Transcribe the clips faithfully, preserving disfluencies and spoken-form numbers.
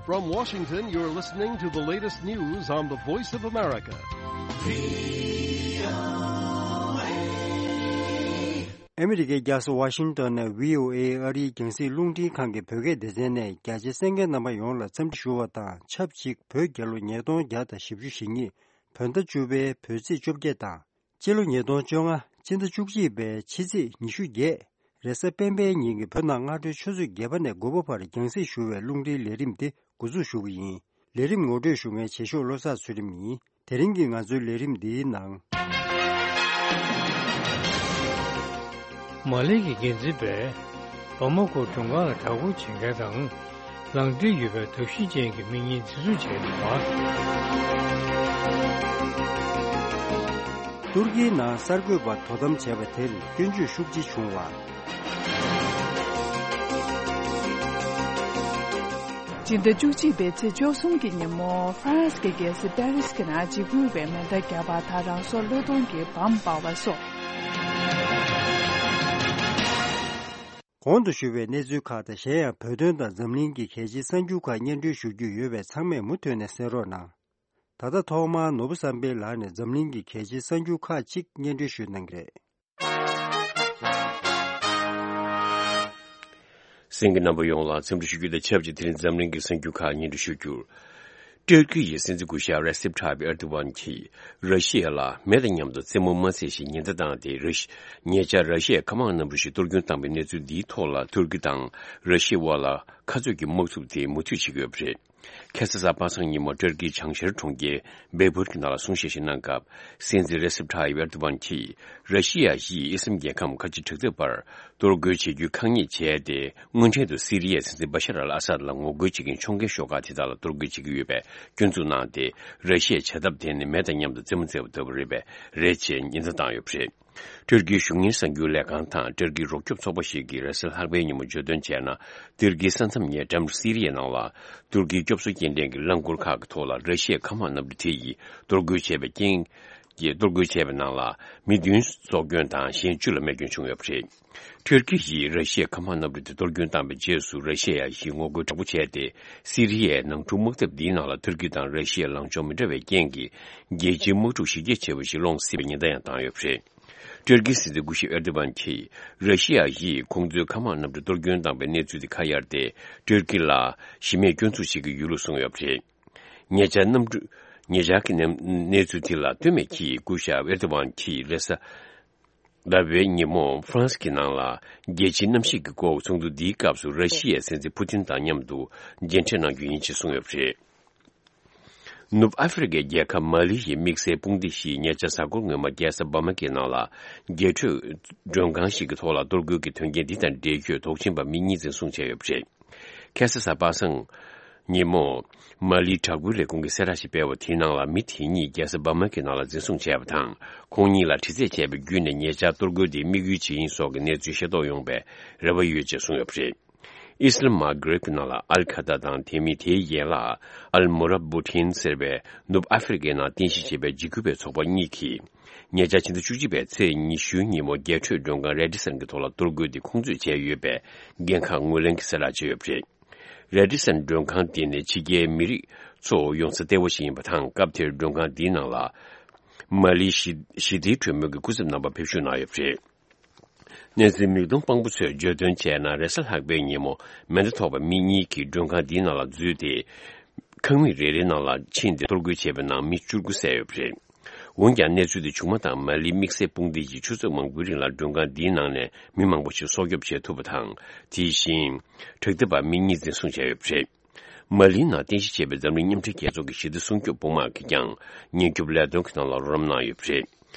From Washington, you're listening to the latest news on the Voice of America. ཨ་མི་རི་ཀའི་རྒྱལ་ས་ཝ་ཤིང་ཏོན་ནས་བྷི་ཨོ་ཨེ་ཨ་རིའི་རྒྱང་སྲིང་རླུང་འཕྲིན་ཁང་གི་བོད་སྐད་སྡེ་ཚན་ནས་རྒྱ་ཆེ་གསན་མཁན་རྣམ་པ་ཡོངས་ལ་འཚམས་འདྲི་ཞུ་བ་དང་ཆབས་ཅིག་བོད་རྒྱལ་ལོ་ཉིས་སྟོང་བརྒྱ་དང་བཞི་བཅུ་ཞེ་གཉིས་བོད་ཟླ་བཅུ་པའི་བོད་ཚེས་བཅོ་བརྒྱད་དང་། སྤྱི་ལོ་ཉིས་སྟོང་བཅོ་ལྔ་སྤྱི་ཟླ་བཅུ་གཅིག་པའི་ཕྱི་ཚེས་ཉི་ཤུ་བརྒྱད་རེས་གཟའ་སྤེན་པའི་ཉིན་གྱི་བོད་ནང་སྔ་དྲོའི་ཆུ་ཚོད་བརྒྱད་པ་ནས་དགུ་པ་བར་རྒྱང་སྲིང་ཞུ་བའི་རླུང་འཕྲིན་ལས་རིམ་འདི་འགོ་འཛུགས་ཞུ་གི་ཡིན། ལས་རིམ་ངོ་སྤྲོད་ཞུ་མཁན་བྱེད་ཤོག་བློ་བཟང་ཚུལ་ཁྲིམས་ཡིན། དེ་རིང་གི་ང་ཚོའི་ལས་རིམ་འདིའི་ནང་། མ་ལི་གི་འགན་འཛིན་པས་བ་མ་ཀོ་མགྲོན་ཁང་ལ་བསྒྲགས་སྐུལ་བྱེད་མཁན་དང་། ལག་འབྲེལ་ཡོད་པའི་གདུག་ཤིང་ཅན་གྱི་མི་གཉིས་འཛིན་བཟུང་བྱས་ཡོད་པ། ཏུར་ཀིའི་ནང་གསར་འགོད་པ་དོ་དམ་བྱས་པ་དེར་སྐྱོན་བརྗོད་ཤུགས་ཆེ་བྱུང་བ། སྤྱི་ཟླ་བཅུ་གཅིག་པའི་ཚེས་བཅུ་གསུམ་གྱི་ཉིན་མོ་ཧྥ་རན་སི་གི་རྒྱལ་ས་པེ་རིས་ཀྱི་ནང་འཇིགས་སྐུལ་བའི་མེ་མདའ་བརྒྱབ་པ་དང་རང་སྲོག་བློས་གཏོང་གི་བམ་སྤར་བ་སོགས། གོང་དུ་ཞུས་པའི་གནས་ཚུལ་ཁག་དང་གཞན་ཡང་བོད་དོན་དང་འཛམ་གླིང་གི་གལ་ཆེའི་གསར་འགྱུར་ཁག་སྙན་སྒྲོན་ཞུ་རྒྱུ་ཡོད་པས་ཚང་མས་མུ་མཐུད་ནས་གསན་རོགས་གནང་། ད་ལྟ་ཐོག་མར་ནོར་བུ་བསམ་འཕེལ་ལགས་ནས་འཛམ་གླིང་གི་གལ་ཆེའི་གསར་འགྱུར་ཁག་ཅིག་སྙན་སྒྲོན་ཞུ་གནང་གི་རེད། གསན་མཁན་རྣམ་པ་ཡོངས་ལ་འཚམས་འདྲི་ཞུ་རྒྱུ་དང་ཆབས་ཅིག་དེ་རིང་འཛམ་གླིང་གི་གསར་འགྱུར་ཁག་སྙན་སྒྲོན་ཞུ་རྒྱུར། ཏུར་ཀི་ཡི་སྲིད་འཛིན་སྐུ་ཞབས་རེ་སེབ་ཐཱ་ཡིབ་ཨེར་དོ་ཝན་གྱིས་ར་ཤི་ཡ་ལ་མེ་དང་མཉམ་དུ་རྩེད་མོ་མ་རྩེ་ཞེས་ཉེན་བརྡ་བཏང་སྟེ། ར་ཤི་ཉེ་ཆར་ར་ཤི་ཡའི་མཁའ་དམག་གནམ་གྲུ་ཞིག་གཏོར་སྐྱོན་བཏང་བའི་གནས་ཚུལ་འདིའི་ཐོག་ལ་ཏུར་ཀི་དང་ར་ཤི་ཡའི་དབར་ལ་ཁ་རྩོད་ཀྱི་དམག་འཁྲུག་དེ་མུ་མཐུད་བྱེད་ཀྱི་ཡོད་པ་རེད། ཁ་སང་གཟའ་པ་སངས་ཉིན་མོ་ཏུར་ཀིའི་བྱང་ཤར་གྲོང་ཁྱེར་བེ་བུར་གྱི་ནང་ལ་གསུང་བཤད་ཞིག་གནང་སྐབས། སྲིད་འཛིན་རེ་སེབ་ཐཱ་ཡིབ་ཨེར་དོ་ཝན་གྱིས་ར་ཤི་ཡ་ཡིས་ཨི་སི་ལམ་རྒྱལ་ཁམས་ཁ་ཆེ་དྲག་འཐབ་པར་གཏོར་རྒོལ་བྱེད་རྒྱུའི་ཁ་ཉེས་བྱས་ཏེ། དངོས་འབྲེལ་དུ་སི་རི་ཡའི་སྲིད་འཛིན་བ་ཤར་ཨལ་ཨ་སཱད་ལ་ངོ་རྒོལ་བྱེད་མཁན་ཕྱོགས་འགལ་ཤོག་ཁག་དེ་དག་ལ་གཏོར་རྒོལ་བྱེད་ཀྱི་ཡོད་པའི་སྐྱོན་འཛུགས་གནང་སྟེ། ར་ཤི་ཡའི་བྱ་ཐབས་དེ་ནི་མེ་དང་མཉམ་དུ་རྩེད་མོ་རྩེ་བ་ལྟ་བུ་རེད་པས། རེད་ཅེས་ཉེན་བརྡ་བཏང་ཡོད་པ་རེད། ཏུར་ཀིའི་གཞུང་གཉེར་གསར་འགྱུར་ལས་ཁང་དང་ཏུར་ཀིའི་རོགས་སྐྱོབ་ཚོགས་པ་ཞིག་གིས་རེས་གཟའ་ལྷག་པའི་ཉིན་མོ་བརྗོད་དོན་བྱས་ན། ཏུར་ཀིའི་ས་མཚམས་ཉེ་འགྲམ་སི་རི་ཡའི་ནང་ལ་ཏུར་ཀིའི་སྐྱོབ་གསོ་སྐྱེལ་འདྲེན་གྱི་རླངས་འཁོར་ཁག་གི་ཐོག་ལ་ར་ཤི་ཡའི་མཁའ་དམག་གནམ་གྲུ་དེ་ཡིས་གཏོར་རྒོལ་བྱས་པའི་རྐྱེན་གྱིས། གཏོར་རྒོལ་བྱས་པའི་ནང་ལ་མི་བདུན་སྲོག་སྐྱོན་དང་གཞན་བཅུ་ལ་རྨས་སྐྱོན་བྱུང་ཡོད་པ་རེད། ཏུར་ཀི་ཡིས་ར་ཤི་ཡའི་མཁའ་དམག་གནམ་གྲུ་དེ་གཏོར་སྐྱོན་བཏང་བའི་རྗེས་སུ་ར་ཤི་ཡ་ཡིས་ངོ་རྒོལ་དྲག་པོ་བྱས་ཏེ། སི་རི་ཡའི་ནང་འཁྲུག་དམག་འཐབ་འདིའི་ནང་ལ་ཏུར་ཀི་དང་ར་ཤི་ཡའི་ལངས་ཕྱོགས་མི་འདྲ་བའི་རྐྱེན་གྱིས་རྒྱལ་སྤྱིའི་དམག་འཁྲུག་གཞི་རྒྱ་ཆེ་བ་ཞིག་སློང་སྲིད་པའི་ཉེན་བརྡ་ཡང་བཏང་ཡོད་པ་རེད། ཏུར་ཀིའི་སྲིད་འཛིན་སྐུ་ཞབས་ཨེར་དོ་ཝན་གྱིས་ར་ཤི་ཡ་ཡིས་ཁོང་ཚོའི་མཁའ་དམག་གནམ་གྲུ་གཏོར་སྐྱོན་བཏང་བའི་གནས་ཚུལ་དེ་ཁ་གཡར་ཏེ། ཏུར་ཀི་ལ་གཞི་མེད་སྐྱོན་འཛུགས་བྱེད་ཀྱི་ཡོད་ལུགས་གསུངས་ཡོད་པ་རེད། ཉེ་ཆར་གནམ་གྲུ། ཉེ་ཆར་གྱི་གནས་གནས་ཚུལ་དེ་ལ་ལྟོས་མེད་ཀྱིས་སྐུ་ཞབས་ཨེར་དོ་ཝན་གྱིས་རེས་གཟའ་ཟླ་བའི་ཉིན་མོ་ཧྥ་རན་སི་གི་ནང་ལ་རྒྱལ་སྤྱིའི་གནམ་གཤིས་ཀྱི་སྐོར་ཚོགས་འདུ་འདིའི་སྐབས་སུ་ར་ཤི་ཡའི་སྲིད་འཛིན་ཕུ་ཏིན་དང་མཉམ་དུ་མཇལ་འཕྲད་གནང་རྒྱུ་ཡིན་ཅེས་གསུངས་ཡོད་པ་རེད། ནུབ་ཨ་ཧྥེ་རི་ཁའི་རྒྱལ་ཁབ་མ་ལི་ཡི་དམིགས་བསལ་དཔུང་སྡེ་ཞིག་ཉེ་ཆར་གཟའ་འཁོར་སྔོན་མ་རྒྱལ་ས་བ་མ་ཀེའི་ནང་ལ་རྒྱས་སྤྲོས་མགྲོན་ཁང་ཞིག་གི་ཐོག་ལ་གཏོར་རྒོལ་གྱི་དོན་རྐྱེན་འདི་དང་འབྲེལ་ཡོད་དོགས་ཟོན་པ་མི་གཉིས་འཛིན་བཟུང་བྱས་ཡོད་པ་རེད། ཁ་སང་གཟའ་པ་སངས་ཉིན་མོ། མ་ལིའི་དྲག་པོའི་ལས་ཁུངས་ཀྱིས་གསལ་བསྒྲགས་ཤིག་སྤེལ་བ་དེའི་ནང་ལ་མི་དེ་གཉིས་རྒྱལ་ས་བ་མ་ཀེའི་ནང་ལ་འཛིན་བཟུང་བྱས་པ་དང་། ཁོང་གཉིས་ལ་དྲི་རྩད་བྱས་པའི་བརྒྱུད་ནས་ཉེ་ཆར་གཏོར་རྒོལ་དེའི་དམིགས་ཡུལ་ཇི་ཡིན་སོགས་ཀྱི་གནས་ཚུལ་ཤེས་རྟོགས་ཡོང་བའི་རེ་བ་ཡོད་ཅེས་གསུངས་ཡོད་པ་རེད། ཨི་སི་ལམ་མ་གྷ་རིབ་ཀྱི་ནང་ལ་ཨལ་ཁ་ད་དང་དེ་མིན་དེའི་ཡན་ལག་ཨལ་མུ་ར་བུ་ཐིན་ཟེར་བའི་ནུབ་ཨ་ཧྥེ་རི་ཁའི་ནང་རྟེན་གཞི་བྱས་པའི་འཇིགས་སྐུལ་བའི་ཚོགས་པ་གཉིས་ཀྱིས། ཉེ་ཆར་ཕྱི་ཟླ་བཅུ་གཅིག་པའི་ཚེས་ཉི་ཤུའི་ཉིན་མོ་རྒྱས་སྤྲོས་མགྲོན་ཁང་རེ་ཌི་སན་གྱི་ཐོག་ལ་གཏོར་རྒོལ་དེ་ཁོང་ཚོས་བྱས་ཡོད་པའི་འགན་ཁག་ངོས་ལེན་གྱིས་གསལ་བསྒྲགས་བྱས་ཡོད་པ་རེད། རེ་ཌི་སན་མགྲོན་ཁང་དེ་ནི་ཕྱི་རྒྱལ་མི་རིགས་ཚོ་ཡོང་ས་གཏེ་བོ་ཞིག་ཡིན་པ་དང་། སྐབས་དེར་མགྲོན་ཁང་འདིའི་ནང་ལ་མ་ལིའི་ཞི་ཞི་བདེའི་གྲོས་མོལ་གྱི་སྐུ་ཚབ་རྣམ་པ་ཕེབས་ཞུགས་གནང་ཡོད་པ་རེད། གནས་ཚུལ་མིག་མཐོང་དཔང་པོ་ཚོས་བརྗོད་དོན་བྱས་ན། རེས་གཟའ་ལྷག་པའི་ཉིན་མོ་མེ་མདའ་ཐོགས་པ་མི་གཉིས་ཀྱིས་མགྲོན་ཁང་འདིའི་ནང་ལ་འཛུལ་ཏེ། ཁང་མིག་རེ་རེའི་ནང་ལ་ཕྱིན་ཏེ་གཏོར་རྒོལ་བྱས་པའི་ནང་མི་བཅུ་དགུ་བསད་ཡོད་པ་རེད། འོན་ཀྱང་གནས་ཚུལ་དེ་བྱུང་མ་ཐག་མ་ལིའི་དམིགས་བསལ་དཔུང་སྡེ་ཡིས་ཆུ་ཚོད་མང་པོའི་རིང་ལ་མགྲོན་ཁང་འདིའི་ནང་ནས་མི་མང་པོ་ཞིག་སྲོག་སྐྱོབ་བྱེད་ཐུབ་པ་དང་། དེ་བཞིན་དྲག་འཐབ་པ་མི་གཉིས་འཛིན་བཟུང་བྱས་ཡོད་པ་རེད། མ་ལིའི་ནང་རྟེན་གཞི་བྱས་པའི་འཛམ་གླིང་མཉམ་འབྲེལ་རྒྱལ་ཚོགས་ཀྱི་ཞི་བདེ་སྲུང་སྐྱོབ་དཔུང་དམག་གིས་ཀྱང་ཉེན་སྐྱོབ་ལས་དོན་གྱི་ནང་ལ་རོགས་རམ་གནང་ཡོད་པ་རེད།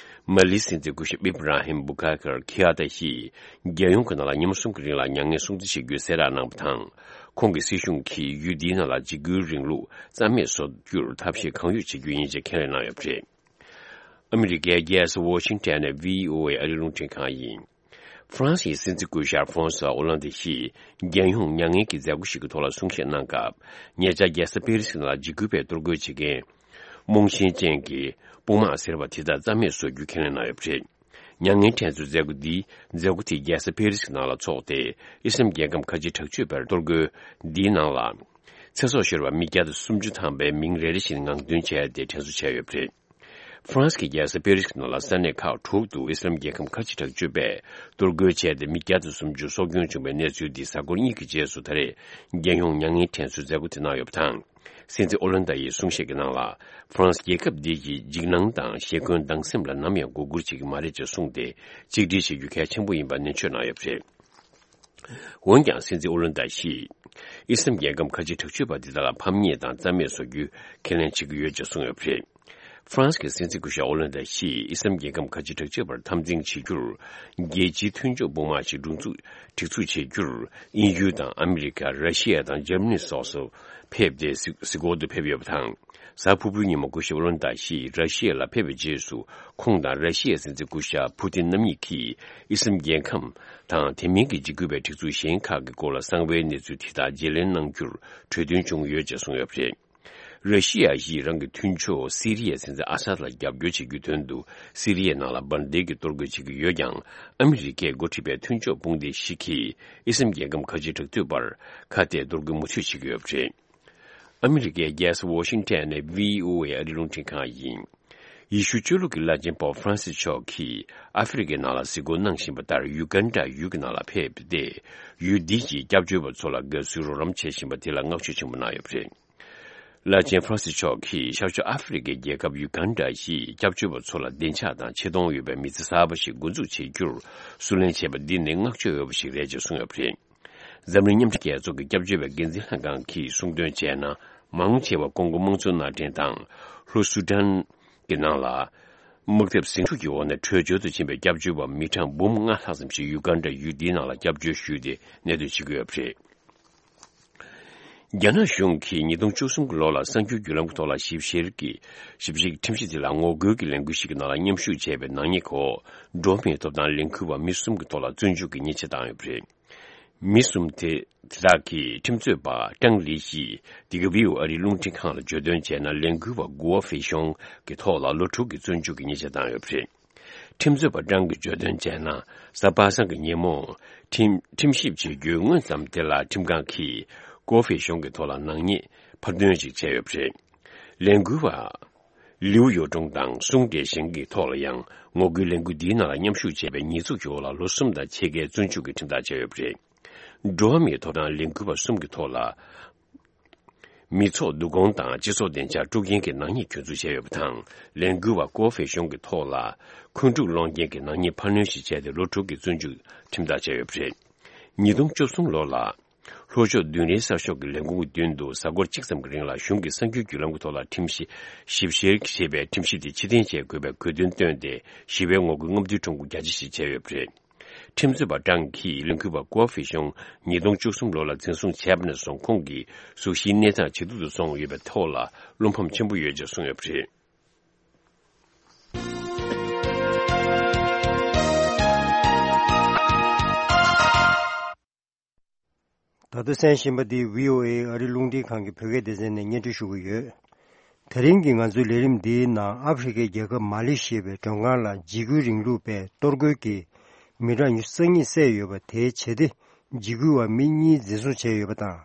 མ་ལིའི་སྲིད་འཛིན་སྐུ་ཞབས་ཨིབ་ར་ཧིམ་བུ་ཁ་ཁར་ཁི་ཨ་ཏཱ་ཡིས་རྒྱལ་ཡོངས་ཀྱི་ནང་ལ་ཉིན་མོ་གསུམ་གྱི་རིང་ལ་མྱ་ངན་སྲུང་བརྩི་བྱེད་རྒྱུའི་གསལ་བསྒྲགས་གནང་བ་དང་། ཁོང་གི་སྲིད་གཞུང་གིས་ཡུལ་འདིའི་ནང་ལ་འཇིགས་སྐུལ་རིང་ལུགས་རྩ་མེད་བཟོ་རྒྱུར་ཐབས་ཤེས་གང་ཡོད་བྱེད་རྒྱུ་ཡིན་ཅེས་ཁས་ལེན་གནང་ཡོད་པ་རེད། ཨ་མི་རི་ཀའི་རྒྱལ་ས་ཝོ་ཤིང་ཊོན་ནས་བྷི་ཨོ་ཨེ་ཨ་རིའི་རླུང་འཕྲིན་ཁང་ཡིན། ཧྥ་རན་སིའི་སྲིད་འཛིན་སྐུ་ཞབས་ཧྥོང་སུ་ཨོ་ལན་ཏི་ཡིས་རྒྱལ་ཡོངས་མྱ་ངན་གྱི་མཛད་སྒོ་ཞིག་གི་ཐོག་ལ་གསུང་བཤད་གནང་སྐབས། ཉེ་ཆར་རྒྱལ་ས་པེ་རི་སི་ནང་ལ་འཇིགས་སྐུལ་བའི་གཏོར་རྒོལ་བྱེད་མཁན་རྨོངས་ཞེན་ཅན་གྱི་དཔུང་དམག་ཟེར་བ་དེ་དག་རྩ་མེད་བཟོ་རྒྱུ་ཁས་ལེན་གནང་ཡོད་པ་རེད། མྱ་ངན་འཕྲད་ཚུལ་མཛད་སྒོ་འདི་མཛད་སྒོ་དེ་རྒྱལ་ས་པེ་རི་སི་ནང་ལ་འཚོགས་ཏེ། ཨི་སི་ལམ་རྒྱལ་ཁམས་ཁ་ཆེའི་དྲག་སྤྱོད་པའི་གཏོར་རྒོལ་འདིའི་ནང་ལ། ཚེ་སྲོག་ཤོར་བ་མི་བརྒྱ་དང་སུམ་ཅུ་ཐམ་པའི་མིང་རེ་རེ་བཞིན་ངང་སྟོན་བྱས་ཏེ་དྲན་གསོ་བྱས་ཡོད་པ་རེད། ཧྥ་རན་སི་གི་རྒྱལ་ས་པེ་རི་སི་ནང་ལ་ས་གནས་ཁག་དྲུག་ཏུ་ཨི་སི་ལམ་རྒྱལ་ཁམས་ཁ་ཆེ་དྲག་སྤྱོད་པས་གཏོར་རྒོལ་བྱས་ཏེ་མི་བརྒྱ་དང་སུམ་ཅུ་སྲོག་སྐྱོན་བྱུང་བའི་གནས་ཚུལ་འདི་གཟའ་འཁོར་གཉིས་ཀྱི་རྗེས་སུ་ད་རེས་རྒྱལ་ཡོངས་མྱ་ངན་དྲན་གསོའི་མཛད་སྒོ་དེ་གནང་ཡོད་པ་དང་། སྲིད་འཛིན་ཨོ་ལན་ཏ་ཡིས་གསུང་བཤད་ཀྱི་ནང་ལ། ཧྥ་རན་སི་རྒྱལ་ཁབ་འདི་གི་འཇིགས་སྣང་དང་ཞེ་འཁོན་སྡང་སེམས་ལ་ནམ་ཡང་མགོ་སྒུར་བྱེད་ཀྱི་མ་རེད་ཅེས་གསུངས་ཏེ། གཅིག་སྒྲིལ་བྱེད་རྒྱུ་གལ་ཆེན་པོ་ཡིན་པ་ནན་བརྗོད་གནང་ཡོད་པ་རེད། འོན་ཀྱང་། སྲིད་འཛིན་ཨོ་ལན་ཏ་ཞིས་ཨི་སི་ལམ་རྒྱལ་ཁམས་ཁ་ཆེ་དྲག་སྤྱོད་པ་འདི་དག་ལ་ཕམ་ཉེས་དང་རྩ་མེད་བཟོ་རྒྱུའི་ཁས་ལེན་བྱེད་ཀྱི་ཡོད་ཅེས་གསུངས་ཡོད་པ་རེད། ཧྥ་རན་སི་གི་སྲིད་འཛིན་སྐུ་ཞབས་ཨོ་ལན་ཏ་ཞིས་ཨི་སི་ལམ་རྒྱལ་ཁམས་ཁ་ཆེ་དྲག་སྤྱོད་པར་འཐབ་འཛིང་བྱེད་རྒྱུར། རྒྱལ་སྤྱིའི་མཐུན་ཕྱོགས་དཔུང་དམག་ཅིག་སྒྲིག་འཛུགས་སྒྲིག་འཛུགས་བྱེད་རྒྱུར། དབྱིན་ཡུལ་དང་ཨ་མི་རི་ཀ། ར་ཤི་ཡ་དང་འཇར་མ་ནི་སོགས་སུ་ཕེབས་ཏེ་གཟིགས་གཟིགས་སྐོར་དུ་ཕེབས་ཡོད་པ་དང་། གཟའ་ཕུར་བུའི་ཉིན་མོ་སྐུ་ཞབས་ཨོ་ལན་ཏ་ཞིས་ར་ཤི་ཡ་ལ་ཕེབས་པའི་རྗེས་སུ། ཁོང་དང་ར་ཤི་ཡའི་སྲིད་འཛིན་སྐུ་ཞབས་ཕུ་ཏིན་རྣམ་གཉིས་ཀྱིས་ཨི་སི་ལམ་རྒྱལ་ཁམས་དང་དེ་མིན་གྱི་འཇིགས་སྐུལ་བའི་སྒྲིག་འཛུགས་གཞན་ཁག་གི་སྐོར་ལ་གསང་བའི་གནས་ཚུལ་དེ་དག་བརྗེ་ལེན་གནང་རྒྱུར་གྲོས་མཐུན་བྱུང་ཡོད་ཅེས་གསུངས་ཡོད་པ་རེད། ར་ཤི་ཡ་ཡིས་རང་གི་མཐུན་ཕྱོགས་སི་རི་ཡའི་སྲིད་འཛིན་ཨ་སཱད་ལ་རྒྱབ་སྐྱོར་བྱེད་རྒྱུའི་དོན་དུ་སི་རི་ཡའི་ནང་ལ་འབར་མདེལ་གྱི་གཏོར་རྒོལ་བྱེད་ཀྱི་ཡོད་ཀྱང་། ཨ་མི་རི་ཀས་འགོ་ཁྲིད་པའི་མཐུན་ཕྱོགས་དཔུང་སྡེ་ཞིག་གིས་ཨི་སི་ལམ་རྒྱལ་ཁམས་ཁ་ཆེ་དྲག་སྤྱོད་པར་ཁ་གཏད་གཏོར་རྒོལ་མུ་མཐུད་བྱེད་ཀྱི་ཡོད་པ་རེད། ཨ་མི་རི་ཀའི་རྒྱལ་ས་ཝ་ཤིང་ཊོན་ནས་བྷི་ཨོ་ཨེ་ཨ་རིའི་རླུང་འཕྲིན་ཁང་ཡིན། ཡེ་ཤུ་ཆོས་ལུགས་ཀྱི་བླ་ཆེན་པོབ་ཧྥ་རན་སིས་མཆོག་གིས་ཨ་ཧྥེ་རི་ཁའི་ནང་ལ་གཟིགས་སྐོར་གནང་བཞིན་པ་ལྟར་ཡུ་གན་ཌ་ཡུལ་གྱི་ནང་ལ་ཕེབས་ཏེ། ཡུལ་འདི་ཡི་སྐྱབས་བཅོལ་བ་ཚོ་ལ་དགའ་བསུའི་རོགས་རམ་བྱེད་བཞིན་པ་དེ་ལ་བསྔགས་བརྗོད་ཆེན་པོ་གནང་ཡོད་པ་རེད། བླ་ཆེན་ཧྥ་རན་སིས་མཆོག་གིས་ཤར་ཕྱོགས་ཨ་ཧྥེ་རི་ཁའི་རྒྱལ་ཁབ་ཡུ་གན་ཌ་ཡི་སྐྱབས་བཅོལ་བ་ཚོ་ལ་བདེ་འཇགས་དང་ཆེ་མཐོང་ཡོད་པའི་མི་ཚེ་གསར་པ་ཞིག་འགོ་འཛུགས་བྱེད་རྒྱུར་བསུ་ལེན་བྱས་པ་འདི་ནི་བསྔགས་བརྗོད་འོས་པ་ཞིག་རེད་ཅེས་གསུངས་ཡོད་པ་རེད། འཛམ་གླིང་མཉམ་འབྲེལ་རྒྱལ་ཚོགས་ཀྱི་སྐྱབས་བཅོལ་བའི་འགན་འཛིན་ལྷན་ཁང་གིས་གསུངས་དོན་བྱས་ན། མང་ཆེ་བ་ཀོང་གོ་དམངས་གཙོའི་མནའ་འབྲེལ་དང་། ལྷོ་སུ་ཌན་གྱི་ནང་ལ། དམག་འཐབ་ཟིང་འཁྲུག་གི་འོག་ནས་བྲོས་བྱོལ་དུ་ཕྱིན་པའི་སྐྱབས་བཅོལ་བ་མི་གྲངས་འབུམ་ལྔ་ལྷག་ཙམ་ཞིག་ཡུ་གན་ཌ་ཡུལ་འདིའི་ནང་ལ་སྐྱབས་བཅོལ་ཞུས་ཏེ་གནས་སྡོད་བྱེད་ཀྱི་ཡོད་པ་རེད། རྒྱ་ནག་གཞུང་གིས་ཉིས་སྟོང་བཅུ་གསུམ་གྱི་ལོ་ལ་གསར་འགྱུར་བརྒྱུད་ལམ་གྱི་ཐོག་ལ་ཞིབ་བཤེར་གྱི་ཞིབ་བཤེར་གྱི་ཁྲིམས་གཞི་དེ་ལ་ངོ་རྒོལ་གྱི་ལས་འགུལ་ཞིག་གི་ནང་ལ་མཉམ་ཞུགས་བྱས་པའི་ནག་ཉེས་འོག་འགྲོ་བ་མིའི་ཐོབ་ཐང་ལས་འགུལ་བ་མི་གསུམ་གྱི་ཐོག་ལ་བཙོན་འཇུག་གི་ཉེས་ཆད་བཏང་ཡོད་པ་རེད། མི་གསུམ་དེ་དེ་དག་གིས་ཁྲིམས་རྩོད་པ་ཀྲང་ལི་ཡིས་དེ་ག་བྷི་ཨོ་ཨ་རིའི་རླུང་འཕྲིན་ཁང་ལ་བརྗོད་དོན་བྱས་ན། ལས་འགུལ་བ་གུའོ་ཧྥེ་ཤོང་གི་ཐོག་ལ་ལོ་དྲུག་གི་བཙོན་འཇུག་གི་ཉེས་ཆད་བཏང་ཡོད་པ་རེད། ཁྲིམས་རྩོད་པ་ཀྲང་གིས་བརྗོད་དོན་བྱས་ན། གཟའ་པ་སངས་ཀྱི་ཉིན་མོ་ཁྲིམས་ཁྲིམས་ཞིབ་བྱེད་རྒྱུའི་སྔོན་ཙམ་དེ་ལ་ཁྲིམས་ཁང་གིས་ཀོ་ཧྥེ་ཤོང་གི་ཐོག་ལ་ནག་ཉེས་ཕབ་སྟོན་ཞིག་བྱས་ཡོད་པ་རེད། ལས་འགུལ་བ་ལིའུ་ཡོ་ཀྲུང་དང་སུང་ཀྲེ་ཞན་གྱི་ཐོག་ལ་ཡང་ངོ་རྒོལ་ལས་འགུལ་འདིའི་ནང་ལ་མཉམ་ཞུགས་བྱས་པའི་ཉེས་འཛུགས་ཀྱི་འོག་ལ་ལོ་གསུམ་དང་ཕྱེད་ཀའི་བཙོན་འཇུག་གི་ཁྲིམས་ཐག་བཅད་ཡོད་པ་རེད། འགྲོ་བ་མིའི་ཐོབ་ཐང་ལས་འགུལ་བ་གསུམ་གྱི་ཐོག་ལ། མི་ཚོགས་བསྡུ་སྐོང་དང་སྤྱི་ཚོགས་བདེ་འཇགས་དཀྲུག་རྐྱེན་གྱི་ནག་ཉེས་གྱོད་འཛུགས་བྱས་ཡོད་པ་དང་། ལས་འགུལ་བ་ཀོ་ཧྥེ་ཤོང་གི་ཐོག་ལ་འཁོན་འཁྲུག་སློང་རྐྱེན་གྱི་ནག་ཉེས་ཕབ་ལེན་ཞིག་བྱས་ཏེ་ལོ་དྲུག་གི་བཙོན་འཇུག་ཁྲིམས་ཐག་བཅད་ཡོད་པ་རེད། ཉིས་སྟོང་བཅུ་གསུམ་ལོ་ལ། ལྷོ་ཕྱོགས་མདུན་རིལ་གསར་ཤོག་གི་ལས་ཁུངས་ཀྱི་མདུན་དུ་གཟའ་འཁོར་གཅིག་ཙམ་གྱི་རིང་ལ་གཞུང་གི་གསར་འགྱུར་བརྒྱུད་ལམ་གྱི་ཐོག་ལ་ཁྲིམས་ཞིབ་ཞིབ་བཤེར་བྱེད་པའི་ཁྲིམས་གཞི་དེ་ཕྱིར་འཐེན་བྱེད་དགོས་པའི་དགོས་འདུན་བཏོན་ཏེ་ཞི་བའི་ངོ་རྒོལ་རྔམ་སྟོན་ཁྲོམ་སྐོར་རྒྱ་ཆེ་ཞིག་བྱས་ཡོད་པ་རེད། ཁྲིམས་རྩོད་པ་ཀྲང་གིས་ལས་འགུལ་བ་ཀོ་ཧྥེ་ཤོང་ཉིས་སྟོང་བཅུ་གསུམ་ལོ་ལ་འཛིན་བཟུང་བྱས་པ་ནས་བཟུང་ཁོང་གི་གཟུགས་གཞིའི་གནས་སྟངས་ཇེ་སྡུག་ཏུ་སོང་ཡོད་པའི་ཐོག་ལ་བློ་ཕམ་ཆེན་པོ་ཡོད་ཅེས་གསུངས་ཡོད་པ་རེད། ད་ལྟ་གསན་བཞིན་པ་འདི་བྷི་ཨོ་ཨེ་ཨ་རི་རླུང་འཕྲིན་ཁང་གི་བོད་སྐད་སྡེ་ཚན་ནས་སྙན་སྒྲོན་ཞུ་གི་ཡོད། དེ་རིང་གི་ང་ཚོའི་ལས་རིམ་འདིའི་ནང་ཨ་ཧྥེ་རི་ཁའི་རྒྱལ་ཁབ་མ་ལེ་ཤི་ཡའི་མགྲོན་ཁང་ལ་འཇིགས་སྐུལ་རིང་ལུགས་པས་གཏོར་རྒོལ་གྱིས་མི་གྲངས་ཉི་ཤུ་རྩ་གཉིས་བསད་ཡོད་པ་དེའི་བྱེད་དེ་འཇིགས་སྐུལ་བ་མི་གཉིས་འཛིན་བཟུང་བྱས་ཡོད་པ་དང་།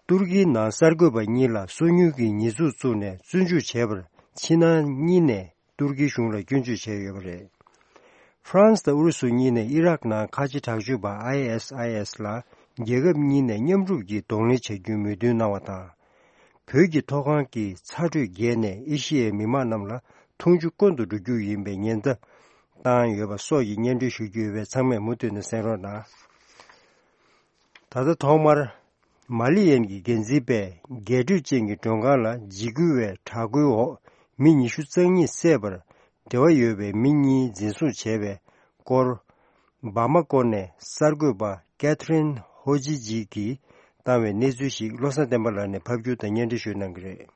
ཏུར་ཀིའི་ནང་གསར་འགོད་པ་གཉིས་ལ་སོ་ཉུལ་གྱི་ཉེས་འཛུགས་བཙུགས་ནས་བཙོན་འཇུག་བྱས་པར་ཕྱི་ནང་གཉིས་ནས་ཏུར་ཀིའི་གཞུང་ལ་སྐྱོན་བརྗོད་བྱས་ཡོད་པ་རེད། ཧྥ་རན་སི་དང་ཨུ་རུ་སུ་གཉིས་ནས་ཨི་རག་ནང་ཁ་ཆེ་དྲག་སྤྱོད་པ་ཨའི་ཨེས་ཨའི་ཨེས་ལ་རྒྱལ་ཁབ་གཉིས་ནས་མཉམ་རུབ་ཀྱིས་གདོང་ལེན་བྱ་རྒྱུའི་མོས་མཐུན་གནང་བ་དང་། བོད་ཀྱི་ཐོག་ཁང་གི་ཚ་དྲོད་རྒྱས་ནས་ཨེ་ཤི་ཡའི་མི་དམངས་རྣམས་ལ་འཐུང་ཆུ་དཀོན་དུ་འགྲོ་རྒྱུ་ཡིན་པའི་ཉེན་བརྡ་བཏང་ཡོད་པ་སོགས་ཀྱི་སྙན་སྒྲོན་ཞུ་རྒྱུ་ཡོད་པས་ཚང་མས་མུ་མཐུད་ནས་གསན་རོགས་གནང་། ད་ལྟ་ཐོག་མར། མ་ལི་ཡན་གྱི་འགན་འཛིན་པས་རྒྱས་སྤྲོས་ཅན་གྱི་མགྲོན་ཁང་ལ་འཇིགས་སྐུལ་བའི་དྲག་རྒོལ་འོག་མི་ཉི་ཤུ་རྩ་གཉིས་བསད་པར་འབྲེལ་བ་ཡོད་པའི་མི་གཉིས་འཛིན་བཟུང་བྱས་པའི་སྐོར། བ་མ་ཀོ་ནས་གསར་འགོད་པ་ཀེ་ཐི་རིན་ཧོ་ཇི་ཇི་གིས་བཏང་བའི་གནས་ཚུལ་ཞིག་བློ་བཟང་བསྟན་པ་ལགས་ནས་ཕབ་སྒྱུར་དང་སྙན་སྒྲོན་ཞུ་གནང་གི་རེད།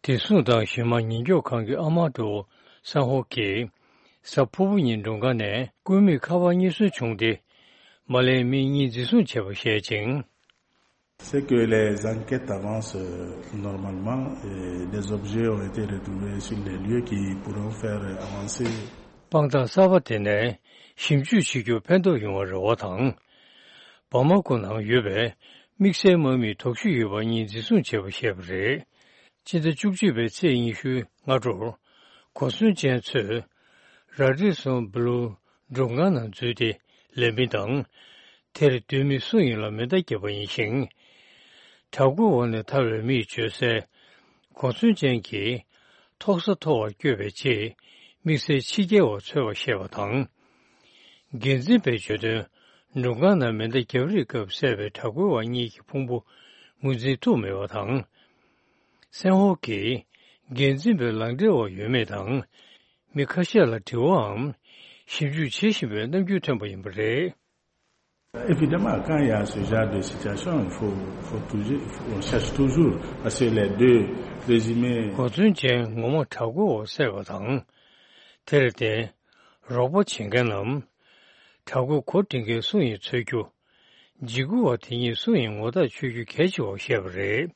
དེ་སྲུང་དང་གཞུང་མང་ཉེན་སྐྱོབ་ཁང་གི་ཨ་མ་ཏོ་སན་ཧོ་ཀྱིས་གཟའ་ཕུར་བུ་ཉིན་མགྲོན་ཁང་ནས་སྐུད་མེད་ཁ་པར་རྙེད་སོན་བྱུང་སྟེ། མ་ལེན་མི་གཉིས་འཛིན་བཟུང་བྱས་པ་བཤད་ཅིང་། C'est que les enquêtes avancent, euh, normalement et des objets ont été retrouvés sur les lieux qui pourront faire avancer. དཔང་རྟགས་གསར་པ་དེ་ནས་ཞིབ་འཇུག་བྱེད་རྒྱུར་ཕན་ཐོགས་ཡོང་བར་རེ་བ་དང་། བ་མ་ཀོ་ནང་ཡོད་པའི་ དམིགས་བསལ་དམག་མིའི་དོགས་གཞི་ཡོད་པ་གཉིས་འཛིན་བཟུང་བྱས་པ་བཤད་པ་རེད། སྤྱི་ཟླ་བཅུ་གཅིག་པའི་ཚེས་ཉི་ཤུའི་སྔ་དྲོར། གོ་མཚོན་ཅན་ཚོས་ར་ཌི་སོན་བྷུ་ལུ་མགྲོན་ཁང་ནང་འཛུལ་ཏེ་ལེན་མི་དང་། དེར་སྡོད་མི་སུ་ཡིན་ལ་མེ་མདའ་བརྒྱབ་པ་ཡིན་ཞིང་། བྲག་བརྐོས་འོག་ནས་ཐར་བའི་མིས་བརྗོད་གསལ། གོ་མཚོན་ཅན་གྱིས་ཐོག་ས་མཐོ་བར་བསྐྱོད་པའི་རྗེས། དམིགས་བསལ་ཕྱི་རྒྱལ་བ་འཚོལ་བར་བཤད་པ་དང་། འགན་འཛིན་པས་བརྗོད་དོན། མགྲོན་ཁང་ནང་མེ་མདའ་རྒྱབ་རེས་སྐབས་བསད་པའི་བྲག་བརྐོས་བ་གཉིས་ཀྱི་ཕུང་པོ་ངོས་འཛིན་ཐུབ་མེད་པ་དང་། སན་ཧོ་གིས་འགན་འཛིན་པའི་ལག་འབྲེལ་བ་ཡོད་མེད་དང་། མི་ཁ་ཤས་ལ་དྲི་བའམ་ཞིབ་འཇུག་བྱེད་བཞིན་པའི་རྣམ་འགྱུར་ཐོན་པ་ཡིན་པ་རེད། Évidemment, quand il y a ce genre de situation, il faut, faut toujours, il faut, on cherche toujours, parce que les deux présumés. གོ་མཚོན་ཅན་ངོ་མ་བྲག་བརྐོས་འོག་བསད་པ་དང་། དེར་བརྟེན། རོགས་པ་བྱེད་མཁན་ནམ། བྲག་བརྐོས་འགོ་འདྲེན་མཁན་སུ་ཡིན་འཚོལ་རྒྱུ། འཇིགས་སྐུལ་བ་དེ་གཉིས་སུ་ཡིན་ངོ་ཐག་ཆོད་རྒྱུ་གལ་ཆེ་བ་བཤད་པ་རེད།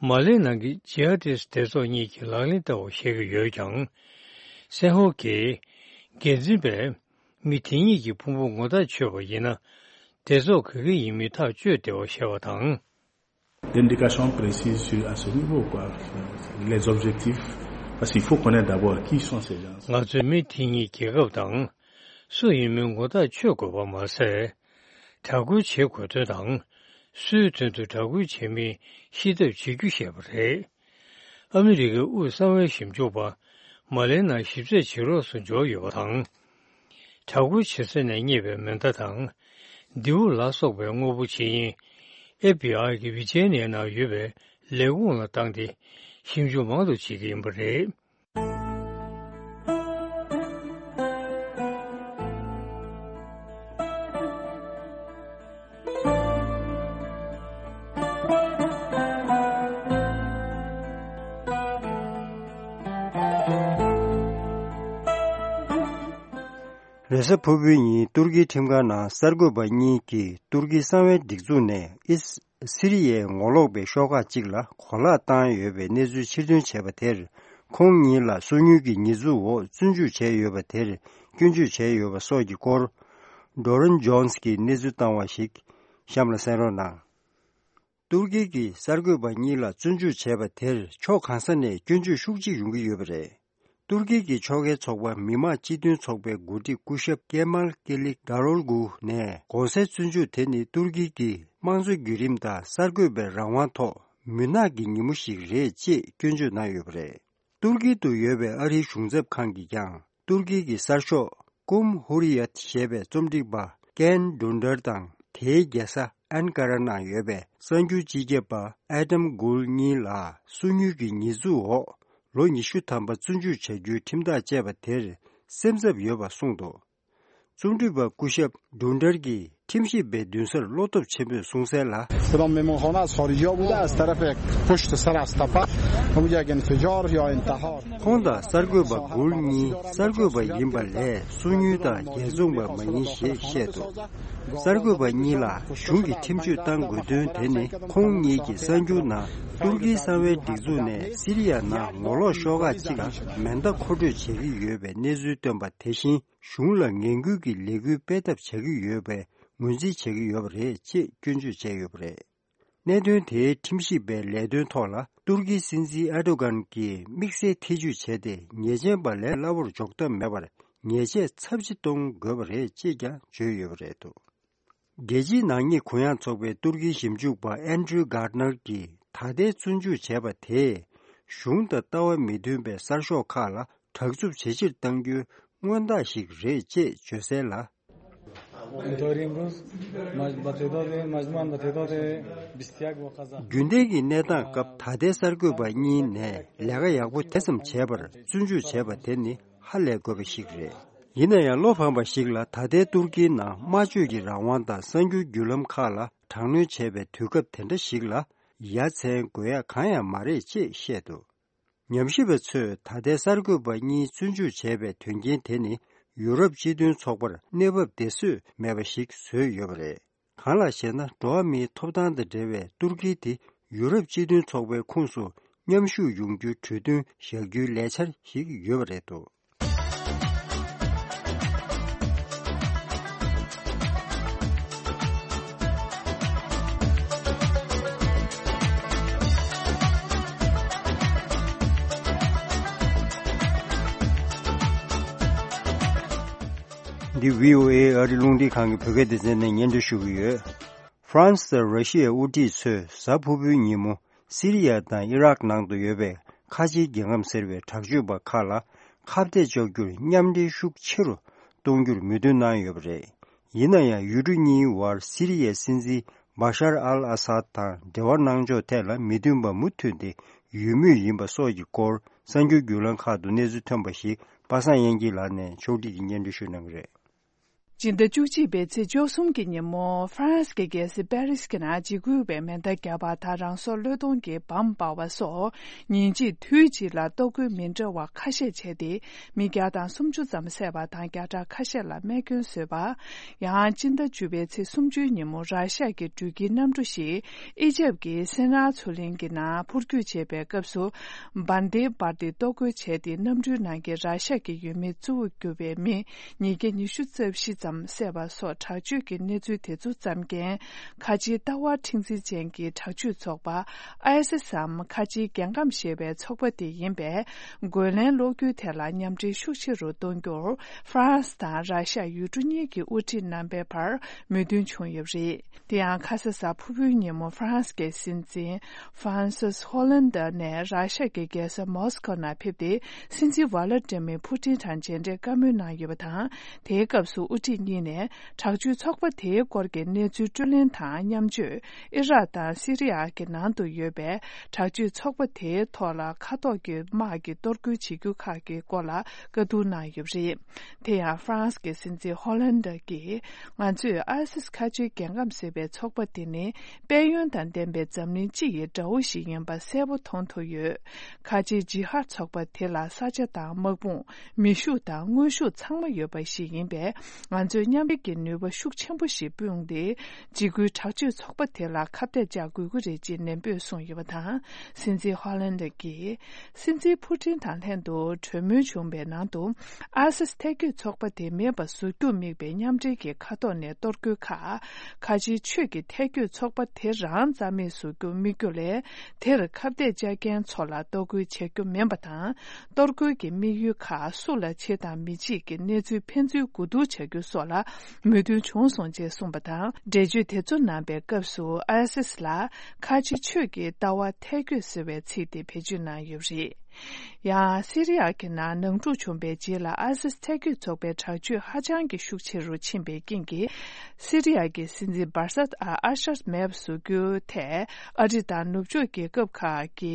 མ་ལེ་ནང་གི་ཇི་ཧ་ཏིས་སྡེ་ཚོགས་གཉིས་ཀྱིས་ལག་ལེན་བསྟར་བ་བཤད་ཀྱི་ཡོད་ཀྱང་། སན་ཧོ་གིས་འགན་འཛིན་པས་མི་དེ་གཉིས་ཀྱི་ཕུང་པོ་ངོ་ཐག་ཆོད་པ་ཡིན་ན། སྡེ་ཚོགས་ག་གི་ཡིན་མིན་ཐག་གཅོད་བདེ་བ་བཤད་པ་དང་། D'indications précises sur, à ce niveau, quoi. Les objectifs, parce qu'il faut connaître d'abord qui sont ces gens. ང་ཚོས་མི་དེ་གཉིས་རྒྱལ་ཁབ་དང་སུ་ཡིན་མིན་ངོ་ཐག་ཆོད་དགོས་པ་མ་ཟད། དྲག་རྒོལ་བྱེད་དགོས་དོན་དང་། སུའི་དོན་དུ་དྲག་རྒོལ་བྱེད་མིན་ཤེས་ཐབས་བྱེད་རྒྱུ་ཞེས་པ་རེད། ཨ་མི་རི་ཀའི་དབུས་གསང་བའི་ཞིབ་འཇུག་པ་མ་ལེ་ན་ཞིབ་དཔྱད་བྱེད་རོགས་སུ་འབྱོར་ཡོད་པ་དང་། དྲག་རྒོལ་བྱེད་ས་ནས་རྙེད་པའི་མེ་མདའ་དང་། མདེའུ་ལ་སོགས་པའི་དངོས་པོ་ཇི་ཡིན། ཨེཕ་བི་ཨའི་གི་ཝི་ཇི་ཨེན་ཨེལ་ནང་ཡོད་པའི་ལས་ཁུངས་ལ་བཏང་སྟེ་ཞིབ་འཇུག་མང་དུ་བྱེད་ཀྱི་ཡིན་པ་རེད། རེས་གཟའ་ཕུར་བུའི་ཉིན་ཏུར་ཀིའི་ཁྲིམས་ཁང་ནང་གསར་འགོད་པ་གཉིས་ཀྱིས་ཏུར་ཀིའི་གསང་བའི་སྒྲིག་འཛུགས་ནས་ཨིས། སི་རི་ཡའི་ངོ་ལོག་པའི་ཤོག་ཁག་ཅིག་ལ་གོ་ལག་བཏང་ཡོད་པའི་གནས་ཚུལ་ཕྱིར་འདོན་བྱས་པ་དེར། ཁོང་ཉིད་ལ་སོ་ཉུལ་གྱི་ཉེས་འཛུགས་འོག་བཙོན་འཇུག་བྱས་ཡོད་པ་དེར་སྐྱོན་བརྗོད་བྱས་ཡོད་པ་སོགས་ཀྱི་སྐོར། ཌོ་རན་ཇོན་སི་གིས་གནས་ཚུལ་བཏང་བ་ཞིག་གཤམ་ལ་གསན་རོགས་གནང་། ཏུར་ཀི་གིས་གསར་འགོད་པ་གཉིས་ལ་བཙོན་འཇུག་བྱས་པ་དེར་ཕྱོགས་གང་ས་ནས་སྐྱོན་བརྗོད་ཤུགས་ཆེ་ཡོང་གི་ཡོད་པ་རེད། ཏུར་ཀི་གི་ཕྱོགས་འགལ་ཚོགས་པ་མི་དམངས་སྤྱི་མཐུན་ཚོགས་པའི་འགོ་ཁྲིད་སྐུ་ཞབས་ཀེ་མཱལ་ཀེ་ལིག་དཱ་རོལ་གུ་ནས་གོང་གསལ་བཙོན་འཇུག་དེ་ནི་ཏུར་ཀི་གི་དམངས་གཙོ་བརྒྱུད་རིམ་དང་གསར་འགོད་པའི་རང་དབང་ཐོག་མུན་ནག་གི་ཉིན་མོ་ཞིག་རེད་ཅེས་སྐྱོན་བརྗོད་གནང་ཡོད་པ་རེད། ཏུར་ཀི་དུ་ཡོད་པའི་ཨ་རིའི་གཞུང་ཚབ་ཁང་གིས་ཀྱང་ཏུར་ཀི་གི་གསར་ཤོག་ཀུམ་ཧུ་རི་ཡད་ཞེས་པའི་རྩོམ་སྒྲིག་པ་ཀན་ཌུན་ཌར་དང་དེའི་རྒྱལ་ས་ཨན་ཀ་ར་ནང་ཡོད་པའི་གསར་འགྱུར་སྤྱི་ཁྱབ་པ་ཨེ་ཌམ་གུལ་གཉིས་ལ་སོ་ཉུལ་གྱི་ཉེས་འཛུགས་འོག་ལོ་ཉི་ཤུ་ཐམ་པ་བཙོན་འཇུག་བྱ་རྒྱུའི་ཁྲིམས་ཐག་བཅད་པ་དེར་སེམས་འཚབ་ཡོད་པ་གསུངས་འདུག་རྩོམ་སྒྲིག་པ་སྐུ་ཞབས་ཌུན་ཌར་གྱིས་ཁྲིམས་ཞིབ་པའི་མདུན་སར་བློ་སྟོབས་ཆེན་པོས་གསུངས་གསལ་ལ། Sedan mehmonxona sor yo bûda, ez terefê pişt ser asta pa, hemûya gene sicar ya intihar. ཁོང་དང་གསར་འགོད་པ་གུལ་གཉིས་གསར་འགོད་པ་ཡིན་པ་ལས་སོ་ཉུལ་དང་རྒྱལ་བཙོང་པ་མ་ཡིན་ཞེས་བཤད་འདུག་གསར་འགོད་པ་གཉིས་ལ་གཞུང་གིས་ཁྲིམས་གཅོད་གཏང་དགོས་དོན་དེ་ནི་ཁོང་གཉིས་ཀྱིས་གསར་འགྱུར་ནང་ཏུར་ཀིའི་གསང་བའི་སྒྲིག་འཛུགས་ནས་སི་རི་ཡ་ནང་ངོ་ལོག་ཤོག་ཁག་ཅིག་ལ་མེ་མདའ་མཁོ་སྤྲོད་བྱེད་ཀྱི་ཡོད་པའི་གནས་ཚུལ་བཏོན་པ་དེ་བཞིན། གཞུང་ལ་ངན་སྐུལ་གྱི་ལས་འགུལ་སྤེལ་ཐབས་བྱ་གི་ཡོད་པའི་ངོས་འཛིན་བྱེད་ཀྱི་ཡོད་པ་རེད་ཅེས་སྐྱོན་བརྗོད་བྱས་ཡོད་པ་རེད། གནད་དོན་དེའི་ཁྲིམས་ཞིབ་པའི་ལས་དོན་ཐོག་ལ་ཏུར་ཀིའི་སྲིད་འཛིན་ཨེར་ཏོ་གྷན་གྱིས་དམིགས་བསལ་ཐེ་ཇུས་བྱས་ཏེ་ཉེས་ཅན་པ་ལས་སླ་བོར་འཇོག་ཐབས་མེད་པར་ཉེས་ཆད་ཚབས་ཆེ་གཏོང་དགོས་པ་རེད་ཅེས་ཀྱང་བརྗོད་ཡོད་པ་རེད་འདུག་རྒྱལ་སྤྱིའི་ནག་ཉེས་གུ་ཡངས་ཚོགས་པའི་ཏུར་ཀིའི་ཞིབ་འཇུག་པ་ཨན་ཌྲུ་གྷར་ནར་གྱིས་ད་ལྟའི་བཙོན་འཇུག་བྱས་པ་དེས་གཞུང་དང་ལྟ་བ་མི་མཐུན་པའི་གསར་ཤོག་ཁག་ལ་དྲག་རྩུབ་ཇེ་ཆེར་གཏང་རྒྱུའི་མངོན་རྟགས་ཤིག་རེད་ཅེས་བརྗོད་གསལ་ལ། Intorim ruz, maj-, ba tedote, majmuan ba tedote bistyak bo qaza. རྒྱུན་ལྡན་གྱི་གནས་སྟངས་སྐབས་ད་ལྟའི་གསར་འགོད་པ་གཉིས་ནས་ལས་ཀ་ཡག་པོ་དེ་ཙམ་བྱས་པར་བཙོན་འཇུག་བྱས་པ་དེ་ནི་ཧ་ལས་དགོས་པ་ཞིག་རེད། ཡིན་ན་ཡང་བློ་ཕམ་པ་ཞིག་ལ་ད་ལྟའི་ཏུར་ཀིའི་ནང་སྨྲ་བརྗོད་ཀྱི་རང་དབང་དང་གསར་འགྱུར་བརྒྱུད་ལམ་ཁག་ལ་དྲག་གནོན་བྱས་པའི་དུས་སྐབས་དེ་འདྲ་ཞིག་ལ་ཡ་མཚན་དགོས་ཡ་གང་ཡང་མ་རེད་ཅེས་བཤད་འདུག་ཉམས་ཞིབ་པ་ཚོས་ད་ལྟའི་གསར་འགོད་པ་གཉིས་བཙོན་འཇུག་བྱས་པའི་དོན་རྐྱེན་དེ་ནི་ཡུ་རོབ་སྤྱི་མཐུན་ཚོགས་པར་གནས་བབ་བདེ་བཟོས་མེད་པ་ཞིག་བཟོས་ཡོད་པ་རེད། གང་ལགས་ཤེ་ན། འགྲོ་བ་མིའི་ཐོབ་ཐང་དང་འབྲེལ་བའི་ཏུར་ཀི་དེ་ཡུ་རོབ་སྤྱི་མཐུན་ཚོགས་པའི་ཁོངས་སུ་མཉམ་ཞུགས་ཡོང་རྒྱུའི་གྲོས་མཐུན་བཞག་རྒྱུའི་ལས་འཆར་ཞིག་ཡོད་པ་རེད་འདུག་འདི་བྷི་ཨོ་ཨེ་ཨ་རི་རླུང་འཕྲིན་ཁང་གི་བོད་སྐད་སྡེ་ཚན་ནས་སྙན་སྒྲོན་ཞུ་གི་ཡོད། ཧྥ་རན་སི་དང་ར་ཤི་ཡའི་དབུ་ཁྲིད་ཚོས་གཟའ་ཕུར་བུའི་ཉིན་མོ་སི་རི་ཡ་དང་ཨི་རག་ནང་དུ་ཡོད་པའི་ཁ་ཆེའི་རྒྱལ་ཁམས་ཟེར་བའི་དྲག་སྤྱོད་པ་ཁག་ལ་ཁ་གཏད་གཅོག་རྒྱུར་མཉམ་འབྲེལ་ཤུགས་ཆེ་རུ་གཏོང་རྒྱུར་མོས་མཐུན་གནང་ཡོད་པ་རེད། ཡིན་ན་ཡང་ཡུལ་གྲུ་གཉིས་བར་སི་རི་ཡའི་སྲིད་འཛིན་བ་ཤར་ཨལ་ཨ་སཱད་དང་འབྲེལ་བ་གནང་ཕྱོགས་ཐད་ལ་མི་མཐུན་པ་མུ་མཐུད་དེ་ཡོད་མུས་ཡིན་པ་སོགས་ཀྱི་སྐོར་གསར་འགྱུར་བརྒྱུད་ལམ་ཁག་ཏུ་གནས་ཚུལ་ཐོན་པ་ཞིག་པ་སངས་དབྱངས་སྐྱིད་ལགས་ནས་ཕྱོགས་སྒྲིག་གིས་སྙན་སྒྲོན་ཞུ་གནང་གི་རེད། སྤྱི་ཟླ་བཅུ་གཅིག་པའི་ཚེས་བཅུ་གསུམ་གྱི་ཉིན་མོ་ཧྥ་རན་སི་གི་རྒྱལ་སྲིད་པེ་རི་སི་གི་ནང་འཇིགས་སྐུལ་བའི་མེ་མདའ་བརྒྱབ་པ་དང་རང་སྲོག་བློས་གཏོང་གི་བམ་སྤར་བ་སོགས་ཉིན་གཅིག་དུས་གཅིག་ལ་གཏོར་རྒོལ་མི་འདྲ་བ་ཁ་ཤས་བྱས་ཏེ། མི་བརྒྱ་དང་སུམ་ཅུ་ཙམ་བསད་པ་དང་བརྒྱ་ཕྲག་ཁ་ཤས་ལ་རྨས་སྐྱོན་བཟོས་པ། ཡང་སྤྱི་ཟླ་བཅུ་པའི་ཚེས་སུམ་ཅུའི་ཉིན་མོ་ར་ཤ་གི་འགྲུལ་སྐྱེལ་གནམ་གྲུ་ཞིག་ཨི་ཇེབ་ཀྱི་སེ་ན་མཚོ་གླིང་གི་ནང་འཕུར་སྐྱོད་བྱེད་པའི་སྐབས་སུ་བན་དེ་བར་དེ་གཏོར་རྒོལ་བྱས་ཏེ། གནམ་གྲུའི་ནང་གི་ར་ཤ་གི་ཡུལ་མི་གཙོ་བོར་གྱུར་པའི་མི་ཉིས་བརྒྱ་ཉི་ཤུ་རྩ་བཞི་ཙམ་བསད་པ་སོགས་དྲག་སྤྱོད་ཀྱི་གནས་ཚུལ་དེ་ཚོ་བརྩམས་མཁན་ཁ་ཆེའི་ལྟ་བ་མཁྲེགས་འཛིན་ཅན་གྱི་དྲག་སྤྱོད་ཚོགས་པ་ཨའི་སི་སམ་ཁ་ཆེའི་རྒྱལ་ཁམས་ཞེས་པའི་ཚོགས་པ་དེ་ཡིན་པས། རྒོལ་ལན་སློག་རྒྱུའི་ཐད་ལ་མཉམ་འབྲེལ་ཤུགས་ཆེ་རུ་གཏོང་རྒྱུར་ཧྥ་རན་སི་དང་ར་ཤ་ཡུལ་གྲུ་གཉིས་ཀྱི་དབུ་ཁྲིད་རྣམ་པའི་བར་མོས་མཐུན་བྱུང་ཡོད་པ་རེད། དེ་ཡང་ཁ་ས་གཟའ་ཕུར་བུའི་ཉིན་མོ་ཧྥ་རན་སི་གི་སྲིད་འཛིན་ཧྥ་རན་སིས་ཧོ་ལན་ཌ་ནས་ར་ཤ་གི་རྒྱལ་ས་མོ་སི་ཁོ་ནང་ཕེབས་ཏེ། སྲིད་འཛིན་ཝ་ལ་ཏི་མིར་ཕུ་ཏིན་དང་མཇལ་འཕྲད་བཀའ་མོལ་གནང་ཡོད་པ་དང་། དེའི་སྐབས་སུ་དབུ་ཁྲིད་གཉིས་ནས་དྲག་སྤྱོད་ཚོགས་པ་དེའི་སྐོར་གྱི་གནས་ཚུལ་བཀྲོལ་ལེན་དང་མཉམ་སྤྱོད། ཨི་རག་དང་སི་རི་ཡ་གི་ནང་དུ་ཡོད་པའི་དྲག་སྤྱོད་ཚོགས་པ་དེའི་ཐོག་ལ་མཁའ་ཐོག་གི་དམག་གི་གཏོར་རྒོལ་བྱེད་རྒྱུ་ཁག་གི་སྐོར་ལ་བཀའ་བསྡུར་གནང་ཡོད་པ་རེད། དེ་ཡང་ཧྥ་རན་སི་གི་སྲིད་འཛིན་ཧོ་ལན་ཌ་གིས། ང་ཚོས་ཨའི་སི་སི་ཁ་ཆེའི་རྒྱལ་ཁམས་ཟེར་བའི་ཚོགས་པ་དེ་ནི་དཔལ་ཡོན་དང་ལྡན་པའི་འཛམ་གླིང་སྤྱི་ཡི་དགྲ་བོ་ཞིག་ཡིན་པ་གསལ་པོ་མཐོང་ཐུབ་ཡོད། ཁ་ཆེའི་ཇི་ཧཱད་ཚོགས་པ་དེ་ལ་ས་ཆ་དང་དམག་དཔུང་། མི་ཤུགས་དང་དངོས་ཤུགས་ཚང་མ་ཡོད་པ་ཞིག་ཡིན་པས། ང་ཚོས་མཉམ་འབྲེལ་གྱི་ནུས་པ་ཤུགས་ཆེན་པོ་ཞིག་སྤུངས་ཏེ། འཇིགས་སྐུལ་དྲག་སྤྱོད་ཚོགས་པ་དེ་ལ་ཁ་གཏད་གཅོག་དགོས་ཀྱི་རེད་ཅེས་ནན་པོས་གསུངས་ཡོད་པ་དང་། སྲིད་འཛིན་ཧོ་ལན་ཌ་གིས། སྲིད་འཛིན་ཕུ་ཏིན་དང་ལྷན་དུ་གྲོས་མོལ་བྱུང་བའི་ནང་དུ། ཨའི་སི་སི་ཐལ་སྐྱོད་ཚོགས་པ་དེ་མེད་པ་བཟོ་རྒྱུར་དམིགས་པའི་མཉམ་འབྲེལ་གྱི་མཁའ་ཐོག་ནས་གཏོར་རྒོལ་ཁག་ཁ་ཆེའི་ཆོས་ཀྱི་ཐལ་སྐྱོད་ཚོགས་པ་དེ་རང་རྩ་མེད་བཟོ་རྒྱུར་དམིགས་རྒྱུ་ལས། དེར་ཁ་གཏད་བཅག་མཁན་ཚོ་ལ་གཏོར་རྒོལ་བྱེད་རྒྱུ་མིན་པ་དང་། གཏོར་རྒོལ་གྱི་དམིགས་ཡུལ་ཁག་སུ་ལ་བྱེད་དང་མི་བྱེད་ཀྱི་གནས་ཚུལ་ཕན་ཚུན་གོ་བསྡུར་བྱ་རྒྱུ་སོགས་ལ་མོས་མཐུན་བྱུང་སོང་ཅེས་གསུངས་པ་དང་། འགྲེལ་བརྗོད་དེ་ཚོ་གནང་པའི་སྐབས་སུ། ཨའི་སི་སི་ལ་ཁ་ཆེ་ཆོས་ཀྱི་ལྟ་བ་ཐལ་སྐྱོད་ཟེར་བའི་ཚིག་དེ་བེད་སྤྱོད་གནང་ཡོད་པ་རེད། ཡང་སི་རི་ཡ་གི་ནང་ནང་འཁྲུག་བྱུང་བའི་རྗེས་ལ། ཨའི་སི་སི་ཐལ་སྐྱོད་ཚོགས་པའི་དྲག་སྤྱོད་ཧ་ཅང་གི་ཤུགས་ཆེ་རུ་ཕྱིན་པའི་རྐྱེན་གྱིས། སི་རི་ཡ་གི་སྲིད་འཛིན་བར་སཱད་ཨ་ཨ་ཤར་མེད་པ་བཟོ་རྒྱུའི་ཐད། ཨ་རི་དང་ནུབ་ཕྱོགས་རྒྱལ་ཁབ་ཁག་གི་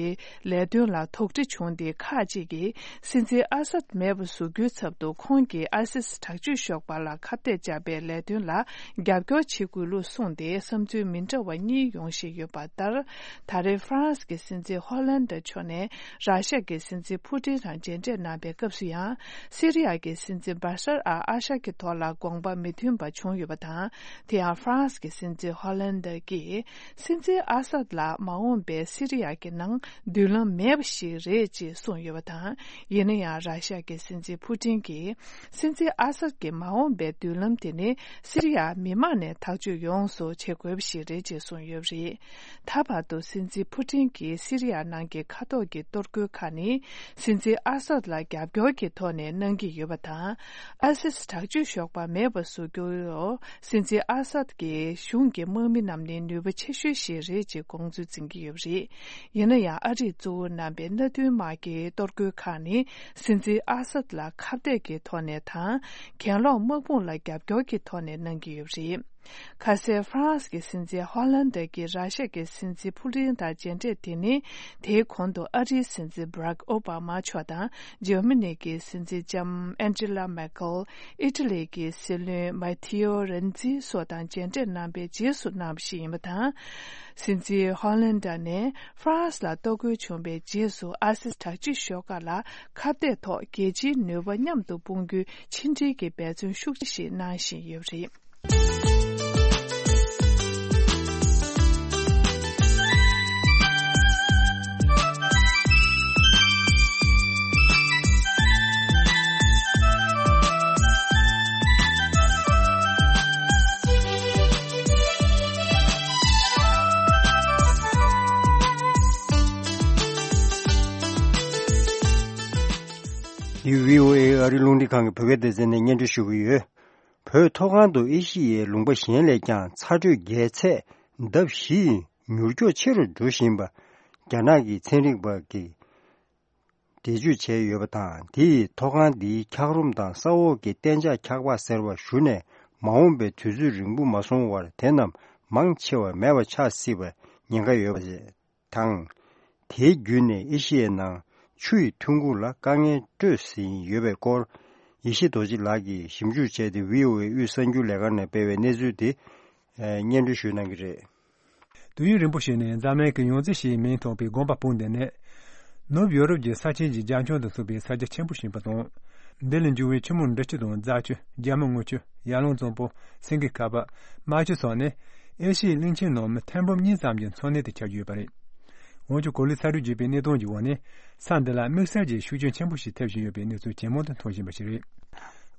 ལས་དོན་ལ་དོགས་འདྲི་བྱུང་སྟེ། ཁག་ཅིག་གིས་སྲིད་འཛིན་ཨ་སཱད་མེད་པ་བཟོ་རྒྱུའི་ཚབ་ཏུ། ཁོང་གིས་ཨའི་སི་སི་དྲག་སྤྱོད་ཤོག་སྦག་ལ་ཁ་གཏད་བཅག་པའི་ལས་དོན་ལ་རྒྱབ་སྐྱོར་བྱེད་དགོས་ལུགས་གསུངས་ཏེ། བསམ་ཚུལ་མི་འདྲ་བ་གཉིས་ཡོང་བཞིན་ཡོད་པ་ལྟར། ད་རེས་ཧྥ་རན་སི་གི་སྲིད་འཛིན་ཧོ་ལན་ཌ་མཆོག་ནས་ར་ཤ་གི་སྲིད་འཛིན་ཕུ་ཏིན་དང་མཇལ་འཕྲད་གནང་པའི་སྐབས་སུ་ཡང་། སི་རི་ཡ་གི་སྲིད་འཛིན་བར་ཤར་ཨ་ཨ་ཤ་གི་ཐོག་ལ་དགོངས་པ་མི་མཐུན་པ་བྱུང་ཡོད་པ་དང་། དེ་ཡང་ཧྥ་རན་སི་གི་སྲིད་འཛིན་ཧོ་ལན་ཌ་གིས། སྲིད་འཛིན་ཨ་སཱད་ལ་མ་འོངས་པའི་སི་རི་ཡ་གི་ནང་མདུན་ལམ་མེད་པ་ཞིག་རེད་ཅེས་གསུངས་ཡོད་པ་དང་། ཡིན་ན་ཡང་། ར་ཤ་གི་སྲིད་འཛིན་ཕུ་ཏིན་གྱིས། སྲིད་འཛིན་ཨ་སཱད་ཀྱི་མ་འོངས་པའི་མདུན་ལམ་དེ་ནི། སི་རི་ཡ་མི་དམངས་ནས་ཐག་གཅོད་ཡོངས་སུ་བྱེད་དགོས་པ་ཞིག་རེད་ཅེས་གསུངས་ཡོད་པ་རེད། ད་བར་དུ་སྲིད་འཛིན་ཕུ་ཏིན་གྱིས་སི་རི་ཡ་ནང་གི་མཁའ་ཐོག་གི་གཏོར་རྒོལ་ཁག་ནི། སྲིད་འཛིན་ཨ་སཱད་ལ་རྒྱབ་སྐྱོར་གྱི་ཐོག་ནས་གནང་གི་ཡོད་པ་དང་། ཨའི་སི་སི་དྲག་སྤྱོད་ཤོག་སྦག་མེད་པ་བཟོ་རྒྱུར། སྲིད་འཛིན་ཨ་སཱད་ཀྱི་གཞུང་གི་དམག་མི་རྣམས་ནི་ནུས་པ་ཆེ་ཤོས་ཤིག་རེད་ཅེས་དགོངས་ཚུལ་འཛིན་གྱི་ཡོད་པ་རེད། ཡིན་ན་ཡང་། ཨ་རིས་གཙོ་བོ་གནང་པའི་མནའ་མཐུན་དམག་གི་གཏོར་རྒོལ་ཁག་ནི། སྲིད་འཛིན་ཨ་སཱད་ལ་ཁ་གཏད་ཀྱི་ཐོག་ནས་དང་། གྱེན་ལོག་དམག་དཔུང་ལ་རྒྱབ་སྐྱོར་གྱི་ཐོག་ནས་གནང་གི་ཡོད་པ་རེད། ཁ་སང་ཧྥ་རན་སི་གི་སྲིད་འཛིན་ཧོ་ལན་ཌ་གིས་ར་ཤ་གི་སྲིད་འཛིན་ཕུ་ཏིན་དང་མཇལ་འཕྲད་དེ་ནི། དེའི་གོང་དུ་ཨ་རིའི་སྲིད་འཛིན་བྷ་རག་ཨོ་བྷ་མ་མཆོག་དང་། འཇར་མ་ནི་གི་སྲིད་འཛིན་ལྕམ་ཨན་ཇི་ལ་མེར་ཀེལ། ཨི་ཊ་ལི་གི་སྲིད་བློན་མ་ཐེ་ཨོ་རེན་ཛི་སོགས་དང་མཇལ་འཕྲད་གནང་པའི་རྗེས་སུ་གནང་བ་ཞིག་ཡིན་པ་དང་། སྲིད་འཛིན་ཧོ་ལན་ཌ་ནས་ཧྥ་རན་སི་ལ་གཏོར་རྒོལ་བྱུང་བའི་རྗེས་སུ། ཨ་སི་དྲག་སྤྱོད་ཤོག་ཁག་ལ་ཁ་གཏད་ཐོག་རྒྱལ་སྤྱིའི་ནུས་པ་མཉམ་དུ་སྤུངས་རྒྱུའི་ཕྱི་འབྲེལ་གྱི་འབད་བརྩོན་ཤུགས་ཆེ་ཞིག་གནང་བཞིན་ཡོད་པ་རེད། འདི་བྷི་ཨོ་ཨེ་ཨ་རི་རླུང་འཕྲིན་ཁང་གི་བོད་སྐད་སྡེ་ཚན་ནས་སྙན་སྒྲོན་ཞུ་གི་ཡོད། བོད་མཐོ་སྒང་དུ་ཨེ་ཤི་ཡའི་ལུང་པ་གཞན་ལས་ཀྱང་ཚ་དྲོད་རྒྱས་ཚད་ལྡབ་བཞི་ཡིས་མྱུར་མགྱོགས་ཆེ་རུ་འགྲོ་བཞིན་པ། རྒྱ་ནག་གི་ཚན་རིག་པ་གིས་འགྲེལ་བརྗོད་བྱས་ཡོད་པ་དང་། དེ་ཡིས་མཐོ་སྒང་འདིའི་འཁྱགས་རོམ་དང་ས་འོག་གི་གཏན་འཇགས་འཁྱགས་པ་ཟེར་བ་ཞུ་ནས་མ་འོངས་པའི་དུས་ཚོད་རིང་པོ་མ་སོང་བར་དེ་རྣམས་མང་ཆེ་བ་མེད་པ་ཆགས་སྲིད་པར་ཉེན་ཁ་ཡོད་པ་དང་། དེའི་བརྒྱུད་ནས་ཨེ་ཤི་ཡའི་ནང་ཆུ་ཡི་ཐོན་ཁུངས་ལ་དཀའ་ངལ་སྤྲོད་བཞིན་ཡོད་པའི་སྐོར། ཡེ་ཤེས་རྡོ་རྗེ་ལགས་ཀྱིས་ཞིབ་འཇུག་བྱས་ཏེ། བྷི་ཨོ་ཨེ་དབུས་གསར་འགྱུར་ལས་ཁང་ནས་སྤེལ་བའི་གནས་ཚུལ་དེ་སྙན་སྒྲོན་ཞུ་གནང་གི་རེད། དུས་ཡུན་རིང་པོ་ཞིག་ནས་འཛམ་གླིང་གི་ཡོངས་རྫོགས་ཞེས་མིང་ཐོགས་པའི་དགོན་པ་བོད་འདི་ནི། ནུབ་ཡོ་རོབ་ཀྱི་ས་ཆེན་གྱི་རྒྱ་ཁྱོན་དུ་ཐུག་པའི་ས་རྒྱ་ཆེན་པོ་ཞིག་ཡིན་པ་དང་། འདི་ལས་འབྱུང་བའི་ཆུ་མོ་འབྲི་ཆུ་དང་རྫ་ཆུ། རྒྱ་མ་དངུལ་ཆུ། ཡར་ཀླུང་གཙང་པོ། སེང་གེ་ཁ་པར། རྨ་ཆུ་སོགས་ནི་ཨེ་ཤི་ཡའི་གླིང་ཆེན་ནང་མི་ཐེར་འབུམ་གཉིས་ཙམ་གྱི་འཚོ་གནས་དེ་ཆགས་ཀྱི་ཡོད་པ་རེད། འོན་ཀྱང་གོ་ལའི་ཚ་དྲོད་རྒྱས་པའི་གནད་དོན་གྱི་འོག་ནས་ས་འདི་ལ་དམིགས་བསལ་གྱི་ཤུགས་རྐྱེན་ཆེན་པོ་ཞིག་ཐེབས་བཞིན་ཡོད་པའི་གནས་ཚུལ་ཇེ་མང་དུ་མཐོང་བཞིན་པ་ཞིག་རེད།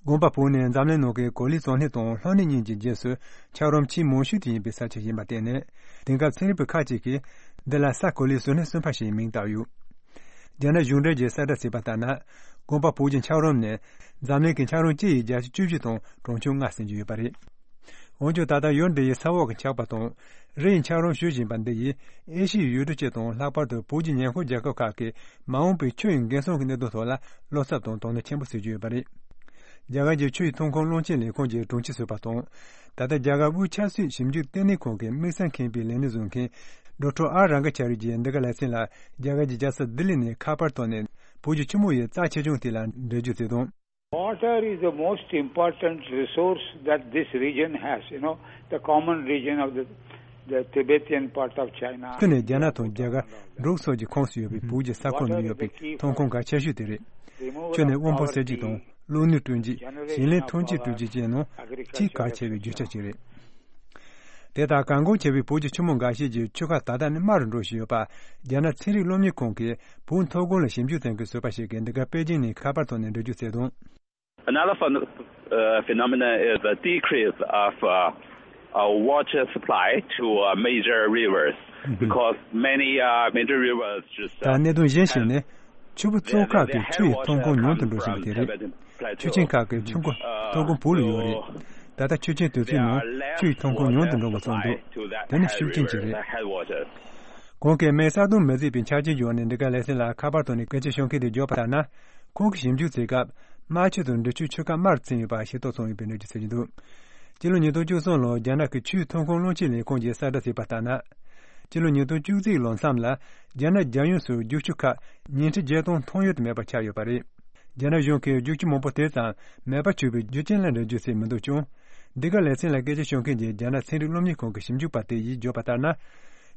དགོན་པ་བོད་ནི་འཛམ་གླིང་ནང་གི་གོ་ལའི་བཟོ་གནས་དང་ལྷོ་ནུབ་གཉིས་ཀྱི་རྗེས་སུ་འཁྱགས་རོམ་ཆེས་མང་ཤོས་དེ་ཡིན་པའི་ས་ཆ་ཡིན་པར་བརྟེན་ནས། དེང་སྐབས་ཚན་རིག་པ་ཁག་ཅིག་གིས་འདི་ལ་ས་གོ་ལའི་བཟོ་གནས་གསུམ་པ་ཞེས་མིང་བཏགས་ཡོད། རྒྱ་ནག་གཞུང་འབྲེལ་གྱི་གསལ་བསྒྲགས་བྱས་པ་ལྟར་ན། དགོན་པ་བོད་ཀྱི་འཁྱགས་རོམ་ནི་འཛམ་གླིང་གི་འཁྱགས་རོམ་སྤྱི་ཡི་བརྒྱ་ཆ་བཅུ་བཞི་དང་གྲངས་ཆུང་ལྔ་ཟིན་གྱི་ཡོད་པ་རེད། འོན་ཀྱང་ད་ལྟ་ཡུལ་འདི་ཡི་ས་འོག་གི་འཁྱགས་པ་དང་རི་ཡི་འཁྱགས་རོམ་ཞུ་བཞིན་པ་འདི་ཡིས་ཨེ་ཤི་ཡའི་ཡུལ་གྲུ་སྤྱི་དང་ལྷག་པར་དུ་བོད་ཀྱི་ཉེ་འཁོར་རྒྱལ་ཁབ་ཁག་གི་མ་འོངས་པའི་ཆུ་ཡི་འགན་སྲུང་གི་གནད་དོན་ཐོག་ལ་བློ་འཚབ་དང་དོ་སྣང་ཆེན་པོ་བྱེད་ཀྱི་ཡོད་པ་རེད། རྒྱ་གར་གྱི་ཆུ་ཡི་ཐོན་ཁུངས་བློན་ཆེན་ལས་ཁུངས་ཀྱི་དྲུང་ཆེ་ཟུར་པ་དང་། ད་ལྟ་རྒྱ་གར་དབུས་ཆབ་སྲིད་ཞིབ་འཇུག་ལྟེ་གནས་ཁང་གི་དམིགས་བསལ་མཁས་པའི་ལས་གནས་བཟུང་མཁན་ཌོག་ཊར་ཨར་རང་ག་ཆ་རི་ཡིས་འདི་ག་ལེ་ཚན་ལ་རྒྱ་གར་གྱི་རྒྱལ་ས་ལྡི་ལི་ནས་ཁ་པར་ཐོག་ནས་བོད་ཀྱི་ཆུ་མོ་ཡི་རྩ་ཆེ་ཆུང་དེ་ལ་འགྲེལ་བརྗོད་བྱས་དོན། Water is the most important resource that this region has, you know, the common region of the, the Tibetan part of China. ཆུ་ནི་རྒྱ་ནག་དང་རྒྱ་གར་འབྲུག་སོགས་ཀྱི་ཁོངས་སུ་ཡོད་པའི་བོད་ཀྱི་ས་ཁོངས་ནང་ཡོད་པའི་ཐོན་ཁུངས་གལ་ཆེ་ཤོས་དེ་རེད། ཆུ་ནི་དབོན་པོ་གསོ་བྱེད་དང་། བློ་ནུས་བསྐྲུན་བྱེད། ཞིང་ལས་ཐོན་སྐྱེད་བསྐྲུན་བྱེད་བཅས་ནང་ཆེས་གལ་ཆེ་བའི་རྒྱུ་ཆ་ཅིག་རེད། དེ་ལྟར་གལ་འགངས་ཆེ་བའི་བོད་ཀྱི་ཆུ་མོ་འགའ་ཤས་ཀྱི་ཆུ་ཁ་ད་ལྟ་ནི་དམའ་རུ་འགྲོ་བཞིན་ཡོད་པ། རྒྱ་ནག་ཚན་རིག་སློབ་གཉེར་ཁང་གིས་བོད་མཐོ་སྒང་ལ་ཞིབ་འཇུག་བྱེད་མཁན་ཟུར་པ་ཞིག་གིས་འདི་ག་པེ་ཅིང་ནས་ཁ་པར་ཐོག་ནས་འགྲེལ་བརྗོད་བྱས་དོན། Another phen- uh, phenomenon is the decrease of uh, uh, water supply to uh, major rivers because many uh, major rivers just ད་uh, གནད་དོན་གཞན་ཞིག་ནི། ཆུ་བོ་གཙོ་ཁག་གི་ཆུ་ཡི་ཐོན་ཁུངས་ཉུང་དུ་འགྲོ་བཞིན་པ་དེ་རེད། ཆུ་ཆེན་ཁག་གི་ཆུ་མགོ་ཐོན་ཁུངས་བོད་ལ་ཡོད་རེད། ད་ལྟ་ཆུ་ཆེན་དེ་ཚོའི་ནང་ཆུ་ཡི་ཐོན་ཁུངས་ཉུང་དུ་འགྲོ་བ་སོང་འདུག་དེ་ནི་ཤུགས་རྐྱེན་ཅིག་རེད། གོང་གི་མེ་གསར་གཏོད་མི་བྱེད་པའི་ཆ་རྐྱེན་བྱུང་ནས་འདི་ག་ལེ་ཚན་ལ་ཁ་པར་ཐོག་ནས་སྐད་ཆ་ཤོད་མཁན་དེ་བརྗོད་པ་ལྟར་ན། ཁོང་གིས་ཞིབ་འཇུག་བྱེད་སྐབས་རྨ་ཆུ་དང་འབྲི་ཆུའི་ཆུ་ཁ་དམའ་རུ་ཕྱིན་ཡོད་པ་ཤེས་རྟོགས་སོང་ཡོད་པའི་གནས་ཚུལ་གསལ་གྱི་འདུག་སྤྱི་ལོ་ཉིས་སྟོང་བཅུ་གསུམ་ལོར་རྒྱ་ནག་གི་ཆུའི་ཐོན་ཁུངས་བློན་ཆེན་ལས་ཁུངས་ཀྱིས་གསལ་བསྒྲགས་བྱས་པ་ལྟར་ན། སྤྱི་ལོ་ཉིས་སྟོང་བཅུ་གཅིག་ལོ་མཚམས་ལ་རྒྱ་ནག་རྒྱལ་ཡོངས་སུ་རྒྱུག་ཆུ་ཁག་ཉིས་ཁྲི་བརྒྱད་སྟོང་ཐོན་ཡོད་དུ་མེད་པ་ཆགས་ཡོད་པ་རེད། རྒྱ་ནག་གཞུང་གིས་རྒྱུག་ཆུ་མང་པོ་དེ་ཙམ་མེད་པ་བྱུང་བའི་རྒྱུ་རྐྱེན་ལ་འགྲེལ་བརྗོད་བྱས་མི་འདུག་ཀྱང་། འདི་ག་ལེ་ཚན་ལ་སྐད་ཆ་ཤོད་མཁན་གྱི་རྒྱ་ནག་ཚན་རིག་སློབ་གཉེར་ཁང་གི་ཞིབ་འཇུག་པ་དེ་ཡིས་བརྗོད་པ་ལྟར་ན།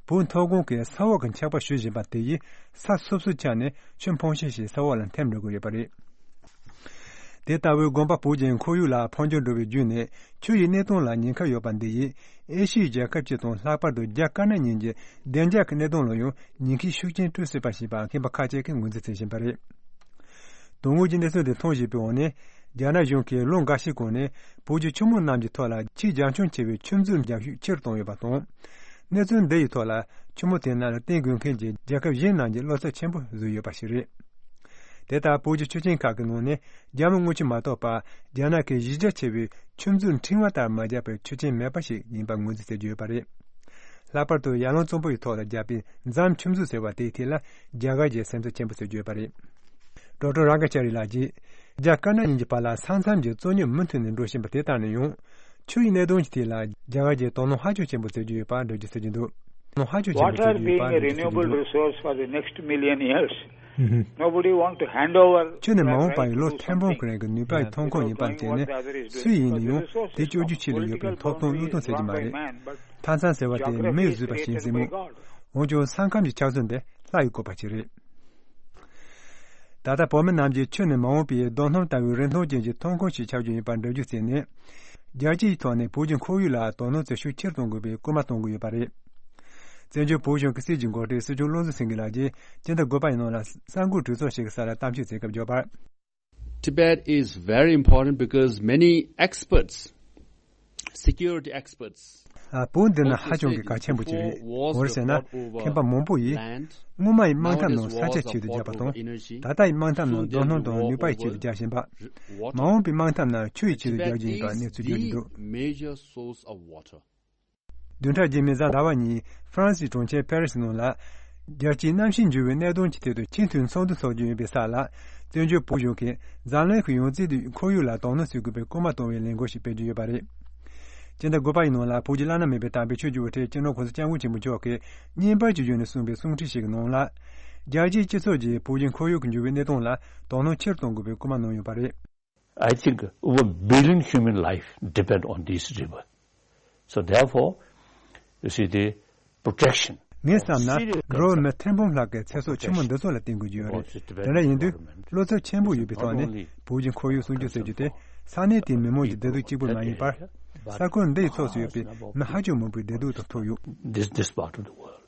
བོད་མཐོ་སྒང་གི་ས་འོག་གི་འཁྱགས་པ་ཞུ་བཞིན་པ་དེ་ཡིས་ས་སོ་སོའི་ཆ་ནས་ཆུ་འཕངས་ཤུལ་ཞིག་ས་འོག་ལ་འཐིམ་འགྲོ་གི་ཡོད་པ་རེད། དེ་ལྟ་བུའི་དགོན་པ་བོད་ཀྱི་ཁོར་ཡུག་ལ་འཕོ་འགྱུར་འགྲོ་བའི་བརྒྱུད་ནས་ཆུ་ཡི་གནད་དོན་ལ་ཉེན་ཁ་ཡོད་པ་འདི་ཡིས་ཨེ་ཤི་ཡའི་རྒྱལ་ཁབ་སྤྱི་དང་ལྷག་པར་དུ་རྒྱ་དཀར་ནག་གཉིས་ཀྱི་བདེ་འཇགས་ཀྱི་གནད་དོན་ལ་ཡང་ཉེན་ཁའི་ཤུགས་རྐྱེན་སྤྲོད་སྲིད་པ་ཞེས་པ་མཁས་པ་ཁག་ཅིག་གིས་ངོས་འཛིན་བྱེད་བཞིན་པ་རེད། དོན་དངོས་ཀྱི་གནས་ཚུལ་འདི་མཐོང་བཞིན་པའི་འོག་ནས་རྒྱ་ནག་གཞུང་གིས་ལོ་འགའ་ཤས་གོང་ནས་བོད་ཀྱི་ཆུ་མོ་རྣམས་ཀྱི་ཐོག་ལ་ཆེས་རྒྱ་ཁྱོན་ཆེ་བའི་ཆུ་མཛོད་རྒྱག་ཤུགས་ཆེ་རུ་བཏང་ཡོད་པ་དང་། གནས་ཚུལ་འདི་ཡི་ཐོག་ལ་ཆུ་མོ་དེ་རྣམས་ལ་བརྟེན་དགོས་མཁན་གྱི་རྒྱལ་ཁབ་གཞན་རྣམས་ཀྱིས་བློ་འཚབ་ཆེན་པོ་བཟོས་ཡོད་པ་ཞིག་རེད། དེ་ལྟར་བོད་ཀྱི་ཆུ་ཆེན་ཁག་གི་ནང་ནས་རྒྱ་མ་དངུལ་ཆུ་མ་གཏོགས་པ་རྒྱ་ནག་གི་གཞི་རྒྱ་ཆེ་བའི་ཆུ་མཛོད་ཕྲེང་བ་ལྟར་མ་རྒྱག་པའི་ཆུ་ཆེན་མེད་པ་ཞིག་ཡིན་པ་ངོས་འཛིན་བྱེད་ཀྱི་ཡོད་པ་རེད། ལྷག་པར་དུ་ཡར་ཀླུང་གཙང་པོ་ཡི་ཐོག་ལ་རྒྱག་པའི་རྫམ་ཆུ་མཛོད་ཟེར་བ་དེའི་ཐད་ལ་རྒྱ་གར་གྱིས་སེམས་འཚབ་ཆེན་པོ་བྱེད་ཀྱི་ཡོད་པ་རེད། ཌོག་ཊར་རང་ག་ཅ་རི་ལགས་ཀྱིས་རྒྱ་དཀར་ནག་གཉིས་ཀྱི་བར་ལ་ས་མཚམས་ཀྱི་རྩོད་རྙོག་མུ་མཐུད་ནས་འགྲོ་བཞིན་པ་དེ་ལྟ་ནས་ཡང་ཆུ་ཡི་གནད་དོན་གྱི་ཐད་ལ་རྒྱ་གར་གྱིས་དོ་སྣང་ཧ་ཅང་ཆེན་པོ་བྱེད་ཀྱི་ཡོད་པ་འགྲེལ་བརྗོད་བྱེད་ཀྱི་འདུག་དོ་སྣང་ཧ་ཅང་ཆེན་པོ་Water བྱེད་ཀྱི་ཡོད་པ་being a འགྲེལ་བརྗོད་བྱེད་ཀྱི་renewable འདུག resource for the next million years, ཨུ་ཧུམ། nobody want to hand over ཆུ་ནི་མ་འོངས་པ་ཡི་ལོ་ཐེར་འབུམ་གྱི་རིང་གི་ནུས་པ་ཡི་ཐོན་ཁུངས་ཡིན་པར་བྱས་ནས། སུ་ཡིན་ན་ཡང་དེ་སྤྱོད་རྒྱུའི་ཆེད་དུ་ཡོད་པའི་ཐོབ་ཐང་བློས་གཏོང་བྱེད་ཀྱི་མ་རེད། མཐའ་མཚམས་ཟེར་བ་དེ་མིས་བཟོས་པ་ཞིག་ཡིན་སྲིད་མོད། འོན་ཀྱང་ས་ཁམས་ཀྱི་ཆགས་ཚུལ་འདི་ལྷ་ཡི་བཀོད་པ་ཞིག་རེད། ད་ལྟ་བོད་མི་རྣམས་ཀྱིས་ཆུ་ནི་མ་འོངས་པའི་རྡོ་སྣུམ་ལྟ་བུའི་རིན་ཐང་ཅན་གྱི་ཐོན་ཁུངས་ཤིག་ཆགས་རྒྱུ་ཡིན་པར་འགྲེལ་བརྗོད་བྱས་ནས། རྒྱལ་སྤྱིའི་ཐོག་ནས་བོད་ཀྱི་ཁོར་ཡུག་ལ་དོ་སྣང་བྱེད་ཤུགས་ཆེར་གཏོང་དགོས་པའི་སྐུལ་མ་གཏོང་གི་ཡོད་པ་རེད། བཙན་བྱོལ་བོད་གཞུང་གི་སྲིད་ཀྱི་འགོ་ཁྲིད་སྲིད་སྐྱོང་བློ་བཟང་སེང་གེ་ལགས་ཀྱིས་སྤྱི་ཟླ་དགུ་པ་ཡི་ནང་ལ་གསར་འགོད་གྲོས་ཚོགས་ཤིག་གི་ས་ལ་གཏམ་བཤད་བྱེད་སྐབས་བརྗོད་པར། Tibet is very important because many experts, security experts, ཨ། བོད་འདི་ནི་ཧ་ཅང་གི་གལ་ཆེན་པོ་ཅིག་རེད། གང་རེད་ཟེར་ན། མཁན་པ་མང་པོ་ཡིས་སྔོན་མ་ཡི་སྨན་ཐབས་ནང་ས་ཆ་ཆེད་དུ་བརྒྱབ་པ་དང་། ད་ལྟ་ཡི་སྨན་ཐབས་ནང་རྡོ་སྣུམ་དང་ནུས་པ་ཡི་ཆེད་དུ་བརྒྱབ་བཞིན་པ། མ་འོངས་པའི་སྨན་ཐབས་ནང་ཆུ་ཡི་ཆེད་དུ་བརྒྱབ་བཞིན་ཡོད་པ་གནས་ཚུལ་བརྗོད་ཀྱི་འདུག། བདུན་ཕྲག་རྗེས་མའི་གཟའ་ཟླ་བ་ཉིན་ཧྥ་རན་སིའི་གྲོང་ཁྱེར་ཕེ་རི་སི་ནང་ལ། རྒྱལ་སྤྱིའི་གནམ་གཤིས་འགྱུར་བའི་གནད་དོན་གྱི་ཐད་དུ་ཆེས་མཐོའི་ཚོགས་འདུ་འཚོགས་རྒྱུ་ཡིན་པའི་ས་ལ། བཙན་བྱོལ་བོད་གཞུང་གིས་འཛམ་གླིང་གི་ཡང་རྩེ་དུ་ཁོར་ཡུག་ལ་དོ་སྣང་བྱེད་དགོས་པའི་སྐུལ་མ་གཏོང་བའི་ལས་འགུལ་ཞིག་སྤེལ་རྒྱུ་ཡོད་པ་རེད། སྤྱི་ཟླ་དགུ་པ་ཡི་ནང་ལ་བོད་ཀྱི་བླ་ན་མེད་པའི་དམ་པའི་ཆོས་ཀྱི་དབུ་ཁྲིད་སྤྱི་ནོར་གོང་ས་སྐྱབས་མགོན་ཆེན་པོ་མཆོག་གིས་བརྙན་པར་གྱི་བརྒྱུད་ནས་གསུངས་པའི་གསུང་འཕྲིན་ཞིག་གི་ནང་ལ། རྒྱལ་སྤྱིའི་སྤྱི་ཚོགས་ཀྱིས་བོད་ཀྱི་ཁོར་ཡུག་གི་འགྱུར་བའི་གནས་སྟངས་ལ་དོ་སྣང་ཆེ་རུ་གཏོང་དགོས་པའི་སྐུལ་མ་གནང་ཡོད་པ་རེད། I think over billion human life depend on this river. So therefore, you see the protection. ངས་བསམ་ན། འགྲོ་བ་མི་ཐེར་འབུམ་ལྷག་གི་ཚེ་སྲོག་ཆེན་མོ་འདི་ཚོ་ལ་བརྟེན་དགོས་ཀྱི་ཡོད་རེད། དེ་འདྲ་ཡིན་དུས། བློ་འཚབ་ཆེན་པོ་ཡོད་པའི་ཐོག་ནས་བོད་ཀྱི་ཁོར་ཡུག་སྲུང་སྐྱོབ་ཟེར་རྒྱུ་དེ་ས་གནས་དེའི་མི་མང་གི་བདེ་སྡུག་གཅིག་པུ་མ་ཡིན་པར། ས་ཁུལ་འདི་ཡི་ཕྱོགས་སུ་ཡོད་པའི་མི་ཧ་ཅང་མང་པོའི་བདེ་སྡུག་དང་ཐུག་ཡོད། This, this part of the world.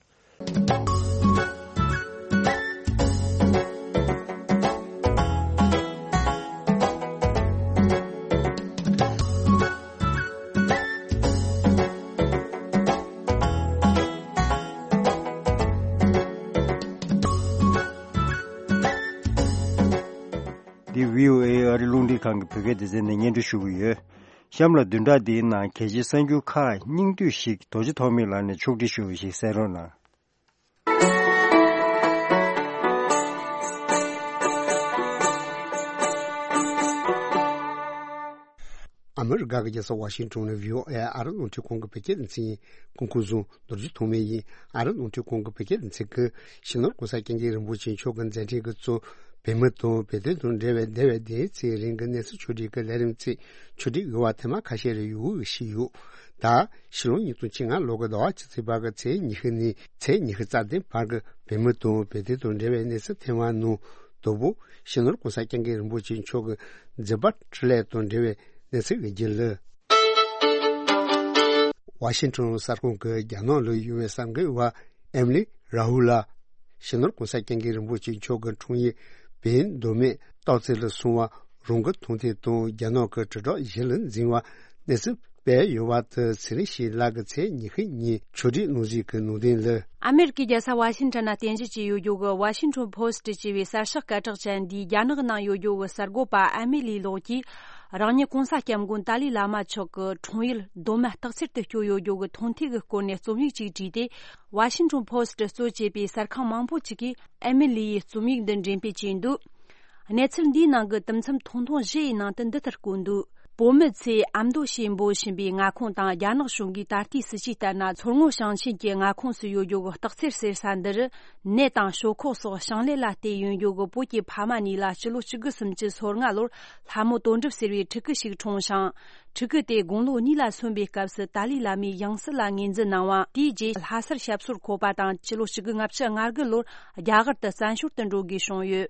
འདི་བྷི་ཨོ་ཨེ་ཨ་རི་རླུང་འཕྲིན་ཁང་གི་བོད་སྐད་སྡེ་ཚན་ནས་སྙན་སྒྲོན་ཞུ་གི་ཡོད། གཤམ་ལ་བདུན་ཕྲག་འདིའི་ནང་གལ་ཆེའི་གསར་འགྱུར་ཁག་སྙིང་བསྡུས་ཤིག་རྡོ་རྗེ་ཐོགས་མེད་ལགས་ནས་ཕྱོགས་སྒྲིག་ཞུ་བ་ཞིག་གསན་རོགས་གནང་། ཨ་མི་རི་ཀ་གི་རྒྱལ་ས་ཝ་ཤིང་ཊོན་ནས་བྷི་ཨོ་ཨེ་ཨ་རི་རླུང་འཕྲིན་ཁང་གི་བོད་སྐད་སྡེ་ཚན་ཡིན། སྐུ་ཁམས་བཟང་། རྡོ་རྗེ་ཐོགས་མེད་ཡིན། ཨ་རི་རླུང་འཕྲིན་ཁང་གི་བོད་སྐད་སྡེ་ཚན་གྱིས་སྤྱི་ནོར་གོང་ས་སྐྱབས་མགོན་རིན་པོ་ཆེ་མཆོག་གི་མཛད་འཕྲིན་གྱི་གཙོ། བོད་མི་དང་བོད་དོན་དང་འབྲེལ་བའི་འདས་པའི་ཟླ་ཚེས་རིང་གི་གནས་ཚུལ་ཕྱོགས་སྒྲིག་གི་ལས་རིམ་ཚིག་ཕྱོགས་སྒྲིག་ཡོད་པ་ཐེངས་མ་ཁ་ཤས་རེ་ཡོད་ཞུས་ཡོད། ད་ཕྱི་ལོ་ཉིས་སྟོང་བཅོ་ལྔ་ལོ་གི་ཟླ་བ་བཅུ་གཅིག་པ་གི་ཚེས་ཉི་ཤུ་ནས་ཚེས་ཉི་ཤུ་རྩ་བདུན་བར་གྱི་བོད་མི་དང་བོད་དོན་དང་འབྲེལ་བའི་གནས་ཚུལ་ཐེངས་མ་ནང་དང་པོ་སྤྱི་ནོར་གོང་ས་སྐྱབས་མགོན་རིན་པོ་ཆེ་མཆོག་གི་མཛད་པ་འཕྲིན་ལས་དང་འབྲེལ་བའི་གནས་ཚུལ་གྱི་རྒྱུན་ལས། ཝ་ཤིང་ཊོན་གསར་ཁང་གི་རྒྱ་ནག་ལ་ཡོད་པའི་གསར་འགོད་པ་ཨེམ་ལི་ར་ཧུ་ལ། སྤྱི་ནོར་གོང་ས་སྐྱབས་མགོན་རིན་པོ་ཆེ་མཆོག་གི་འཁྲུངས་ཡུལ་བོད་མདོ་སྨད་སྟག་རྩེ་ལ་སོང་བ་རང་གི་མཐོང་ཐོས་དང་རྒྱ་ནག་གི་དྲིལ་བསྒྲགས་གཞི་ལ་འཛིན་པ་གནས་ཚུལ་སྤེལ་ཡོད་པ་དེ་ཚེ་རིང་ཞིག་ལགས་ཀྱིས་ཚེས་ཉི་ཤུ་ཉིན་ཕྱོགས་སྒྲིག་གནང་གཟིགས་ཀྱི་ནང་དོན་ལ། ཨ་མེ་རི་ཀའི་རྒྱལ་ས་ཝ་ཤིང་ཊོན་ན་རྟེན་གཞི་བྱས་ཡོད་རྒྱུ་གི་ཝ་ཤིང་ཊོན་ཕོ་སི་ཊི་ཅེས་པའི་གསར་ཤོག་སྐད་གྲགས་ཅན་འདིའི་རྒྱ་ནག་ནང་ཡོད་རྒྱུ་གི་གསར་འགོད་པ་ཨ་མེ་ལི་ལོག་གིས། རང་ཉིད་གོང་ས་སྐྱབས་མགོན་ཏཱ་ལའི་བླ་མ་མཆོག་གི་འཁྲུངས་ཡུལ་མདོ་སྨད་སྟག་རྩེར་དུ་བསྐྱོད་ཡོད་རྒྱུ་གི་མཐོང་ཐོས་ཀྱི་སྐོར་ནས་རྩོམ་ཡིག་ཅིག་བྲིས་ཏེ། ཝ་ཤིང་ཊོན་ཕོ་སི་ཊི་གཙོ་བྱས་པའི་གསར་ཁང་མང་པོ་ཅིག་གིས་ཨེ་མི་ལི་ཡི་རྩོམ་ཡིག་འདི་འགྲེམས་སྤེལ་བྱས་འདུག། གནས་ཚུལ་འདིའི་ནང་གི་དུམ་མཚམས་ཐུང་ཐུང་བཞི་ཡི་ནང་དུ་འདི་ལྟར་བཀོད་འདུག། བོད་མི་ཚོས་ཨ་མདོ་ཞེས་འབོད་བཞིན་པའི་མངའ་ཁོངས་དང་རྒྱ་ནག་གཞུང་གིས་ད་ལྟའི་སྲིད་ཇུས་ལྟར་ན་མཚོ་སྔོན་ཞིང་ཆེན་གྱི་མངའ་ཁོངས་སུ་ཡོད་རྒྱུ་གི་སྟག་རྩེར་ཟེར་ས་འདི་རུ། ནས་དང་ཞོག་ཁོག་སོགས་ཞིང་ལས་ལ་བརྟེན་ཡོང་རྒྱུ་གི་བོད་ཀྱི་ཕ་མ་གཉིས་ལ་སྤྱི་ལོ་གཅིག་དགུ་སུམ་ཅུ་སོ་ལྔ་ལོར་ལྷ་མོ་དོན་གྲུབ་ཟེར་བའི་ཕྲུ་གུ་ཞིག་འཁྲུངས་ཤིང་། ཕྲུ་གུ་དེ་དགུང་ལོ་གཉིས་ལ་སོན་པའི་སྐབས་སུ་ཏཱ་ལའི་བླ་མའི་ཡང་སྲིད་ལ་ངོས་འཛིན་གནང་བ། དེའི་རྗེས་ལྷ་སར་ཞབས་སོར་འཁོད་པ་དང་། ཕྱི་ལོ་གཅིག་དགུ་ལྔ་བཅུ་ང་དགུ་ལོར་རྒྱ་གར་དུ་བཙན་བྱོལ་དུ་འགྲོ་དགོས་བྱུང་ཡོད།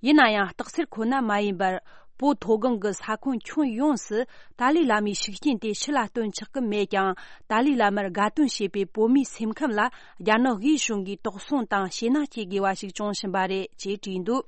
ཡིན་ན་ཡང་སྟག་རྩེར་ཁོ་ན་མ་ཡིན་པར། བོད་མཐོ་སྒང་གི་ས་ཁོངས་ཁྱོན་ཡོངས་སུ་ཏཱ་ལའི་བླ་མའི་ཤུགས་རྐྱེན་དེ་ཕྱི་ལ་སྟོན་ཆོག་གི་མེད་ཀྱང་། ཏཱ་ལའི་བླ་མར་དགའ་སྟོན་བྱེད་པའི་བོད་མིའི་སེམས་ཁམས་ལ་རྒྱ་ནག་དབུས་གཞུང་གིས་དོགས་ཟོན་དང་ཞེད་སྣང་སྐྱེ་དགོས་པ་ཞིག་བྱུང་བཞིན་པ་རེད་ཅེས་བྲིས་འདུག།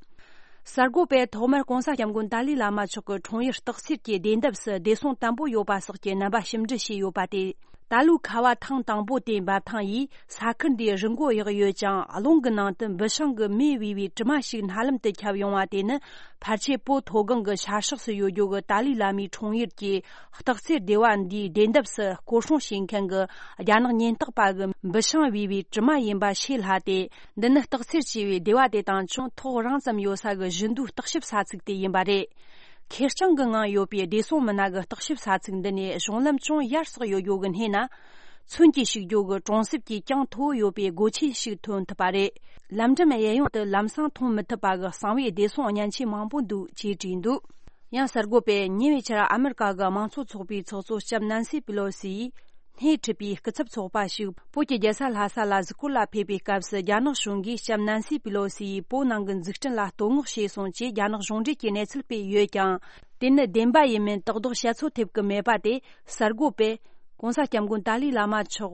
གསར་འགོད་པས་ཐོག་མར་གོང་ས་སྐྱབས་མགོན་ཏཱ་ལའི་བླ་མ་མཆོག་གི་འཁྲུངས་ཡུལ་སྟག་རྩེར་གྱི་བདེ་འདབས་སུ་བདེ་སྲུང་དམ་པོ་ཡོད་པ་སོགས་ཀྱི་རྣམ་པ་ཞིབ་འབྲི་བྱས་ཡོད་པ་སྟེ། ད་ལོའི་ཁ་བ་ཐེངས་དང་པོ་དེ་འབབ་ཐང་ཡིས་ས་ཁུལ་འདིའི་རི་མགོ་གཡུགས་ཡོད་ཀྱང་། རླུང་གི་ནང་དུ་འབུ་སྲང་གི་མེ་བུས་པའི་དྲི་མ་ཞིག་སྣ་ལམ་དུ་ཁྱབ་ཡོང་བ་དེ་ནི། ཕལ་ཆེར་བོད་མཐོ་སྒང་གི་ཤར་ཕྱོགས་སུ་ཡོད་རྒྱུ་གི་ཏཱ་ལའི་བླ་མའི་འཁྲུངས་ཡུལ་གྱི་སྟག་རྩེ་སྡེ་བ་འདིའི་བདེ་འདབས་སུ་སྐོར་སྲུང་བྱེད་མཁན་གྱི་རྒྱ་ནག་ཉེན་རྟོག་པ་གི་འབུ་སྲང་བུས་པའི་དྲི་མ་ཡིན་པ་ཤེས་སླ་སྟེ། འདི་ནི་སྟག་རྩེ་ཞེས་པའི་སྡེ་བ་དེ་དང་ཅུང་ཐག་རིང་ཙམ་ཡོད་ས་གི་བཞི་མདོའི་བརྟག་ཞིབ་ས་ཚིགས་དེ་ཡིན་པ་རེད། ཁེར་རྐྱང་གི་ངང་ཡོད་པའི་བདེ་སྲུང་མི་སྣ་གི་བརྟག་ཞིབ་ས་ཚིགས་འདི་ནས་གཞུང་ལམ་ཅུང་ཡར་སོགས་ཡོད་རྒྱུ་གི་སྣེ་ན། མཚོན་གྱི་བྱུག་རྒྱུ་གི་གྲོང་གསེབ་ཀྱི་གྱང་མཐོ་བོ་ཡོད་པའི་སྒོ་ཆེན་ཞིག་ཐོན་ཐུབ་པ་རེད། ལམ་འགྲམ་གཡས་གཡོན་དུ་ལམ་སང་མཐོང་མི་ཐུབ་པ་གི་གསང་བའི་བདེ་སྲུང་བརྙན་ཆས་མང་པོ་འདུག་ཅེས་བྲིས་འདུག། ཡང་གསར་འགོད་པས་ཉེ་བའི་ཆར་ཨ་མེ་རི་ཀ་གི་དམངས་གཙོ་ཚོགས་པའི་ཚོགས་གཙོ་ལྕམ་ནན་སི་པི་ལོ་སི་ཡིས། སྣེ་ཁྲིད་པའི་སྐུ་ཚབ་ཚོགས་པ་ཞིག་བོད་ཀྱི་རྒྱལ་ས་ལྷ་ས་ལ་གཟིགས་སྐོར་ལ་ཕེབས་པའི་སྐབས་སུ། རྒྱ་ནག་གཞུང་གིས་ལྕམ་ནན་སི་པི་ལོ་སི་ཡིས་བོད་ནང་གི་འཛུགས་སྐྲུན་ལ་བསྟོད་བསྔགས་བྱས་སོང་ཅེས་རྒྱ་ནག་གཞུང་འབྲེལ་གྱི་གནས་ཚུལ་སྤེལ་ཡོད་ཀྱང་། དེ་ནི་བདེན་པ་ཡིན་མིན་དག་དག་བཤད་ཚོད་ཐེབས་ཀྱི་མེད་པ་དེ། གསར་འགོད་པས་གོང་ས་སྐྱབས་མགོན་ཏཱ་ལའི་བླ་མ་མཆོག་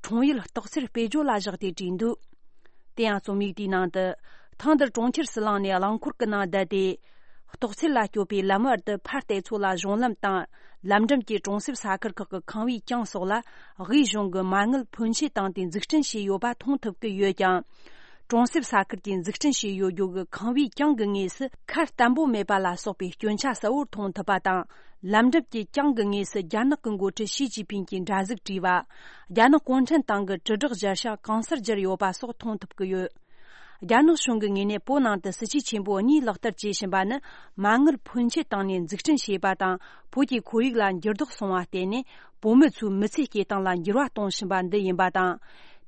འཁྲུངས་ཡུལ་སྟག་རྩེར་སྤེལ་བརྗོད་ལ་བཞག་སྟེ་བྲིས་འདུག། དེ་ཡང་རྩོམ་ཡིག་དེའི་ནང་དུ། ཐེངས་འདིར་གྲོང་ཁྱེར་ཟི་ལིང་ནས་རླངས་འཁོར་གྱི་ནང་བསྡད་དེ། གཏོགས་ཚད་ལ་སྐྱོད་པའི་ལམ་བར་དུ་ཕར་བལྟས་ཚོ་ལ་གཞུང་ལམ་དང་། ལམ་འགྲམ་གྱི་གྲོང་གསེབ་ས་ཁུལ་ཁག་གི་ཁང་བའི་གྱང་སོགས་ལ་དབུས་གཞུང་གི་མ་དངུལ་ཕོན་ཆེ་བཏང་སྟེ་འཛུགས་སྐྲུན་བྱས་ཡོད་པ་མཐོང་ཐུབ་ཀྱི་ཡོད་ཀྱང་། གྲོང་གསེབ་ས་ཁུལ་གྱིས་འཛུགས་སྐྲུན་བྱས་ཡོད་རྒྱུ་གི་ཁང་བའི་གྱང་གི་ངོས་སུ་ཁ་བརྟན་པོ་མེད་པ་ལ་སོགས་པའི་སྐྱོན་ཆ་གསལ་བོར་མཐོང་ཐུབ་པ་དང་། ལམ་འགྲམ་གྱི་གྱང་གི་ངོས་སུ་རྒྱ་ནག་གི་འགོ་ཁྲིད་ཞི་ཅིན་ཕིང་གིས་འདྲ་གཟུགས་བྲིས་པ། རྒྱ་ནག་གུང་ཁྲན་ཏང་གི་དྲིལ་བསྒྲགས་སྦྱར་བྱང་གང་སར་སྦྱར་ཡོད་པ་སོགས་མཐོང་ཐུབ་ཀྱི་ཡོད། རྒྱ་ནག་གཞུང་གི་ངོས་ནས་བོད་ནང་དུ་སྲིད་ཇུས་ཆེན་པོ་གཉིས་ལག་བསྟར་བྱེད་བཞིན་པ་ནི། མ་དངུལ་ཕོན་ཆེ་བཏང་ནས་འཛུགས་སྐྲུན་བྱས་པ་དང་། བོད་ཀྱི་ཁོར་ཡུག་ལ་འགྱུར་ལྡོག་སོང་བ་བརྟེན་ནས། བོད་མི་ཚོའི་མི་ཚེའི་སྐྱེལ་སྟངས་ལ་འགྱུར་བ་གཏོང་བཞིན་པ་འདི་ཡིན་པ་དང་།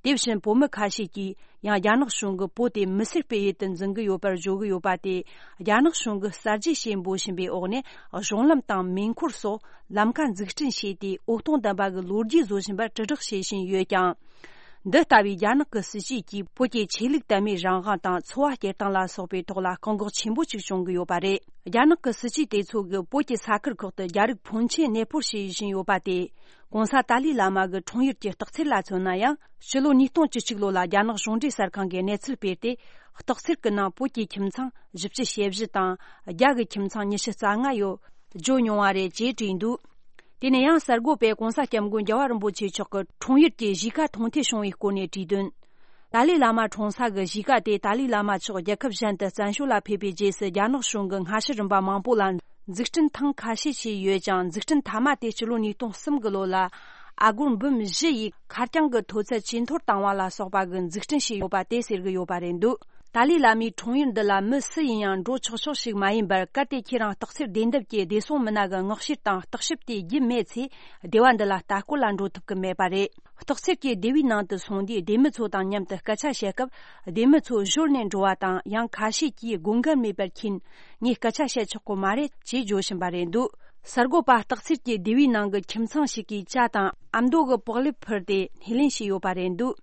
དེ་བཞིན་བོད་མི་ཁ་ཤས་ཀྱིས་ཡང་རྒྱ་ནག་གཞུང་གིས་བོད་དེ་མི་སེར་སྤེལ་ཡུལ་དུ་འཛིན་གྱི་ཡོད་པར་བརྗོད་ཀྱི་ཡོད་པ་དེ། རྒྱ་ནག་གཞུང་གིས་གསར་བརྗེ་ཞེས་འབོད་བཞིན་པའི་འོག་ནས། གཞུང་ལམ་དང་མེ་འཁོར་སོགས་ལམ་ཁ་འཛུགས་སྐྲུན་བྱས་ཏེ། འོད་སྟོང་ལྡན་པ་གི་ལོ་རྒྱུས་བཟོ་བཞིན་པར་དྲིལ་བསྒྲགས་བྱེད་བཞིན་ཡོད་ཀྱང་། འདི་ལྟ་བུའི་རྒྱ་ནག་གི་སྲིད་ཇུས་ཀྱིས་བོད་ཀྱི་ཆོས་ལུགས་དད་མོས་རང་དབང་དང་། འཚོ་བ་སྐྱེལ་སྟངས་ལ་སོགས་པའི་ཐོག་ལ་བཀག་འགོག་ཆེན་པོ་ཅིག་བྱུང་གི་ཡོད་པ་རེད། རྒྱ་ནག་གི་སྲིད་ཇུས་དེ་ཚོ་གིས་བོད་ཀྱི་ས་ཁུལ་ཁག་ཏུ་རྒྱ་རིགས་ཕོན་ཆེ་གནས་སྤོར་བྱེད་བཞིན་ཡོད་པ་དེ། ྋགོང་ས་ཏཱ་ལའི་བླ་མ་གི་འཁྲུངས་ཡུལ་གྱི་སྟག་འཚེར་ལ་མཚོན་ན་ཡང་། ཕྱི་ལོ་ཉིས་སྟོང་བཅུ་གཅིག་ལོ་ལ་རྒྱ་ནག་གཞུང་འབྲེལ་གསར་ཁང་གིས་གནས་ཚུལ་སྤེལ་ཏེ། སྟག་འཚེར་གྱི་ནང་བོད་ཀྱི་ཁྱིམ་ཚང་བཞི་བཅུ་ཞེ་བཞི་དང་། རྒྱ་གི་ཁྱིམ་ཚང་ཉི་ཤུ་རྩ་ལྔ་ཡོད། བརྗོད་མྱོང་བ་རེད་ཅེས་བྲིས་འདུག་དེ་ནས་ཡང་གསར་འགོད་པས་ྋགོང་ས་ྋསྐྱབས་མགོན་རྒྱལ་བ་རིན་པོ་ཆེ་མཆོག་གི་འཁྲུངས་ཡུལ་གྱི་གཞིས་ཀ་མཐོང་ཐོས་བྱུང་བའི་སྐོར་ནས་བྲིས་དོན། ཏཱ་ལའི་བླ་མ་འཁྲུངས་ས་གི་གཞིས་ཀ་དེ་ཏཱ་ལའི་བླ་མ་མཆོག་རྒྱལ་ཁབ་གཞན་དུ་བཙན་བྱོལ་ལ་ཕེབས་པའི་རྗེས་སུ། རྒྱ་ནག་གཞུང་གིས་སྔ་ཕྱི་རིམ་པ་མང་པོ་ལ་འཛུགས་སྐྲུན་ཐེངས་ཁ་ཤས་བྱས་ཡོད་ཀྱང་། འཛུགས་སྐྲུན་མཐའ་མ་དེ་ཕྱི་ལོ་ཉིས་སྟོང་གསུམ་གི་ལོ་ལ་ཨ་སྒོར་འབུམ་བཞི་ཡི་ཁ་རྐྱང་གི་མཐོ་ཚད་ཇེ་མཐོར་བཏང་བ་ལ་སོགས་པ་གི་འཛུགས་སྐྲུན་བྱས་ཡོད་པ་དེ་ཟེར་གྱི་ཡོད་པ་རེད་འདུག་ཏཱ་ལའི་བླ་མའི་འཁྲུངས་ཡུལ་འདི་ལ་མི་སུ་ཡིན་ཡང་འགྲོ་ཆོག་ཆོག་ཞིག་མ་ཡིན་པར། གལ་ཏེ་ཁྱེད་རང་སྟག་འཚེར་བདེ་འདབས་ཀྱི་བདེ་སྲུང་མི་སྣ་གི་མངགས་བཤེར་དང་བརྟག་ཞིབ་དེ་བརྒྱུད་མེད་ཚེ། སྡེ་བ་འདི་ལ་ལྟ་སྐོར་ལ་འགྲོ་ཐུབ་ཀྱི་མེད་པ་རེད། སྟག་འཚེར་གྱི་སྡེ་བའི་ནང་དུ་སོང་དུས། སྡེ་མི་ཚོ་དང་མཉམ་དུ་སྐད་ཆ་བཤད་སྐབས། སྡེ་མི་ཚོ་གཞོལ་ནས་འགྲོ་བ་དང་། ཡང་ཁ་ཤས་ཀྱིས་དགོས་འགལ་མེད་པར་ཁྱེར་ནས་སྐད་ཆ་བཤད་ཆོག་གི་མ་རེད་ཅེས་བརྗོད་བཞིན་པ་རེད་འདུག་གསར་འགོད་པ་སྟག་འཚེར་གྱི་སྡེ་བའི་ནང་གི་ཁྱིམ་ཚང་ཞིག་གིས་ཇ་དང་ཨ་མདོ་གི་པགས་ལེབ་ཕུལ་ཏེ་སྣེ་ལེན་བྱས་ཡོད་པ་རེད་འདུག་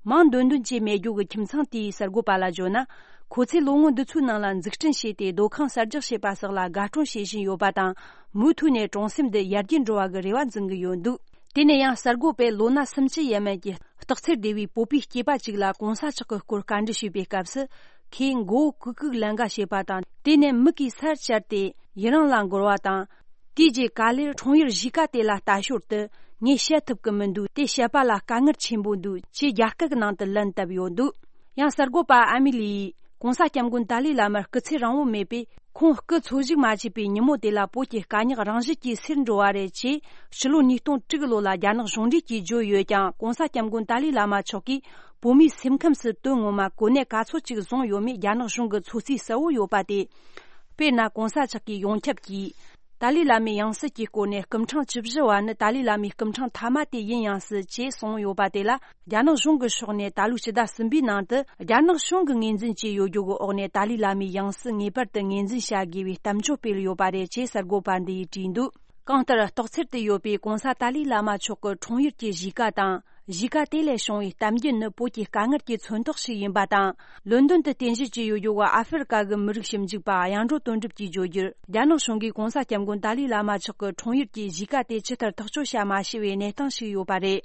མིང་འདོན་འདུན་བྱས་མེད་རྒྱུ་གི་ཁྱིམ་ཚང་དེའི་གསར་འགོད་པ་ལ་བརྗོད་ན། ཁོ་ཚོས་ལོ་ངོ་འདི་ཚོའི་ནང་ལ་འཛུགས་སྐྲུན་བྱས་ཏེ། སྡོད་ཁང་གསར་རྒྱག་བྱས་པ་སོགས་ལ་དགའ་སྤྲོ་བྱེད་བཞིན་ཡོད་པ་དང་། མུ་མཐུད་ནས་གྲོང་གསེབ་འདི་ཡར་རྒྱས་འགྲོ་བ་གི་རེ་བ་འཛིན་གྱི་ཡོད་འདུག་དེ་ནས་ཡང་གསར་འགོད་པས་ལོ་ན་སུམ་ཅུ་ཡས་མས་ཀྱི་སྟག་འཚེར་སྡེ་བའི་བོད་པའི་སྐྱེས་པ་ཅིག་ལ་གོང་ས་མཆོག་གི་སྐོར་བཀའ་འདྲི་ཞུས་པའི་སྐབས་སུ། ཁོས་མགོ་བོ་གུག་གུག་ལན་འགའ་བྱས་པ་དང་། དེ་ནས་མིག་གིས་སར་བཅར་ཏེ་ཡི་རང་ལ་འགོར་བ་དང་། དེའི་རྗེས་ག་ལེར་འཁྲུངས་ཡུལ་གཞིས་ཀ་དེ་ལ་ལྟ་ཞོར་དུ། ངས་བཤད་ཐུབ་ཀྱི་མི་འདུག་དེ་བཤད་པ་ལ་དཀའ་ངལ་ཆེན་པོ་འདུག་ཅེས་རྒྱ་སྐད་ནང་དུ་ལན་བཏབ་ཡོད་འདུག་ཡང་གསར་འགོད་པ་ཨ་མི་ལི་ཡིས། ྋགོང་ས་ྋསྐྱབས་མགོན་ཏཱ་ལའི་བླ་མར་སྐུ་ཚེ་རིང་བོ་མེད་པས། ཁོང་སྐུ་འཚོ་བཞུགས་མ་བྱས་པའི་ཉིན་མོ་དེ་ལ་བོད་ཀྱི་དཀའ་རྙོག་རང་བཞིན་གྱིས་སེལ་འགྲོ་བ་རེད་ཅེས། ཕྱི་ལོ་ཉིས་སྟོང་དྲུག་གི་ལོ་ལ་རྒྱ་ནག་གཞུང་འབྲེལ་གྱིས་བརྗོད་ཡོད་ཀྱང་། ྋགོང་ས་ྋསྐྱབས་མགོན་ཏཱ་ལའི་བླ་མ་མཆོག་གིས་བོད་མིའི་སེམས་ཁམས་སུ་དོན་ངོ་མ་གོ་གནས་ག་ཚོད་ཅིག་བཟུང་ཡོད་མེད་རྒྱ་ནག་གཞུང་གི་ཚོད་རྩིས་གསལ་བོ་ཡོད་པ་དེ། དཔེར་ན། ྋགོང་ས་མཆོག་གིས་ཡོངས་ཁྱབ་ཀྱིས། ཏཱ་ལའི་བླ་མའི་ཡང་སྲིད་ཀྱི་སྐོར་ནས། སྐུ་ཕྲེང་བཅུ་བཞི་བ་ནི་ཏཱ་ལའི་བླ་མའི་སྐུ་ཕྲེང་མཐའ་མ་དེ་ཡིན་ཡང་སྲིད་ཅེས་གསུངས་ཡོད་པ་དེ་ལ། རྒྱ་ནག་གཞུང་གི་ཕྱོགས་ནས་ད་ལོའི་ཕྱི་ཟླ་གསུམ་པའི་ནང་དུ། རྒྱ་ནག་གཞུང་གིས་ངོས་འཛིན་བྱས་ཡོད་རྒྱུ་གི་འོག་ནས། ཏཱ་ལའི་བླ་མའི་ཡང་སྲིད་ངེས་པར་དུ་ངོས་འཛིན་བྱ་དགོས་པའི་གཏམ་བརྗོད་སྤེལ་ཡོད་པ་རེད་ཅེས་གསར་འགོད་པ་འདི་ཡིས་བྲིས་འདུག་གང་ལྟར། སྟག་འཚེར་དུ་ཡོད་པའི་ྋགོང་ས་ཏཱ་ལའི་བླ་མ་མཆོག་གི་འཁྲུངས་ཡུལ་གྱི་གཞིས་ཀ་དང་། གཞིས་ཀ་དེ་ལས་བྱུང་བའི་གཏམ་རྒྱུད་ནི། བོད་ཀྱི་དཀའ་ངལ་གྱི་མཚོན་རྟགས་ཤིག་ཡིན་པ་དང་། ལོན་ཌོན་དུ་རྟེན་གཞི་བྱས་ཡོད་རྒྱུ་གི་ཨ་ཧྥེ་རི་ཀ་གི་མི་རིགས་ཞིབ་འཇུག་པ་གཡང་འགྲོ་དོན་གྲུབ་ཀྱིས་བརྗོད་རྒྱུར། རྒྱ་ནག་གཞུང་གིས་ྋགོང་ས་ྋསྐྱབས་མགོན་ཏཱ་ལའི་བླ་མ་མཆོག་གི་འཁྲུངས་ཡུལ་གྱི་གཞིས་ཀ་དེ་ཇི་ལྟར་ཐག་གཅོད་བྱ་མ་ཤེས་པའི་གནས་སྟངས་ཤིག་ཡོད་པ་རེད།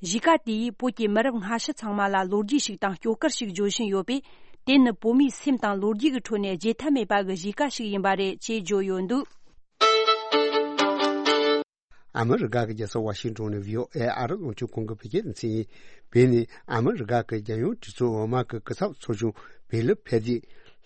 གཞིས་ཀ་དེས་བོད་ཀྱི་མི་རབས་སྔ་ཕྱི་ཚང་མ་ལ་ལོ་རྒྱུས་ཤིག་དང་སྐྱོ་གར་ཞིག་བརྗོད་བཞིན་ཡོད་པས། དེ་ནི་བོད་མིའི་སེམས་དང་ལོ་རྒྱུས་ཀྱི་ཁྲོད་ནས་བརྗེད་ཐབས་མེད་པ་གི་གཞིས་ཀ་ཞིག་ཡིན་པ་རེད་ཅེས་བརྗོད་ཡོད་འདུག་ཨ་མི་རི་ཀ་གི་རྒྱལ་ས་ཝ་ཤིང་ཏོན་ནས་བྷི་ཨོ་ཨེ་ཨ་རི་རླུང་འཕྲིན་ཁང་གི་བོད་སྐད་སྡེ་ཚན་ཡིན། བོད་ནི་ཨ་མི་རི་ཀ་གི་རྒྱལ་ཡོངས་གྲོས་ཚོགས་འོག་མ་གི་སྐུ་ཚབ་ཚོགས་ཆུང་བྷེ་ལི་ཕེ་ཏི་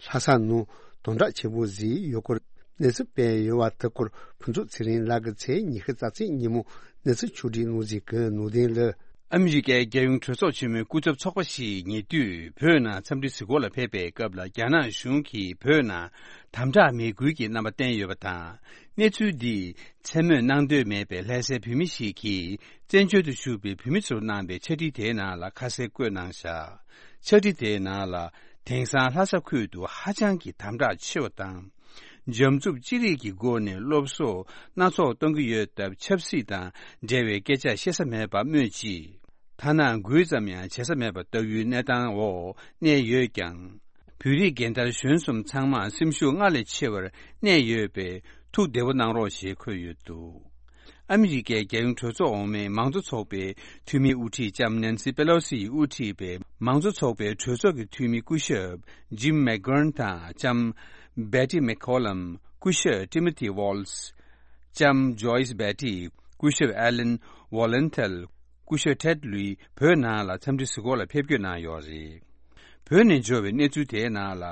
ལྷ་ས་ནང་དམ་དྲག་ཆེན་པོ་བཟོས་ཡོད་སྐོར་གནས་ཚུལ་སྤེལ་ཡོད་པ་དེ་སྐོར་ཕུན་ཚོགས་ཚེ་རིང་ལགས་ཀྱིས་ཚེས་ཉི་ཤུ་རྩ་ཚེས་ཉིན་མོ་གནས་ཚུལ་ཕྱོགས་སྒྲིག་གནང་ཟིན་གྱི་ནང་དོན་ལ། ཨ་མི་རི་ཀའི་རྒྱལ་ཡོངས་གྲོས་ཚོགས་ཆེན་མོའི་སྐུ་ཚབ་ཚོགས་པ་ཞིག་ཉེ་དུས་བོད་ནང་འཚམས་འདྲི་གཟིགས་སྐོར་ལ་ཕེབས་པའི་སྐབས་ལ། རྒྱ་ནག་གཞུང་གིས་བོད་ནང་དམ་དྲག་མེད་ཁུལ་གྱི་རྣམ་པ་བསྟན་ཡོད་པ་དང་། གནས་ཚུལ་འདིས་མཚན་སྨོད་གནང་འདོད་མེད་པའི་ལྷ་སའི་བོད་མི་ཞིག་གིས་བཙན་བྱོལ་དུ་བཞུགས་པའི་བོད་མི་ཚོར་གནང་བའི་ཕྱག་བྲིས་དེའི་ནང་ལ་ཁ་གསལ་བཀོད་གནང་བཞག་ཕྱག་བྲིས་དེའི་ནང་ལ། དེང་སང་ལྷ་ས་ཁུལ་དུ་ཧ་ཅང་གི་དམ་དྲག་ཆེ་བ་དང་། འཇམ་རྩུབ་ཅི་རིགས་ཀྱི་སྒོ་ནས་སློབ་གསོ་སྣ་ཚོགས་གཏོང་གི་ཡོད་སྟབས། ཆབ་སྲིད་དང་འབྲེལ་བའི་སྐད་ཆ་བཤད་ས་མེད་པ་སྨོས་ཅི། ཐ་ན་འགུལ་ཙམ་ཡང་བྱེད་ས་མེད་པ་ལྟ་བུའི་གནས་སྟངས་འོག་གནས་ཡོད་ཀྱང་། བོད་རིགས་རྒན་དར་གཞོན་གསུམ་ཚང་མ་སེམས་ཤུགས་སྔར་ལས་ཆེ་བར་གནས་ཡོད་པས། ཐུགས་བདེ་པོ་གནང་རོགས་ཞེས་འཁོད་ཡོད་འདུག་ཨ་མི་རི་ཀའི་རྒྱལ་ཡོངས་གྲོས་ཚོགས་འོག་མའི་མང་གཙོ་ཚོགས་པའི་འཐུས་མི་དབུ་ཁྲིད་ལྕམ་ནན་སི་པེ་ལོ་སི་ཡིས་དབུ་ཁྲིད་པའི་མང་གཙོ་ཚོགས་པའི་གྲོས་ཚོགས་ཀྱི་འཐུས་མི་སྐུ་ཞབས་ཇིམ་མེག་གྷརན་དང་ལྕམ་ Betty McCollum། སྐུ་ཞབས་Timothy Waltz། ལྕམ་Joyce Beatty། སྐུ་ཞབས་Alan Vollenthal། སྐུ་ཞབས་Ted Lui། བོད་ནང་ལ་འཚམས་འདྲི་གཟིགས་སྐོར་ལ་ཕེབས་སྐྱོད་གནང་ཡོད་རེད། བོད་ནས་འབྱོར་བའི་གནས་ཚུལ་དེའི་ནང་ལ།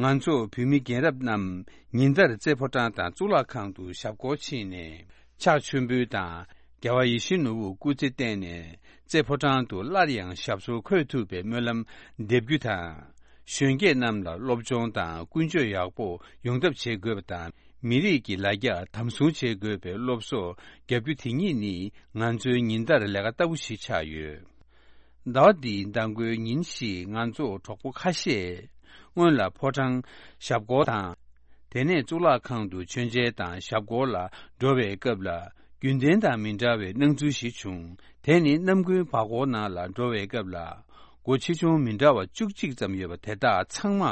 ང་ཚོ་བོད་མི་རྒན་རབས་རྣམས་ཉིན་ལྟར་རྩེ་ཕོ་བྲང་དང་གཙུག་ལག་ཁང་དུ་ཞབས་སྐོར་ཕྱིན་ནས། ཕྱག་མཆོད་འབུལ་དང་། རྒྱལ་བ་ཡིད་བཞིན་ནོར་བུ་སྐུ་ཚེ་བརྟན་ནས་རྩེ་ཕོ་བྲང་དུ་སླར་ཡང་ཞབས་སོར་འཁོད་ཐུབ་པའི་སྨོན་ལམ་འདེབས་རྒྱུ་དང་། གཞོན་སྐྱེས་རྣམས་ལ་སློབ་སྦྱོང་དང་ཀུན་སྤྱོད་ཡག་པོ་ཡོང་ཐབས་བྱེད་དགོས་པ་དང་། མི་རིགས་ཀྱི་ལ་རྒྱ་དམ་སྲུང་བྱེད་དགོས་པའི་སློབ་གསོ་བརྒྱབ་རྒྱུ་དེ་གཉིས་ནི་ང་ཚོའི་ཉིན་ལྟར་ལས་ཀ་ལྟ་བུ་ཞིག་ཆགས་ཡོད། ཟླ་བ་འདིའི་མདང་དགོང་ཉིན་ཞིག་ང་ཚོ་གྲོགས་པོ་ཁ་ཤས་སྔོན་ལ་ཕོ་བྲང་ཞབས་སྐོར་དང་། དེ་ནས་གཙུག་ལག་ཁང་དུ་མཆོད་མཇལ་དང་ཞབས་སྐོར་ལ་འགྲོ་བའི་སྐབས་ལ། རྒྱུན་ལྡན་དང་མི་འདྲ་བའི་སྣང་ཚུལ་ཞིག་བྱུང་། དེ་ནི་གནམ་དགུན་བར་སྐོར་ནང་ལ་འགྲོ་བའི་སྐབས་ལ། སྒོ་ཆེ་ཆུང་མི་འདྲ་བ་བཅུ་གཅིག་ཙམ་ཡོད་པ་དེ་དག་ཚང་མ་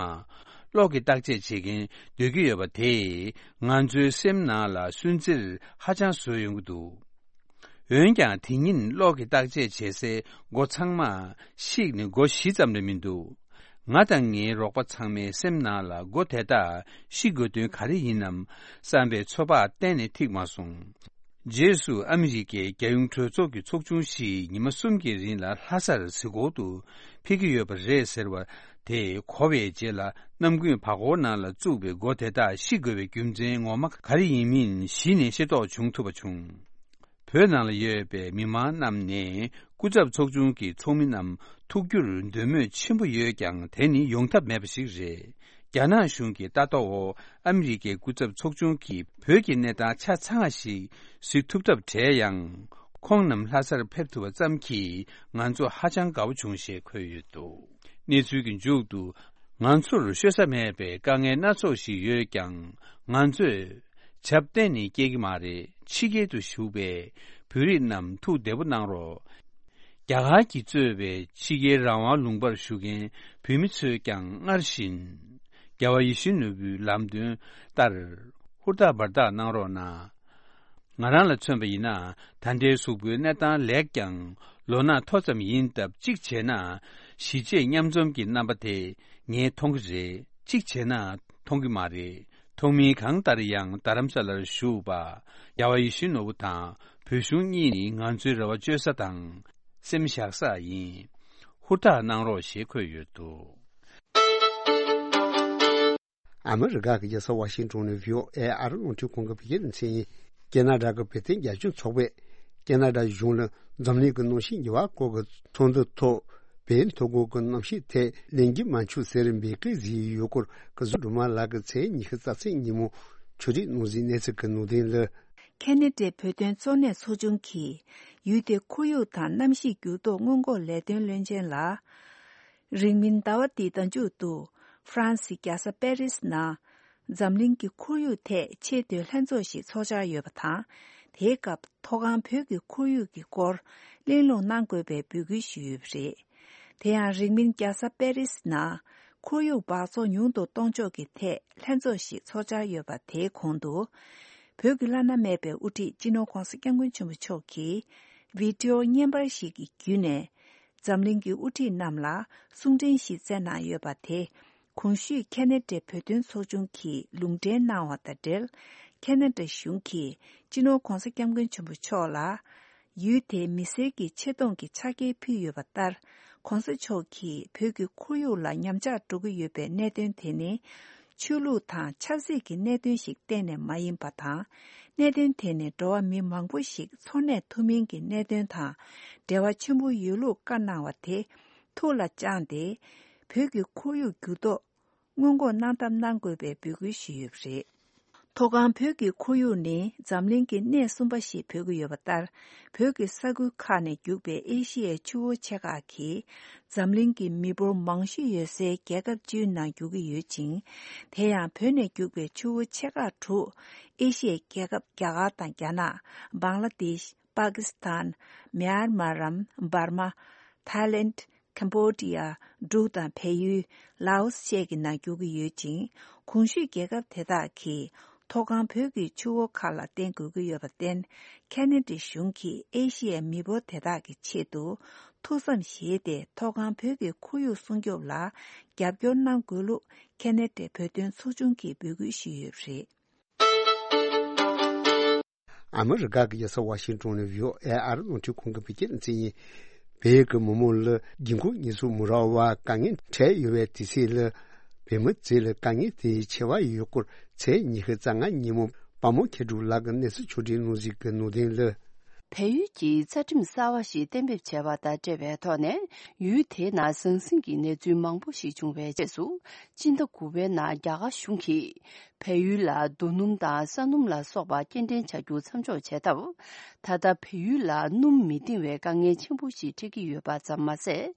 གློག་གི་བརྟག་དཔྱད་བྱེད་མཁན་སྡོད་ཀྱི་ཡོད་པ་དེས་ང་ཚོའི་སེམས་ནང་ལ་སུན་གཙེར་ཧ་ཅང་བཟོས་ཡོང་གི་འདུག་འོན་ཀྱང་དེ་ཉིན་གློག་གི་བརྟག་དཔྱད་བྱེད་སའི་སྒོ་ཚང་མ་བཤིག་ནས་སྒོ་བཞི་ཙམ་ལས་མི་འདུག་ང་དང་ངའི་རོགས་པ་ཚང་མའི་སེམས་ནང་ལ་སྒོ་དེ་དག་བཤིག་དགོས་དོན་ག་རེ་ཡིན་ནམ་བསམ་པའི་ཚོད་དཔག་གཏན་ནས་ཐིག་མ་སོང་། རྗེས་སུ་ཨ་མི་རི་ཀའི་རྒྱལ་ཡོངས་གྲོས་ཚོགས་ཀྱི་ཚོགས་ཆུང་ཞིག་ཉི་མ་གསུམ་གྱི་རིང་ལ་ལྷ་སར་གཟིགས་སྐོར་དུ་ཕེབས་ཀྱི་ཡོད་པ་རེད་ཟེར་བ་དེ་གོ་བའི་རྗེས་ལ། གནམ་དགུན་བར་སྐོར་ནང་ལ་བཙུགས་པའི་སྒོ་དེ་དག་བཤིག་དགོས་པའི་རྒྱུ་མཚན་ངོ་མ་ག་རེ་ཡིན་མིན་གཞི་ནས་ཤེས་རྟོགས་བྱུང་ཐུབ་པ་བྱུང་། བོད་ནང་ལ་ཡོད་པའི་མི་མང་རྣམས་ནས་སྐུ་ཚབ་ཚོགས་ཆུང་གི་ཚོགས་མི་རྣམས་ཐུག་རྒྱུར་འདོད་མོས་ཆེན་པོ་ཡོད་ཀྱང་། དེ་ནི་ཡོང་ཐབས་མེད་པ་ཞིག་རེད། རྒྱ་ནག་གཞུང་གི་ལྟ་རྟོག་འོག་ཨ་མི་རི་ཀའི་སྐུ་ཚབ་ཚོགས་ཆུང་གིས་བོད་ཀྱི་གནས་སྟངས་ཆ་ཚང་བ་ཞིག་གཟིགས་ཐུབ་ཐབས་བྲལ་ཡང་། ཁོང་རྣམས་ལྷ་སར་ཕེབས་ཐུབ་པ་ཙམ་གྱིས་ང་ཚོ་ཧ་ཅང་དགའ་བོ་བྱུང་ཞེས་འཁོད་ཡོད་འདུག་གནས་ཚུལ་གྱི་མཇུག་ཏུ། ང་ཚོར་ཤོད་ས་མེད་པའི་དཀའ་ངལ་སྣ་ཚོགས་ཤིག་ཡོད་ཀྱང་། ང་ཚོས་བྱབ་གཏན་ནས་སྐྱེལ་གྱི་མ་རེད། ཕྱི་རྒྱལ་དུ་བཞུགས་པའི་བོད་རིགས་རྣམས་ཐུགས་བདེ་པོ་གནང་རོགས། རྒྱ་གར་གྱིས་གཙོས་པའི་ཕྱི་རྒྱལ་རང་དབང་ལུང་པར་བཞུགས་མཁན་བོད་མི་ཚོས་ཀྱང་སྔར་བཞིན། རྒྱལ་བ་ཡིད་བཞིན་ནོར་བུའི་ལམ་སྟོན་ལྟར། ཧུར་ཐག་འབད་ཐག་གནང་རོགས་གནང་། ང་རང་ལ་མཚོན་པ་ཡིན་ན། ད་ལྟའི་གཟུགས་པོའི་གནས་སྟངས་ལེགས་ཀྱང་། ལོ་ན་མཐོ་ཙམ་ཡིན་སྟབས། གཅིག་བྱས་ན། གཞིས་བྱེས་མཉམ་འཛོམས་ཀྱི་རྣམ་པ་དེ་ངས་མཐོང་གི་རེད། གཅིག་བྱས་ན་མཐོང་གི་མ་རེད། མཐོང་མིན་གང་ལྟར་ཡང་རྡ་རམ་ས་ལར་བཞུགས་པ། རྒྱལ་བ་ཡིད་བཞིན་ནོར་བུ་དང་བོད་གཞུང་གཉིས་ནི་ང་ཚོའི་རེ་བ་བཅོལ་ས་དང་སེམས་བཞག་ས་ཡིན། ཧུར་ཐག་གནང་རོགས་ཞེས་འཁོད་ཡོད་འདུག་ཨ་མི་རི་ཀ་གི་རྒྱལ་ས་ཝ་ཤིང་ཏོན་ནས་བྷི་ཨོ་ཨེ་ཨ་རི་རླུང་འཕྲིན་ཁང་གི་བོད་སྐད་སྡེ་ཚན་ཡིན། ཁེ་ན་ཌ་གི་བོད་དོན་རྒྱབ་སྐྱོར་ཚོགས་པས་ཁེ་ན་ཌ་གཞུང་ལ་འཛམ་གླིང་གི་གནམ་གཤིས་འགྱུར་བ་སྐོར་གྱི་ཚོགས་འདུ་ཐོག་བོད་མཐོ་སྒང་གི་གནམ་གཤིས་ཐད་ལན་རྒྱུ་མ་འཁྱོལ་ཟེར་འབོད་སྐུལ་བཟོས་ཡོད་སྐོར་སྐུ་ཞབས་སྒྲོལ་མ་ལགས་ཀྱིས་ཚེས་ཉི་ཤུ་རྩ་ཚེས་ཉིན་མོ་ཕྱོགས་སྒྲིག་གནང་གཟིགས་གནས་ཚུལ་གྱི་ནང་དོན་ལ། ཁེ་ན་ཌའི་བོད་དོན་གཙོ་གནད་ཚོགས་ཆུང་གིས་ཡུལ་དེའི་ཁོར་ཡུག་དང་གནམ་གཤིས་འགྱུར་ལྡོག་སྔོན་འགོག་ལས་དོན་བློན་ཆེན་ལ། རིང་མིན་ཟླ་བ་འདིའི་ཟླ་མཇུག་ཏུ་ཧྥ་རན་སིའི་རྒྱལ་ས་པེ་རིས་ནང་འཛམ་གླིང་གི་ཁོར་ཡུག་ཐད་ཆེས་མཐོའི་ལྷན་ཚོགས་ཤིག་འཚོགས་འཆར་ཡོད་པ་དང་། དེའི་སྐབས་མཐོ་སྒང་བོད་ཀྱི་ཁོར་ཡུག་གི་སྐོར་གླེང་སློང་གནང་དགོས་པའི་འབོད་སྐུལ་ཞུས་ཡོད་པ་རེད། དེ་ཡང་རིང་མིན་རྒྱལ་ས་པེ་རིས་ནང་ཁོར་ཡུག་འབག་བཙོག་ཉུང་དུ་གཏོང་ཕྱོགས་ཀྱི་ཐད་ལྷན་ཚོགས་ཤིག་འཚོགས་འཆར་ཡོད་པ་དེའི་གོང་དུ། བོད་ཀྱི་བླ་ན་མེད་པའི་དབུ་ཁྲིད་སྤྱི་ནོར་༧གོང་ས་༧སྐྱབས་མགོན་ཆེན་པོ་མཆོག་གིས་བི་ཌི་ཨོ་བརྙན་པར་ཞིག་གི་བརྒྱུད་ནས། འཛམ་གླིང་གི་དབུ་ཁྲིད་རྣམས་ལ་གསུང་འཕྲིན་ཞིག་བསྩལ་གནང་ཡོད་པ་དེ། གོང་ཞུས་ཁེ་ན་ཌའི་བོད་དོན་ཚོགས་ཆུང་གིས་ལུང་འདྲེན་གནང་བ་དང་འབྲེལ། ཁེ་ན་ཌ་གཞུང་གིས་སྤྱི་ནོར་༧གོང་ས་༧སྐྱབས་མགོན་ཆེན་པོ་མཆོག་ལ། ཡུལ་དེའི་མི་སེར་གྱི་ཆེ་མཐོང་གི་ཕྱག་འཁྱེར་ཕུལ་ཡོད་པ་ལྟར། ༧གོང་ས་མཆོག་གིས་བོད་ཀྱི་ཁོར་ཡུག་ལ་ཉམས་ཆག་འགྲོ་གི་ཡོད་པའི་གནད་དོན་དེ་ནི། ཆོས་ལུགས་དང་ཆབ་སྲིད་ཀྱི་གནད་དོན་ཞིག་གཏན་ནས་མ་ཡིན་པ་དང་། གནད་དོན་དེ་ནི་འགྲོ་བ་མི་མང་པོ་ཞིག་འཚོ་གནས་ཐུབ་མིན་གྱི་གནད་དོན་དང་འབྲེལ་བ་ཆེན་པོ་ཡོད་ལུགས་བཀའ་གནང་བ་དེ་ཐུགས་ལ་བཅངས་ཏེ། བོད་ཀྱི་ཁོར་ཡུག་འགྱུར་ལྡོག་སྔོན་འགོག་གནང་ཐབས་གནང་དགོས་པའི་འབོད་སྐུལ་ཞུས་ཡོད་པ་རེད། མཐོ་སྒང་བོད་ཀྱི་ཁོར་ཡུག་ནི་འཛམ་གླིང་གི་སྣེ་གསུམ་པ་ཞིག་འབོད་ཀྱི་ཡོད་པ་ལྟར། བོད་ཀྱི་ས་ཁུལ་ཁག་ནས་རྒྱུག་པའི་ཨེ་ཤི་ཡའི་ཆུ་བོ་ཆེ་ཁག་གིས་འཛམ་གླིང་གི་མི་འབོར་མང་ཤོས་ཡོད་སའི་རྒྱལ་ཁབ་བཅུའི་ནང་རྒྱུག་གི་ཡོད་ཅིང་། དེ་ཡང་བོད་ནས་རྒྱུག་པའི་ཆུ་བོ་ཆེ་ཁག་དྲུག་ཨེ་ཤི་ཡའི་རྒྱལ་ཁབ་རྒྱ་གར་དང་རྒྱ་ནག་པང་ལ་དེཤ། པ་ཀི་སི་ཐན། མྱན་མར་རམ། འབར་མ། ཐའི་ལེནཌ། ཁམ་བྷོ་ཌི་ཡ། འབྲུག་དང་བལ་ཡུལ། ལའོ་སི་བཅས་ཀྱི་ནང་རྒྱུག་གི་ཡོད་ཅིང་། གོང་ཞུས་རྒྱལ་ཁབ་དེ་དག་གིས་ མཐོ་སྒང་བོད་ཀྱི་ཆུ་བོ་ཁག་ལ་བརྟེན་དགོས་ཀྱི་ཡོད་པར་བརྟེན། ཁེ་ན་ཌ་གཞུང་གིས་ཨེ་ཤི་ཡའི་མི་འབོར་དེ་དག་གི་ཆེད་དུ་ཐུགས་བསམ་བཞེས་ཏེ། མཐོ་སྒང་བོད་ཀྱི་ཁོར་ཡུག་སྲུང་སྐྱོབ་ལ་རྒྱབ་སྐྱོར་གནང་དགོས་ལུགས་ཁེ་ན་ཌའི་བོད་དོན་ཚོགས་ཆུང་གིས་འབོད་སྐུལ་ཞུས་ཡོད་པ་རེད། ཨ་མི་རི་ཀ་གི་རྒྱལ་ས་ཝ་ཤིང་ཏོན་ནས་བྷི་ཨོ་ཨེ་ཨར་རླུང་འཕྲིན་ཁང་གི་བོད་སྐད་སྡེ་ཚན་ཡིན། བོད་ཀྱི་མི་མང་ལ་སྒྲིག་འགོག་ཉེས་འཛུགས་མི་རག་པར་དཀའ་ངལ་འཕྲད་ཡོད་པའི་དུས་ཚོད་ལ། བོད་མི་ཚོ་ལ་དཀའ་ངལ་དེ་ཆེ་བ་ཡོད་སྐོར་ཚེས་ཉི་ཤུ་རྩ་ལྔ་ཉིན་མོ་པདྨ་མཁས་གྲུབ་ལགས་ཀྱིས་གནས་ཚུལ་ཕྱོགས་སྒྲིག་གནང་གཟིགས་ཀྱི་ནང་དོན་ལ། བལ་ཡུལ་གྱིས་རྩ་ཁྲིམས་གསར་བ་ཞིག་གཏན་འབེབས་བྱས་པ་དང་འབྲེལ་བའི་ཐོག་ནས། ཡུལ་དེའི་ནང་ཟང་ཟིང་གི་གནས་ཚུལ་མང་པོ་ཞིག་བྱུང་བའི་རྗེས་སུ། སྤྱི་ཟླ་དགུ་པའི་ནང་རྒྱ་གར་གཞུང་གིས་བལ་ཡུལ་ལ་རྡོ་སྣུམ་དང་ས་སྣུམ་ལ་སོགས་པ་སྐྱེལ་འདྲེན་བྱ་རྒྱུ་མཚམས་འཇོག་བྱས་སྟབས། ད་ལྟ་བལ་ཡུལ་ལ་སྣུམ་མི་འདིང་བའི་དཀའ་ངལ་ཆེན་པོ་ཞིག་འཕྲད་ཀྱི་ཡོད་པ་ཙམ་མ་ཟད།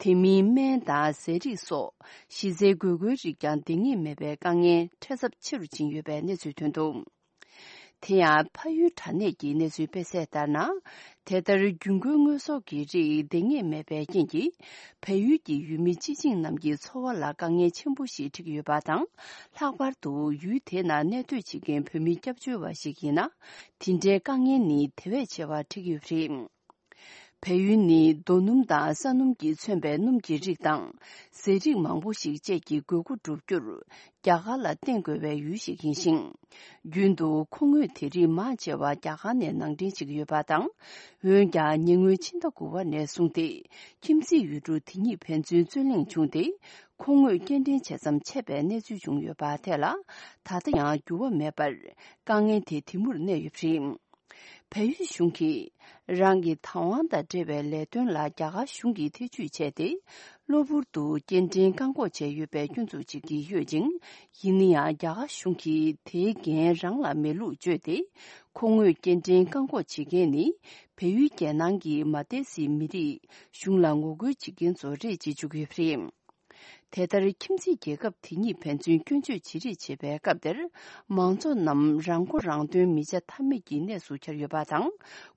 དེ་མིན་སྨན་དང་ཟས་རིགས་སོགས་གཞི་རྩའི་དགོས་མཁོའི་རིགས་ཀྱང་འདང་ངེས་མེད་པའི་དཀའ་ངལ་འཕྲད་ཚབས་ཆེ་རུ་ཕྱིན་ཡོད་པའི་གནས་ཚུལ་ཐོན་འདུག་དེ་ཡང་ཕ་ཡུལ་དྲ་གནས་ཀྱི་གནས་ཚུལ་སྤེལ་གསལ་ལྟར་ན། དེ་ལྟར་རྒྱུན་མཁོའི་དངོས་ཟོག་གི་རིགས་འདང་ངེས་མེད་པའི་རྐྱེན་གྱིས། བལ་ཡུལ་གྱི་ཡུལ་མི་སྤྱི་བྱིངས་རྣམས་ཀྱི་འཚོ་བ་ལ་དཀའ་ངལ་ཆེན་པོ་ཞིག་འཕྲད་ཀྱི་ཡོད་པ་དང་། ལྷག་པར་དུ་ཡུལ་དེ་ནང་གནས་སྡོད་བྱེད་མཁན་བོད་མི་སྐྱབས་བཅོལ་བ་ཞིག་ཡིན་ན། དེ་འདྲའི་དཀའ་ངལ་ནི་དེ་བས་ཆེ་བ་འཕྲད་ཀྱི་ཡོད་པ་རེད། བལ་ཡུལ་ནི་རྡོ་སྣུམ་དང་ས་སྣུམ་གྱིས་མཚོན་པའི་སྣུམ་གྱི་རིགས་དང་། ཟས་རིགས་མང་པོ་ཞིག་བཅས་ཀྱི་དགོས་མཁོ་བསྒྲུབ་རྒྱུར། རྒྱ་གར་ལ་བརྟེན་དགོས་པའི་ཡུལ་ཞིག་ཡིན་ཞིང་། རྒྱུན་དུ་མཁོ་དངོས་དེ་རིགས་མང་ཆེ་བ་རྒྱ་གར་ནས་ནང་འདྲེན་བྱེད་ཀྱི་ཡོད་པ་དང་། འོན་ཀྱང་ཉེ་སྔོན་ཕྱི་ཟླ་དགུ་པ་ནས་བཟུང་སྟེ། ཁྱིམ་མཚེས་ཡུལ་གྲུ་དེ་གཉིས་ཕན་ཚུན་རྩོད་གླེང་བྱུང་སྟེ། མཁོ་དངོས་སྐྱེལ་འདྲེན་བྱེད་མཚམས་ཆད་པའི་གནས་ཚུལ་བྱུང་ཡོད་པ་དེ་ལ། ད་ལྟ་ཡང་འགྱུར་བ་མེད་པར། དཀའ་ངལ་དེ་དེ་མུར་གནས་ཡོད་པ་རེད། བལ་ཡུལ་གཞུང་གིས། རང་གི་བདག་དབང་དང་འབྲེལ་བའི་ལས་དོན་ལ་རྒྱ་གར་གཞུང་གིས་ཐེ་ཇུས་བྱས་ཏེ། གློ་བུར་དུ་སྐྱེལ་འདྲེན་བཀག་འགོག་བྱས་ཡོད་པའི་སྐྱོན་འཛུགས་བྱེད་ཀྱི་ཡོད་ཅིང་། ཡིན་ན་ཡང་རྒྱ་གར་གཞུང་གིས་དེའི་འགན་རང་ལ་མེད་ལུགས་བརྗོད་དེ། མཁོ་དངོས་སྐྱེལ་འདྲེན་བཀག་འགོག་བྱེད་མཁན་ནི། བལ་ཡུལ་རྒྱལ་ནང་གི་མ་ཏེ་སི་མི་རིགས་གཞུང་ལ་ངོ་རྒོལ་བྱེད་མཁན་ཚོ་རེད་ཅེས་བརྗོད་ཀྱི་ཡོད་པ་རེད། དེ་ལྟར་ཁྱིམ་མཚེས་རྒྱལ་ཁབ་དེ་གཉིས་ཕན་ཚུན་སྐྱོན་བརྗོད་བྱེད་རེས་བྱེད་པའི་སྐབས་དེར། མང་ཚོགས་རྣམས་རང་མགོ་རང་ཐོན་མི་བྱ་ཐབས་མེད་ཀྱི་གནས་སུ་གྱར་ཡོད་པ་དང་།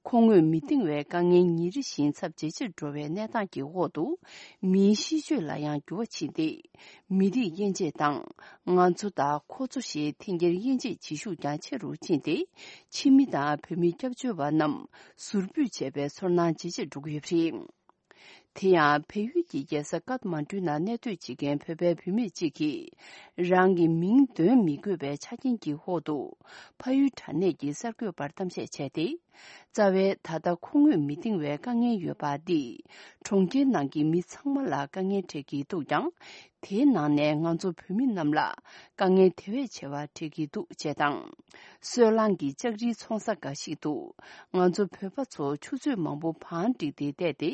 མཁོ་དངོས་མི་འདིང་བའི་དཀའ་ངལ་ཉིན་རེ་བཞིན་ཚབས་ཇེ་ཆེར་འགྲོ་བའི་གནས་སྟངས་ཀྱི་འོག་ཏུ། མིའི་གཤིས་སྤྱོད་ལ་ཡང་འགྱུར་བ་ཕྱིན་ཏེ། མི་རིགས་དབྱེ་འབྱེད་དང་། ང་ཚོ་དང་ཁོ་ཚོ་ཞེས་འཐེན་འཁྱེར་དབྱེ་འབྱེད་བྱེད་ཤུགས་ཀྱང་ཆེ་རུ་ཕྱིན་ཏེ། ཕྱི་མི་དང་བོད་མི་སྐྱབས་བཅོལ་བ་རྣམས་ཟུར་ཕུད་བྱས་པའི་ཚོར་སྣང་ཇེ་ཆེར་འགྲོ་གི་ཡོད་པ་རེད། དེ་ཡང་བལ་ཡུལ་གྱི་རྒྱལ་ས་ཀཏ་མན་གྲུའི་ནང་གནས་སྡོད་བྱེད་མཁན་བོད་པའི་བུད་མེད་ཅིག་གིས། རང་གི་མིང་འདོན་མི་དགོས་པའི་ཆ་རྐྱེན་གྱི་འོག་ཏུ། ཕ་ཡུལ་དྲ་གནས་ཀྱི་གསར་འགོད་པར་གཏམ་བཤད་བྱས་ཏེ། རྩ་བའི་ད་ལྟ་མཁོ་དངོས་མི་འདིང་བའི་དཀའ་ངལ་ཡོད་པ་འདིས། གྲོང་ཁྱེར་ནང་གི་མི་ཚང་མ་ལ་དཀའ་ངལ་འཕྲད་ཀྱི་འདུག་ཀྱང་། དེའི་ནང་ནས་ང་ཚོ་བོད་མི་རྣམས་ལ་དཀའ་ངལ་དེ་བས་ཆེ་བ་འཕྲད་ཀྱི་འདུག་ཅེས་དང་། སོལ་རླངས་ཀྱི་ལྕགས་རིའི་ཚོང་ས་འགའ་ཞིག་ཏུ། ང་ཚོ་བོད་པ་ཚོ་ཆུ་ཚོད་མང་པོ་བང་བསྒྲིགས་ཏེ་བསྡད་དེ།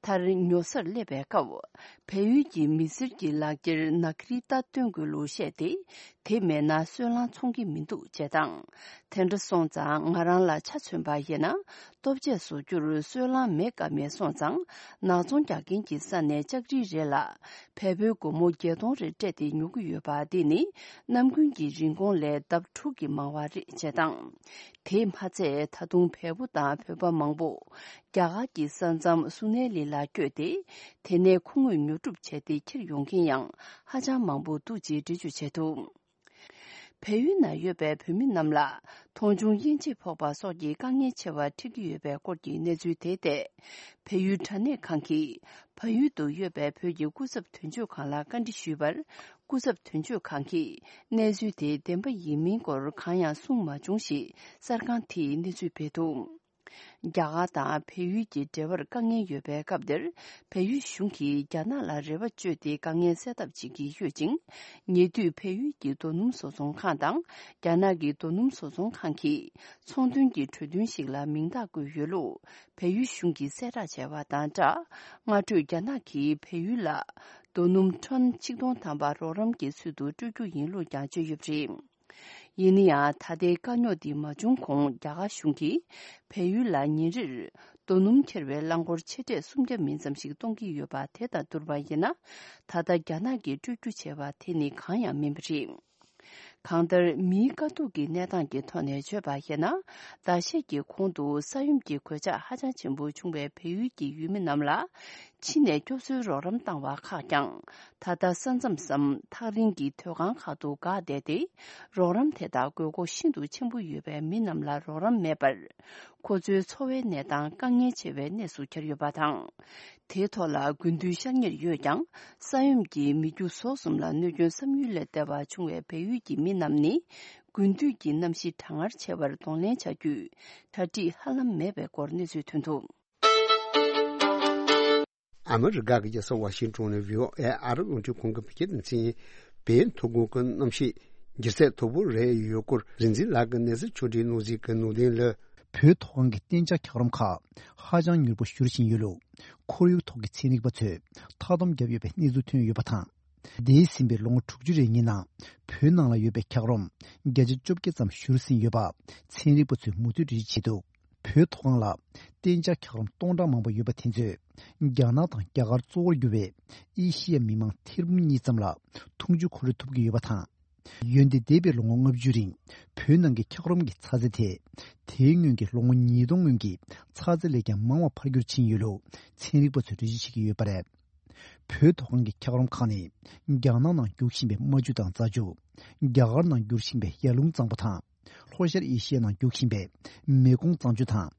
མཐར་ཉོ་སར་སླེབས་པའི་སྐབས། བལ་ཡུལ་གྱི་མི་སེར་གྱི་ལག་འཁྱེར་ནག་རིལ་ཏ་སྟོན་དགོས་ལུགས་བཤད་དེ། དེ་མེད་ན་སོལ་རླངས་འཚོང་གི་མི་འདུག་ཅེས་དང་། དེ་འདྲ་སོང་ཙང་ང་རང་ལ་ཆ་མཚོན་པ་ཡིན་ན། ལྟོ་ཆས་བཟོ་རྒྱུར་སོལ་རླངས་མེད་ཀ་མེད་སོང་ཙང་། ནག་ཚོང་རྒྱག་མཁན་གྱི་ས་ནས་ལྕགས་རིལ་རེ་ལ་བལ་པོའི་སྒོར་མོ་བརྒྱད་སྟོང་རེ་སྤྲད་དེ་ཉོ་གི་ཡོད་པ། འདི་ནི་ནམ་རྒྱུན་གྱི་རིན་གོང་ལས་ལྡབ་དྲུག་གིས་མང་བ་རེད་ཅེས་དང་། དེས་མ་ཚད་ད་དུང་བལ་པོ་དང་བོད་པ་མང་པོ་རྒྱ་གར་གྱི་ས་མཚམས་སུ་ནེ་ལི་ལ་བསྐྱོད་དེ། དེ་ནས་མཁོ་དངོས་ཉོ་སྒྲུབ་བྱས་ཏེ་འཁྱེར་ཡོང་མཁན་ཡང་ཧ་ཅང་མང་པོ་འདུག་ཅེས་འགྲེལ་བརྗོད་བྱས་འདུག་བལ་ཡུལ་ན་ཡོད་པའི་བོད་མི་རྣམས་ལ་མཐོང་ཆུང་དབྱེ་འབྱེད་ཕོག་པ་སོགས་ཀྱི་དཀའ་ངལ་ཆེ་བ་འཕྲད་ཀྱི་ཡོད་པའི་སྐོར་གྱི་གནས་ཚུལ་དེ་ཐད། བལ་ཡུལ་དྲ་གནས་ཁང་གིས་བལ་ཡུལ་དུ་ཡོད་པའི་བོད་ཀྱི་སྐུ་ཚབ་དོན་གཅོད་ཁང་ལ་བཀའ་འདྲི་ཞུས་པར། སྐུ་ཚབ་དོན་གཅོད་ཁང་གིས་གནས་ཚུལ་དེ་བདེན་པ་ཡིན་མིན་སྐོར་གང་ཡང་གསུངས་མ་བྱུང་ཞེས་གསར་ཁང་དེས་གནས་ཚུལ་སྤེལ་འདུག་རྒྱ་གར་དང་བལ་ཡུལ་གྱི་འབྲེལ་བར་དཀའ་ངལ་ཡོད་པའི་སྐབས་དེར། བལ་ཡུལ་གཞུང་གིས་རྒྱ་ནག་ལ་རེ་བ་བཅོལ་ཏེ་དཀའ་ངལ་སེལ་ཐབས་བྱེད་ཀྱི་ཡོད་ཅིང་། ཉེ་དུས་བལ་ཡུལ་གྱི་རྡོ་སྣུམ་བཟོ་ཚོང་ཁང་དང་རྒྱ་ནག་གི་རྡོ་སྣུམ་བཟོ་ཚོང་ཁང་གིས་ཚོང་དོན་གྱི་གྲོས་མཐུན་ཞིག་ལ་མིང་རྟགས་བཀོད་ཡོད་ལུགས་བལ་ཡུལ་གཞུང་གིས་གསལ་བསྒྲགས་བྱས་པ་དང་སྦྲགས། སྔ་དྲོས་རྒྱ་ནག་གིས་བལ་ཡུལ་ལ་རྡོ་སྣུམ་ཊོན་ཆིག་སྟོང་ཐམ་པ་རོགས་རམ་གྱི་ཚུལ་དུ་སྤྲོད་རྒྱུ་ཡིན་ལུགས་ཀྱང་བརྗོད་ཡོད་པ་རེད། ཡིན་ན་ཡང་ད་ལྟའི་དཀའ་རྙོག་འདི་མ་བྱུང་གོང་རྒྱ་གར་གཞུང་གིས་བལ་ཡུལ་ལ་ཉིན་རེར་རྡོ་སྣུམ་འཁྱེར་བའི་རླངས་འཁོར་ཆེ་གྲས་སུམ་བརྒྱ་མིན་ཙམ་ཞིག་གཏོང་གི་ཡོད་པ། དེ་དང་བསྡུར་བ་ཡིན་ན། ད་ལྟ་རྒྱ་ནག་གིས་སྤྲོད་རྒྱུ་བྱས་པ་དེ་ནི་གང་ཡང་མིན་པ་རེད། གང་ལྟར། མིའི་དཀའ་སྡུག་གི་གནས་སྟངས་ཀྱི་ཐོག་ནས་བརྗོད་པ་ཡིན་ན། ཟླ་ཤས་ཀྱི་གོང་དུ་ས་ཡོམ་གྱི་གོད་ཆག་ཧ་ཅང་ཆེན་པོ་བྱུང་བའི་བལ་ཡུལ་གྱི་ཡུལ་མི་རྣམས་ལ། ཕྱི་ནས་སྐྱོབ་གསོའི་རོགས་རམ་བཏང་བ་ཁག་ཀྱང་། ད་ལྟ་ས་མཚམས་སམ་ཐག་རིང་གི་སྡོད་ཁང་ཁག་ཏུ་འགག་བསྡད་དེ། རོགས་རམ་དེ་དག་དགོས་མཁོ་ཤིན་ཏུ་ཆེན་པོ་ཡོད་པའི་མི་རྣམས་ལ་རོགས་རམ་མེད་པར། ཁོ་ཚོའི་འཚོ་བའི་གནས་སྟངས་དཀའ་ངལ་ཆེ་བའི་གནས་སུ་གྱར་ཡོད་པ་དང་། དེའི་ཐོག་ལ་དགུན་དུས་ཤར་ཉེར་ཡོད་ཀྱང་། ས་ཡོམ་གྱིས་མི་རྒྱུ་ཟོག་གསུམ་ལ་གནོད་སྐྱོན་བསམ་ཡུལ་ལས་འདས་པ་བྱུང་བའི་བལ་ཡུལ་གྱི་མི་རྣམས་ནི། དགུན་དུས་ཀྱི་གནམ་གཤིས་གྲང་ངར་ཆེ་བར་གདོང་ལེན་བྱ་རྒྱུའི་གྲ་སྒྲིག་ཧ་ལམ་མེད་པའི་སྐོར་གནས་ཚུལ་ཐོན་འདུག། ཨ་མི་རི་ཀ་གི་རྒྱལ་ས་ཝ་ཤིང་ཏོན་ནས་བྷི་ཨོ་ཨེ་ཨ་རིའི་རླུང་འཕྲིན་ཁང་གིས་བོད་སྐད་སྡེ་ཚན། བོད་མཐོ་སྒང་གི་གནམ་གཤིས་འགྱུར་ཚད་མཐོ་པོ་རེད་ཡོད་སྐོར་རིག་འཛིན་ལགས་ཀྱིས་གནས་ཚུལ་ཕྱོགས་སྒྲིག་གནང་གཟིགས་ཀྱི་ནོར་ལྡན་ལགས། བོད་མཐོ་སྒང་གི་གཏན་འཇགས་འཁྱགས་རོམ་ཁག་ཧ་ཅང་མྱུར་པོ་བཞུར་བཞིན་ཡོད་ལུགས། ཁོར་ཡུག་ཐོག་གི་ཚན་རིག་པ་ཚོས་མཐའ་སྡོམ་བརྒྱབ་ཡོད་པའི་གནས་ཚུལ་ཐོན་ཡོད་པ་དང་། འདས་ཟིན་པའི་ལོ་ངོ་དྲུག་ཅུ་རེ་གཉིས་ནང་བོད་ནང་ལ་ཡོད་པའི་འཁྱགས་རོམ་བརྒྱ་ཆ་བཅོ་བརྒྱད་ཙམ་བཞུར་ཟིན་ཡོད་པ་ཚན་རིག་པ་ཚོས་མུ་མཐུད་འགྲེལ་བརྗོད་བྱས་འདུག། བོད་མཐོ་སྒང་ལ་གཏན་འཇགས་འཁྱགས་རོམ་སྟོང་ཕྲག་མང་པོ་ཡོད་པ་དེ་ཚོས་རྒྱ་ནག་དང་རྒྱ་གར་གཙོ་བོར་གྱུར་བའི་ཨེ་ཤི་ཡ་མི་མང་ཐེར་འབུམ་གཉིས་ཙམ་ལ་འཐུང་ཆུ་ཁོ་རེ་ཐུབ་ཀྱི་ཡོད་པ་དང་། འོན་ཏེ་འདས་པའི་ལོ་ངོ་ལྔ་བཅུ་རིང་བོད་ནང་གི་འཁྱགས་རོམ་གྱི་ཚ་ཚད་དེ་དེའི་སྔོན་གྱི་ལོ་ངོ་ཉིས་སྟོང་སྔོན་གྱི་ཚ་ཚད་ལས་ཀྱང་མང་བ་འཕར་འགྱུར་ཕྱིན་ཡོད་ལུགས་ཚན་རིག་པ་ཚོས་འགྲེལ་བརྗོད་བྱེད་ཀྱི་ཡོད་པ་རེད། བོད་མཐོ་སྒང་གི་འཁྱགས་རོམ་ཁག་ནི་རྒྱ་ནག་ནང་རྒྱུག་བཞིན་པའི་རྨ་ཆུ་དང་རྫ་ཆུ། རྒྱ་གར་ནང་རྒྱུག་བཞིན་པའི་ཡར་ཀླུང་གཙང་པོ་དང་། ལྷོ་ཤར་ཨེ་ཤི་ཡ་ནང་རྒྱུག་བཞིན་པའི་མེ་གོང་གཙང་ཆུ་དང་།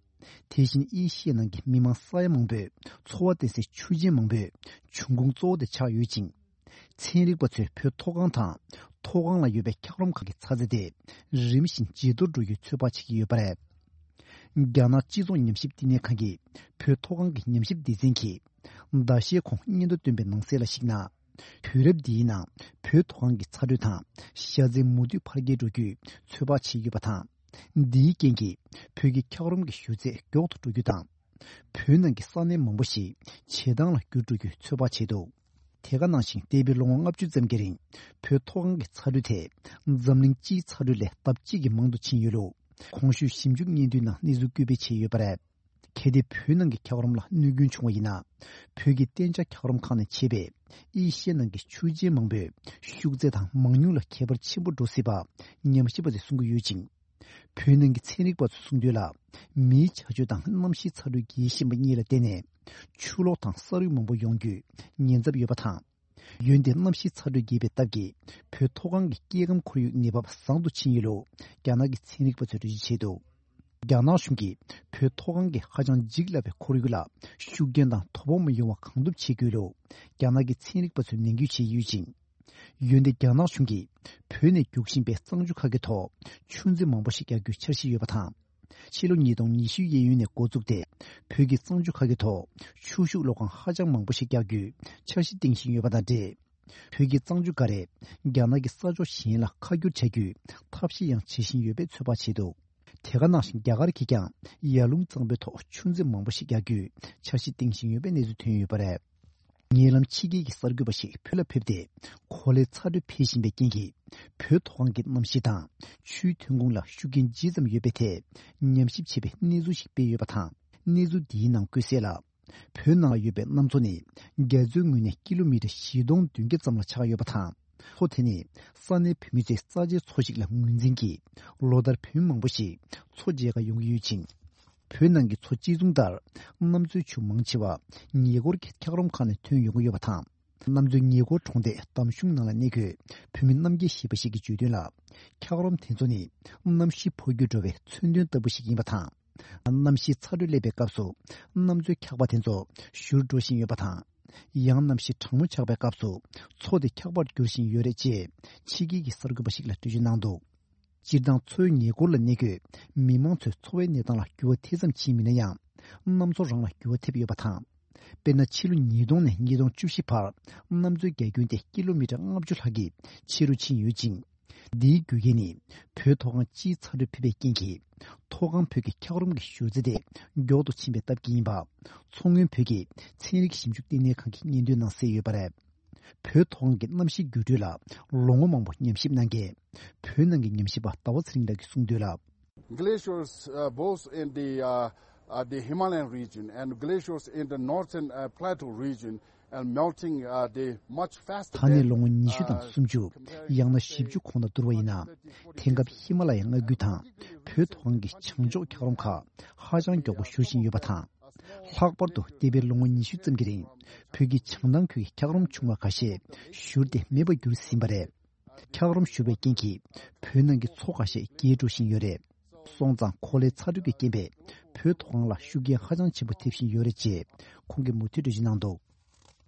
དེ་བཞིན་ཨེ་ཤི་ཡ་ནང་གི་མི་མང་ས་ཡ་མང་པོས་འཚོ་བ་བརྟེན་སའི་ཆུ་ཆེན་མང་པོས་འབྱུང་ཁུངས་གཙོ་བོ་དེ་ཆགས་ཡོད་ཅིང་། ཚན་རིག་པ་ཚོས་བོད་མཐོ་སྒང་དང་མཐོ་སྒང་ལ་ཡོད་པའི་འཁྱགས་རོམ་ཁག་གི་ཚ་ཚད་དེ་རིམ་བཞིན་ཇེ་མཐོར་འགྲོ་རྒྱུའི་ཚོད་དཔག་བྱེད་ཀྱི་ཡོད་པ་རེད། རྒྱ་ནག་སྤྱི་ཚོགས་ཉམས་ཞིབ་བསྟི་གནས་ཁང་གི་བོད་མཐོ་སྒང་གི་ཉམས་ཞིབ་སྡེ་ཚན་གྱིས་ཟླ་ཤས་གོང་སྙན་ཐོ་བཏོན་པའི་ནང་གསལ་ལ་གཞིགས་ན། དུས་རབས་འདིའི་ནང་བོད་མཐོ་སྒང་གི་ཚ་དྲོད་དང་ཞ་ཚན་མུ་མཐུད་འཕར་རྒྱས་འགྲོ་རྒྱུའི་ཚོད་དཔག་བྱས་ཡོད་པ་དང་། འདིའི་རྐྱེན་གྱིས་བོད་ཀྱི་འཁྱགས་རོམ་གྱི་བཞུར་ཚད་མགྱོགས་དུ་འགྲོ་རྒྱུ་དང་། བོད་ནང་གི་ས་གནས་མང་པོ་ཞིག་བྱེ་ཐང་ལ་འགྱུར་འགྲོ་རྒྱུའི་ཚོད་དཔག་བྱས་འདུག། དེ་ག་ནང་བཞིན་འདས་པའི་ལོ་ངོ་ལྔ་བཅུ་ཙམ་གྱི་རིང་བོད་མཐོ་སྒང་གི་ཚ་དྲོད་དེ་འཛམ་གླིང་སྤྱིའི་ཚ་དྲོད་ལས་ལྡབ་གཅིག་གིས་མང་དུ་ཕྱིན་ཡོད་ལུགས་གོང་ཞུས་ཞིབ་འཇུག་སྙན་ཐོའི་ནང་གནས་ཚུལ་འཁོད་སྤེལ་བྱས་ཡོད་པ་རེད། གལ་ཏེ་བོད་ནང་གི་འཁྱགས་རོམ་ལ་གནོད་སྐྱོན་བྱུང་བ་ཡིན་ན། བོད་ཀྱི་གཏན་འཇགས་འཁྱགས་རོམ་ཁག་ནས་ཆད་པའི་ཨེ་ཤི་ཡ་ནང་གི་ཆུ་ཆེན་མང་པོའི་ཤུགས་ཚད་དང་མང་ཉུང་ལ་ཁྱད་པར་ཆེན་པོ་འགྲོ་སྲིད་པ་ཉམས་ཞིབ་པ་ཚོས་གསུང་གི་ཡོད་ཅིང་། བོད་ནང་གི་ཚན་རིག་པ་ཚོས་གསུངས་དོན་ལ། མིའི་བྱ་སྤྱོད་དང་གནམ་གཤིས་ཚ་དྲོད་རྒྱས་བཞིན་པ་གཉིས་ལ་བརྟེན་ནས་ཆུ་ལོག་དང་ས་རུད་མང་པོ་ཡོང་རྒྱུའི་ཉེན་ཚབས་ཡོད་པ་དང་། འོན་ཏེ་གནམ་གཤིས་ཚ་དྲོད་རྒྱས་པའི་སྟབས་ཀྱིས་བོད་མཐོ་སྒང་གི་སྐྱེ་ཁམས་ཁོར་ཡུག་གནས་བབ་བཟང་དུ་ཕྱིན་ཡོད་ལུགས་རྒྱ་ནག་གི་ཚན་རིག་པ་ཚོས་འགྲེལ་བརྗོད་བྱས་འདུག། རྒྱ་ནག་གཞུང་གིས་བོད་མཐོ་སྒང་གི་ཧ་ཅང་འཇིག་སླ་བའི་ཁོར་ཡུག་ལ་ཤུགས་རྐྱེན་དང་དོ་ཕོག་མི་ཡོང་བ་གང་ཐུབ་བྱེད་དགོས་ལུགས་རྒྱ་ནག་གི་ཚན་རིག་པ་ཚོས་ནན་སྐུལ་བྱས་ཡོད་ཅིང་། འོན་ཏེ་རྒྱ་ནག་གཞུང་གིས་བོད་ནས་རྒྱུག་བཞིན་པའི་གཙང་ཆུ་ཁག་གི་ཐོག་ཆུ་མཛོད་མང་པོ་ཞིག་རྒྱག་རྒྱུའི་འཆར་གཞི་ཡོད་པ་དང་། ཕྱི་ལོ་ཉིས་སྟོང་ཉི་ཤུའི་གཡས་གཡོན་ནས་འགོ་བཙུགས་ཏེ་བོད་ཀྱི་གཙང་ཆུ་ཁག་གི་ཐོག་ཆུ་ཤུགས་གློག་ཁང་ཧ་ཅང་མང་པོ་ཞིག་རྒྱག་རྒྱུའི་འཆར་གཞི་བཏིང་བཞིན་ཡོད་པ་དང་འབྲེལ། བོད་ཀྱི་གཙང་ཆུ་འགའ་རེ་རྒྱ་ནག་གི་ས་ཕྱོགས་གཞན་ལ་ཁ་བསྒྱུར་བྱ་རྒྱུའི་ཐབས་ཤེས་ཡང་བྱེད་བཞིན་ཡོད་པའི་ཚོད་དཔག་བྱས་འདུག། དེ་ག་ནང་བཞིན་རྒྱ་གར་གྱིས་ཀྱང་ཡར་ཀླུང་གཙང་པོའི་ཐོག་ཆུ་མཛོད་མང་པོ་ཞིག་རྒྱག་རྒྱུའི་འཆར་གཞི་བཏིང་བཞིན་ཡོད་པའི་གནས་ཚུལ་ཐོན་ཡོད་པ་རེད། ཉེ་ལམ་ཕྱི་རྒྱལ་གྱི་གསར་འགོད་པ་ཞིག་བོད་ལ་ཕེབས་ཏེ་གོ་ལའི་ཚ་དྲོད་འཕེལ་བཞིན་པའི་རྐྱེན་གྱིས་བོད་མཐོ་སྒང་གི་གནམ་གཤིས་དང་ཆུའི་ཐོན་ཁུངས་ལ་ཤུགས་རྐྱེན་ཇི་ཙམ་ཡོད་པའི་ཐད་ཉམས་ཞིབ་བྱས་པའི་གནས་ཚུལ་ཞིག་སྤེལ་ཡོད་པ་དང་། གནས་ཚུལ་འདིའི་ནང་བཀོད་གསལ་ལ། བོད་ནང་ལ་ཡོད་པའི་གནམ་མཚོ་ནི་རྒྱ་མཚོའི་ངོས་ནས་ཀི་ལོ་མི་ཊར་བཞི་སྟོང་བདུན་བརྒྱ་ཙམ་ལ་ཆགས་ཡོད་པ་དང་། མཚོ་དེ་ནི་ས་གནས་བོད་མི་ཚོའི་རྩ་ཆེའི་མཚོ་ཞིག་ལ་ངོས་འཛིན་གྱིས་ལོ་ལྟར་བོད་མི་མང་པོ་ཞིག་མཚོ་མཇལ་ཁར་ཡོང་གི་ཡོད་ཅིང་། བོད་ནང་གི་མཚོ་དཔྱད་རྩོམ་ལྟར་གནམ་མཚོའི་ཆུ་མང་ཆེ་བ་ཉེ་འཁོར་གྱི་འཁྱགས་རོམ་ཁག་ནས་ཐོན་ཡོང་གི་ཡོད་པ་དང་། གནམ་མཚོའི་ཉེ་འཁོར་གྲོང་རྡལ་འདམ་གཞུང་ནང་ལ་གནས་འཁོད་བོད་མི་རྣམ་རྒྱལ་ཞེས་པ་ཞིག་གིས་བརྗོད་དོན་ལ། འཁྱགས་རོམ་དེ་ཚོ་ནི་གནམ་གཤིས་འཕོ་འགྱུར་འགྲོ་བའི་མཚོན་དོན་ལྟ་བུ་ཞིག་ཡིན་པ་དང་། གནམ་གཤིས་ཚ་དྲོད་སླེབས་པའི་སྐབས་སུ་གནམ་མཚོའི་འཁྱགས་པ་དེ་ཚོ་བཞུར་འགྲོ་བཞིན་ཡོད་པ་དང་། ཡང་གནམ་གཤིས་གྲང་མོ་ཆགས་པའི་སྐབས་སུ་མཚོ་དེ་འཁྱགས་པར་འགྱུར་བཞིན་ཡོད་རེད་ཅེས་ཕྱི་རྒྱལ་གྱི་གསར་འགོད་པ་ཞིག་ལ་འགྲེལ་བརྗོད་གནང་འདུག། སྤྱིར་བཏང་མཚོའི་ཉེ་འཁོར་ལ་གནས་འཁོད་མི་མང་ཚོའི་འཚོ་བའི་གནས་སྟངས་ལ་འགྱུར་བ་དེ་ཙམ་ཕྱིན་མིན་ན་ཡང་། གནམ་མཚོ་རང་ལ་འགྱུར་བ་ཐེབས་ཡོད་པ་དང་། དཔེར་ན་ཕྱི་ལོ་ཉིས་སྟོང་ནས་ཉིས་སྟོང་བཅུ་བཞི་བར་གནམ་མཚོའི་རྒྱ་ཁྱོན་དེ་ཀི་ལོ་མི་ཊར་ལྔ་བཅུ་ལྷག་གིས་ཆེ་རུ་ཕྱིན་ཡོད་ཅིང་། འདིའི་རྒྱུ་རྐྱེན་ནི་བོད་མཐོ་སྒང་སྤྱིའི་ཚ་དྲོད་འཕེལ་བའི་རྐྱེན་གྱིས་མཐོ་སྒང་བོད་ཀྱི་འཁྱགས་རོམ་གྱི་བཞུར་རྩ་དེ་མགྱོགས་དུ་ཕྱིན་པའི་སྟབས་ཀྱིས་ཡིན་པ། མཚོ་སྔོན་བོད་ཀྱི་ཚན་རིག་ཞིབ་འཇུག་ལྟེ་གནས་ཁང་གི་སྙན་ཐོའི་ནང་གསལ་ཡོད་པ་རེད། བོད་མཐོ་སྒང་གི་གནམ་གཤིས་འགྱུར་འགྲོས་ལ་ལོ་ངོ་མང་པོ་ཉམས་ཞིབ་གནང་མཁན་བོད་ནང་གི་ཉམས་ཞིབ་པ་ཟླ་བ་ཚེ་རིང་ལགས་ཀྱིས་གསུངས་དོན་ལ། Glaciers, uh, both in the uh, uh, the Himalayan region and glaciers in the northern, uh, plateau region and melting, uh, the much faster ད་ནས་ལོ་ངོ་ཉི་ཤུ་དང་སུམ་ཅུ། ཡང་ན་བཞི་བཅུ་གོང་དུ་བསྡུར་བ་ཡིན་ན། དེང་སྐབས་ཧི་མ་ལ་ཡའི་མངའ་ཁུལ་དང་བོད་མཐོ་སྒང་གི་བྱང་ཕྱོགས་འཁྱགས་རོམ་ཁག་ཧ་ཅང་མགྱོགས་པོ་ཞུ་བཞིན་ཡོད་པ་དང་། ལྷག་པར་དུ་འདས་པའི་ལོ་ངོ་ཉི་ཤུ་ཙམ་གྱི་རིང་བོད་ཀྱི་བྱང་ཐང་ཁུལ་གྱི་འཁྱགས་རོམ་ཆུང་བ་ཁ་ཤས་བཞུར་ཏེ་མེད་པར་གྱུར་ཟིན་པ་རེད། འཁྱགས་རོམ་བཞུར་བའི་རྐྱེན་གྱིས་བོད་ནང་གི་མཚོ་ཁ་ཤས་རྒྱས་འགྲོ་བཞིན་ཡོད་རེད། སོང་ཙང་གོ་ལའི་ཚ་དྲོད་ཀྱི་རྐྱེན་པས་བོད་མཐོ་སྒང་ལ་ཤུགས་རྐྱེན་ཧ་ཅང་ཆེན་པོ་ཐེབས་བཞིན་ཡོད་རེད་ཅེས་ཁོང་གིས་མུ་མཐུད་འགྲེལ་བརྗོད་གནང་འདུག་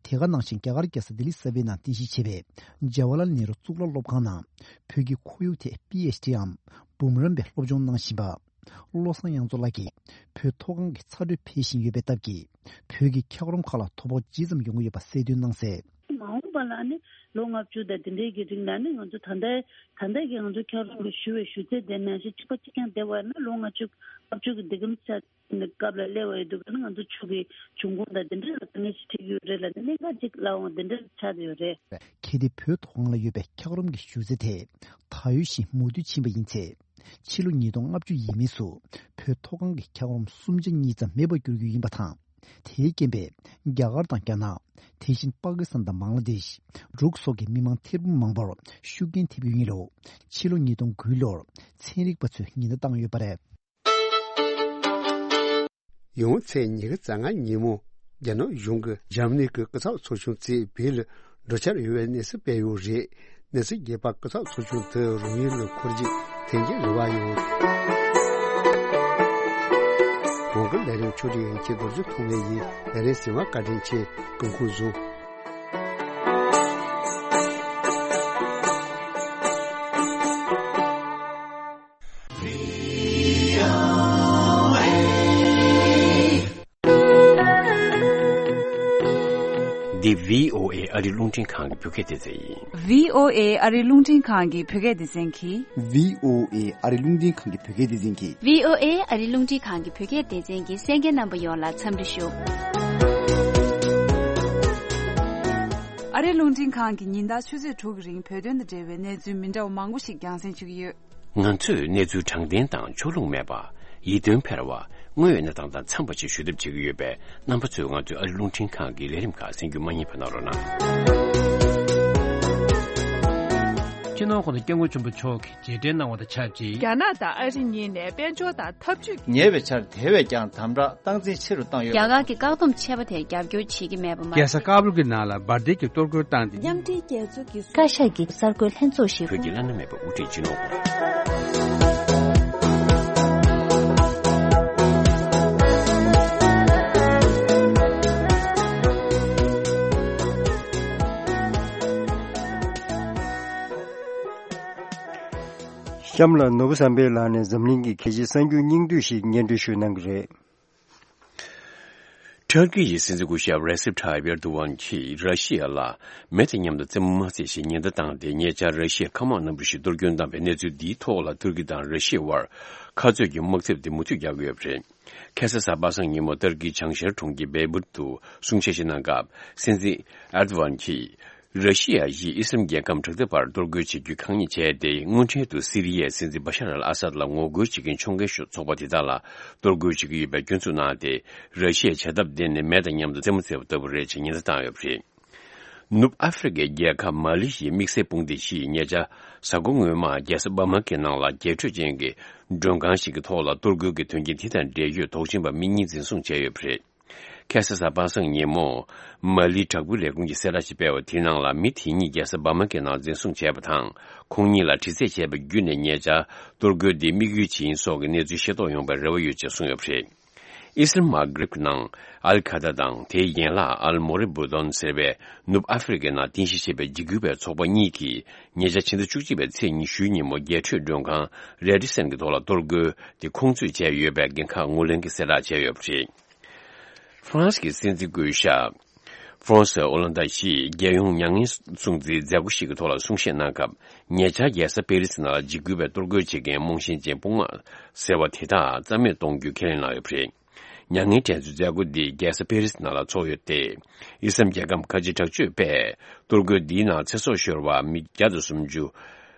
དེ་ག་ནང་བཞིན་རྒྱ་གར་རྒྱལ་ས་ལྡི་ལི་གསར་པའི་ནང་རྟེན་གཞི་བྱས་པའི་ཇ་ཝ་ལལ་ནེ་རུ་གཙུག་ལག་སློབ་ཁང་ནང་བོད་ཀྱི་ཁོར་ཡུག་ཐད་པི་ཨེཆ་ཌི་འམ་འབུམ་རམས་པའི་སློབ་སྦྱོང་གནང་བཞིན་པ། བློ་བཟང་དབྱངས་མཚོ་ལགས་ཀྱིས་བོད་མཐོ་སྒང་གི་ཚ་དྲོད་འཕེལ་བཞིན་ཡོད་པའི་སྟབས་ཀྱིས་བོད་ཀྱི་འཁྱགས་རོམ་ཁག་ལ་དོ་ཕོག་ཇི་ཙམ་ཡོང་གི་ཡོད་པ་གསལ་སྟོན་གནང་གསལ། མ་འོངས་པ་ལ་ནི་ལོ་ལྔ་བཅུ་དང་དེ་འདྲའི་གི་རིང་ལ་ནི་ང་ཚོ་ད་ལྟའི་ད་ལྟའི་གི་ང་ཚོ་འཁྱགས་རོམ་གྱི་བཞུར་བའི་བཞུར་ཚད་དེ་ནང་བཞིན་གཅིག་པ་གཅིག་རྐྱང་བསྡད་པ་ཡིན་ན་ལོ་ལྔ་བཅུ་ལྔ་བཅུ་གི་འདི་གམ་ཆ་ནི་སྐབས་ལ་སླེབས་པ་ཡོད་འདུག་ག་ནི་ང་ཚོ་ཆུ་གི་འབྱུང་ཁུངས་དང་དེ་འདྲ་ལ་དཀའ་ངལ་ཞིག་འཕྲད་ཀྱི་ཡོད་རེད་ལ་ནི་གནད་འགག་ཅིག་ལབ་འོང་དེ་འདྲ་ཆགས་ཡོད་རེད། གལ་ཏེ་བོད་མཐོ་སྒང་ལ་ཡོད་པའི་འཁྱགས་རོམ་གྱི་བཞུར་རྩ་དེ་ད་ཡོད་བཞིན་མུ་མཐུད་ཕྱིན་པ་ཡིན་ཚེ། ཕྱི་ལོ་ཉིས་སྟོང་ལྔ་བཅུ་ཡས་མས་སུ་བོད་མཐོ་སྒང་གི་འཁྱགས་རོམ་གསུམ་ཆ་གཉིས་ཙམ་མེད་པར་འགྱུར་རྒྱུ་ཡིན་པ་དང་། དེའི་རྐྱེན་པས་རྒྱ་གར་དང་རྒྱ་ནག་དེ་བཞིན་པ་ཀི་སི་ཐན་དང་བང་ལ་དེཤ། འབྲུག་སོགས་ཀྱི་མི་མང་ཐེར་འབུམ་མང་པོར་ཤུགས་རྐྱེན་ཐེབས་ཀྱི་ཡིན་ལུགས་ཕྱི་ལོ་ཉིས་སྟོང་དགུའི་ལོར་ཚན་རིག་པ་ཚོས་ཉེན་བརྡ་བཏང་ཡོད་པ་རེད། ཡང་ཚེས་ཉི་ཤུ་རྩ་ལྔ་ཉིན་མོ། རྒྱ་ནག་གཞུང་གིས་འཇར་མ་ནི་གི་སྐུ་ཚབ་ཚོགས་ཆུང་རྩིས་བོད་ལ་འགྲོ་འཆར་ཡོད་པའི་གནས་ཚུལ་སྤེལ་ཡོད་རེད། གནས་ཚུལ་རྒྱས་པ་སྐུ་ཚབ་ཚོགས་ཆུང་དུ་རང་ཡུལ་ལ་འཁོར་རྒྱུག་འཐེན་རྒྱུའི་རེ་བ་ཡོད། གོང་གི་ལས་རིམ་ཕྱོགས་སྒྲིག་ཡིན་ཁྱེད་རྡོ་རྗེ་ཐོགས་མེད་ཡིན། ལས་རིམ་གཟིགས་པར་བཀའ་དྲིན་ཆེ། སྐུ་ཁམས་བཟང་། འདི་བྷི་ཨོ་ཨེ་ཨ་རི་རླུང་འཕྲིན་ཁང་གི་བོད་སྐད་སྡེ་ཚན་ཡིན། བྷི་ཨོ་ཨེ་ཨ་རི་རླུང་འཕྲིན་ཁང་གི་བོད་སྐད་སྡེ་ཚན་གྱིས། བྷི་ཨོ་ཨེ་ཨ་རི་རླུང་འཕྲིན་ཁང་གི་བོད་སྐད་སྡེ་ཚན་གྱིས། བྷི་ཨོ་ཨེ་ཨ་རི་རླུང་འཕྲིན་ཁང་གི་བོད་སྐད་སྡེ་ཚན་གྱི་གསན་མཁན་རྣམ་པ་ཡོངས་ལ་འཚམས་འདྲི་ཞུ། ཨ་རི་རླུང་འཕྲིན་ཁང་གིས་ཉིན་ལྟར་ཆུ་ཚོད་དྲུག་གི་རིང་བོད་དོན་དང་འབྲེལ་བའི་གནས་ཚུལ་མི་འདྲ་བ་མང་པོ་ཞིག་རྒྱང་སྲིང་ཞུ་གི་ཡོད། ང་ཚོས་གནས་ཚུལ་དྲང་བདེན་དང་ཕྱོགས་ལྷུང་མེད་པ། ཡིད་རྟོན་འཕེར་བ། དངོས་ཡོད་གནས་སྟངས་དང་འཚམས་པ་ཞིག་ཞུ་ཐབས་བྱེད་ཀྱི་ཡོད་པས། རྣམ་པ་ཚོས་ང་ཚོའི་ཨ་རི་རླུང་འཕྲིན་ཁང་གི་ལས་རིམ་ཁག་གསན་རྒྱུ་མ་བསྙེལ་བ་གནང་རོགས་གནང་། སྤྱི་ནོར་༸གོང་ས་༸སྐྱབས་མགོན་ཆེན་པོ་མཆོག་གིས་རྗེས་དྲན་གནང་བ་དང་ཆབས་ཅིག་རྒྱ་ནག་དང་ཨ་རི་གཉིས་ནས་དཔལ་འབྱོར་དང་འཐབ་ཇུས། ཉེ་བའི་ཆར་དེ་བས་ཀྱང་དམ་དྲག་སྟངས་འཛིན་ཆེ་རུ་བཏང་ཡོད། རྒྱ་གར་གྱི་བཀག་སྡོམ་ཆད་པ་དེར་རྒྱབ་སྐྱོར་བྱེད་ཀྱི་མེད་པ་མ་རྒྱལ་ས་ཀ་བུལ་གྱི་ནང་ལ་འབར་མདེལ་གྱི་གཏོར་རྒོལ་བཏང་སྟེ། མཉམ་འབྲེལ་རྒྱལ་ཚོགས་ཀྱི་བཀའ་ཤག་གི་གསར་འགོད་ལྷན་ཚོགས་ཤིག་བོད་ཀྱི་བླ་ན་མེད་པའི་དབུ་ཁྲིད་སྤྱི་ནོར། གཤམ་ལ་ནོར་བུ་བསམ་འཕེལ་ལགས་ནས་འཛམ་གླིང་གི་གལ་ཆེའི་གསར་འགྱུར་སྙིང་བསྡུས་ཤིག་སྙན་སྒྲོན་ཞུ་གནང་གི་རེད། ཐུར་ཀི་ཡི་སྲིད་འཛིན་སྐུ་ཞབས་རེ་སེབ་ཐ་ཡིབ་ཨེར་དུ་ཝན་གྱིས་ར་ཤི་ཡ་ལ་མེ་དང་མཉམ་དུ་རྩེད་མོ་མ་རྩེ་ཞེས་ཉེན་བརྡ་བཏང་སྟེ། ཉེ་ཆར་ར་ཤི་ཡའི་མཁའ་དམག་རྣམ་པ་ཞིག་གཏོར་སྐྱོན་བཏང་བའི་གནས་ཚུལ་འདིའི་ཐོག་ལ་ཐུར་ཀི་དང་ར་ཤི་ཡའི་དབར་ཁ་རྩོད་ཀྱི་དམག་འཐབ་དེ་མུ་མཐུད་རྒྱག་གི་ཡོད་པ་རེད། ཁ་སང་གཟའ་པ་སངས་ཉིན་མོ་ཏུར་ཀིའི་བྱང་ཤར་གྲོང་ཁྱེར་བེ་རུཊ་དུ་གསུང་བཤད་ཞིག་གནང་སྐབས། སྲིད་འཛིན་ཨེར་དུ་ཝན་གྱིས། ར་ཤི་ཡ་ཡིས་ཨི་སི་རམ་རྒྱལ་ཁབ་དྲག་འཐབ་པར་གཏོར་རྒོལ་བྱེད་རྒྱུའི་ཁག་ཉེས་བྱས་ཏེ། སྔོན་འཕྲལ་དུ་སི་རི་ཡའི་སྲིད་འཛིན་བ་ཤར་ཨལ་ཨ་སད་ལ་ངོ་རྒོལ་བྱེད་མཁན་ཕྱོགས་འགལ་ཤོས་ཚོགས་པ་དེ་དག་ལ་གཏོར་རྒོལ་བྱེད་ཀྱི་ཡོད་པའི་སྐྱོན་འཛུགས་གནང་སྟེ། ར་ཤི་ཡའི་བྱ་ཐབས་འདི་ནི་མེ་དང་མཉམ་དུ་རྩེད་མོ་རྩེ་བ་ལྟ་བུ་རེད་ཅེས་ཉེན་བརྡ་བཏང་ཡོད་པ་རེད། ནུབ་ཨ་ཧྥེ་རི་ཁའི་རྒྱལ་ཁབ་མ་ལི་ཡི་དམིགས་བསལ་དཔུང་སྡེ་ཞིག་ཉེ་ཆར་གཟའ་འཁོར་སྔོན་མ་རྒྱལ་ས་བ་མ་ཀི་ནང་ལ་རྒྱས་སྤྲོས་ཅན་གྱི་མགྲོན་ཁང་ཞིག་གི་ཐོག་ལ་གཏོར་རྒོལ་གྱི་དོན་རྐྱེན་དེ་དང་འབྲེལ་ཡོད་དོགས་ཅན་པ་མི་གཉིས་འཛིན་བཟུང་བྱས་ཡོད་པ་རེད། ཁ་སང་གཟའ་པ་སངས་ཉིན་མོ། མ་ལིའི་དྲག་པོའི་ལས་ཁུངས་ཀྱིས་གསལ་བསྒྲགས་ཤིག་སྤེལ་བ་དེའི་ནང་ལ། མི་དེ་གཉིས་རྒྱལ་ས་བ་མ་ཀི་ནང་འཛིན་བཟུང་བྱས་པ་དང་། ཁོང་གཉིས་ལ་དྲི་རྩད་བྱས་པ་བརྒྱུད་ནས་ཉེ་ཆར་གཏོར་རྒོལ་འདི་དམིགས་ཡུལ་ཅི་ཡིན་སོགས་ཀྱི་གནས་ཚུལ་ཤེས་རྟོགས་ཡོང་བའི་རེ་བ་ཡོད་ཅེས་གསུངས་ཡོད་པ་རེད། ཨི་སི་རལ་མ་གྷ་རིབ་ནང་ཨལ་ཁ་ད་དང་། དེའི་ཡན་ལག་ཨལ་མོ་རི་བུ་དོན་ཟེར་བའི་ནུབ་ཨ་ཧྥེ་རི་ཁའི་ནང་རྟེན་གཞི་བྱས་པའི་འཇིགས་སྐུལ་བའི་ཚོགས་པ་གཉིས་ཀྱིས་ཉེ་ཆར་ཕྱི་ཟླ་བཅུ་གཅིག་པའི་ཚེས་ཉི་ཤུའི་ཉིན་མོ། རྒྱས་སྤྲོས་མགྲོན་ཁང་རེ་ཌི་སན་གྱི་ཐོག་ལ་གཏོར་རྒོལ་དེ་ཁོང་ཚོས་བྱས་ཡོད་པའི་འགན་ཁག་ངོས་ལེན་གྱི་གསལ་བསྒྲགས་བྱས་ཡོད་པ་རེད། ཧྥ་རན་སི་གི་སྲིད་འཛིན་སྐུ་ཞབས་ཧྥ་རན་སི་ཨོ་ལན་ད་ཞིས་རྒྱལ་ཡོངས་མྱ་ངན་སྲུང་བརྩིའི་མཛད་སྒོ་ཞིག་གི་ཐོག་ལ་གསུང་བཤད་གནང་སྐབས། ཉེ་ཆར་རྒྱལ་ས་པེ་རི་སི་ནང་ལ་འཇིགས་སྐུལ་བའི་གཏོར་རྒོལ་བྱེད་མཁན་རྨོངས་ཞེན་ཅན་དཔུང་དམག་ཟེར་བ་དེ་དག་རྩ་མེད་གཏོང་རྒྱུ་ཁས་ལེན་གནང་ཡོད་པ་རེད། མྱ་ངན་དྲན་གསོའི་མཛད་སྒོ་འདི་རྒྱལ་ས་པེ་རི་སི་ནང་ལ་ཚོགས་ཡོད་དེ། ཨི་སི་རམ་རྒྱལ་ཁབ་ཁ་ཆེ་དྲག་སྤྱོད་པས་གཏོར་རྒོལ་འདིའི་ནང་ཚེ་སྲོག་ཤོར་བ་མི་བརྒྱ་དང་སུམ་ཅུ།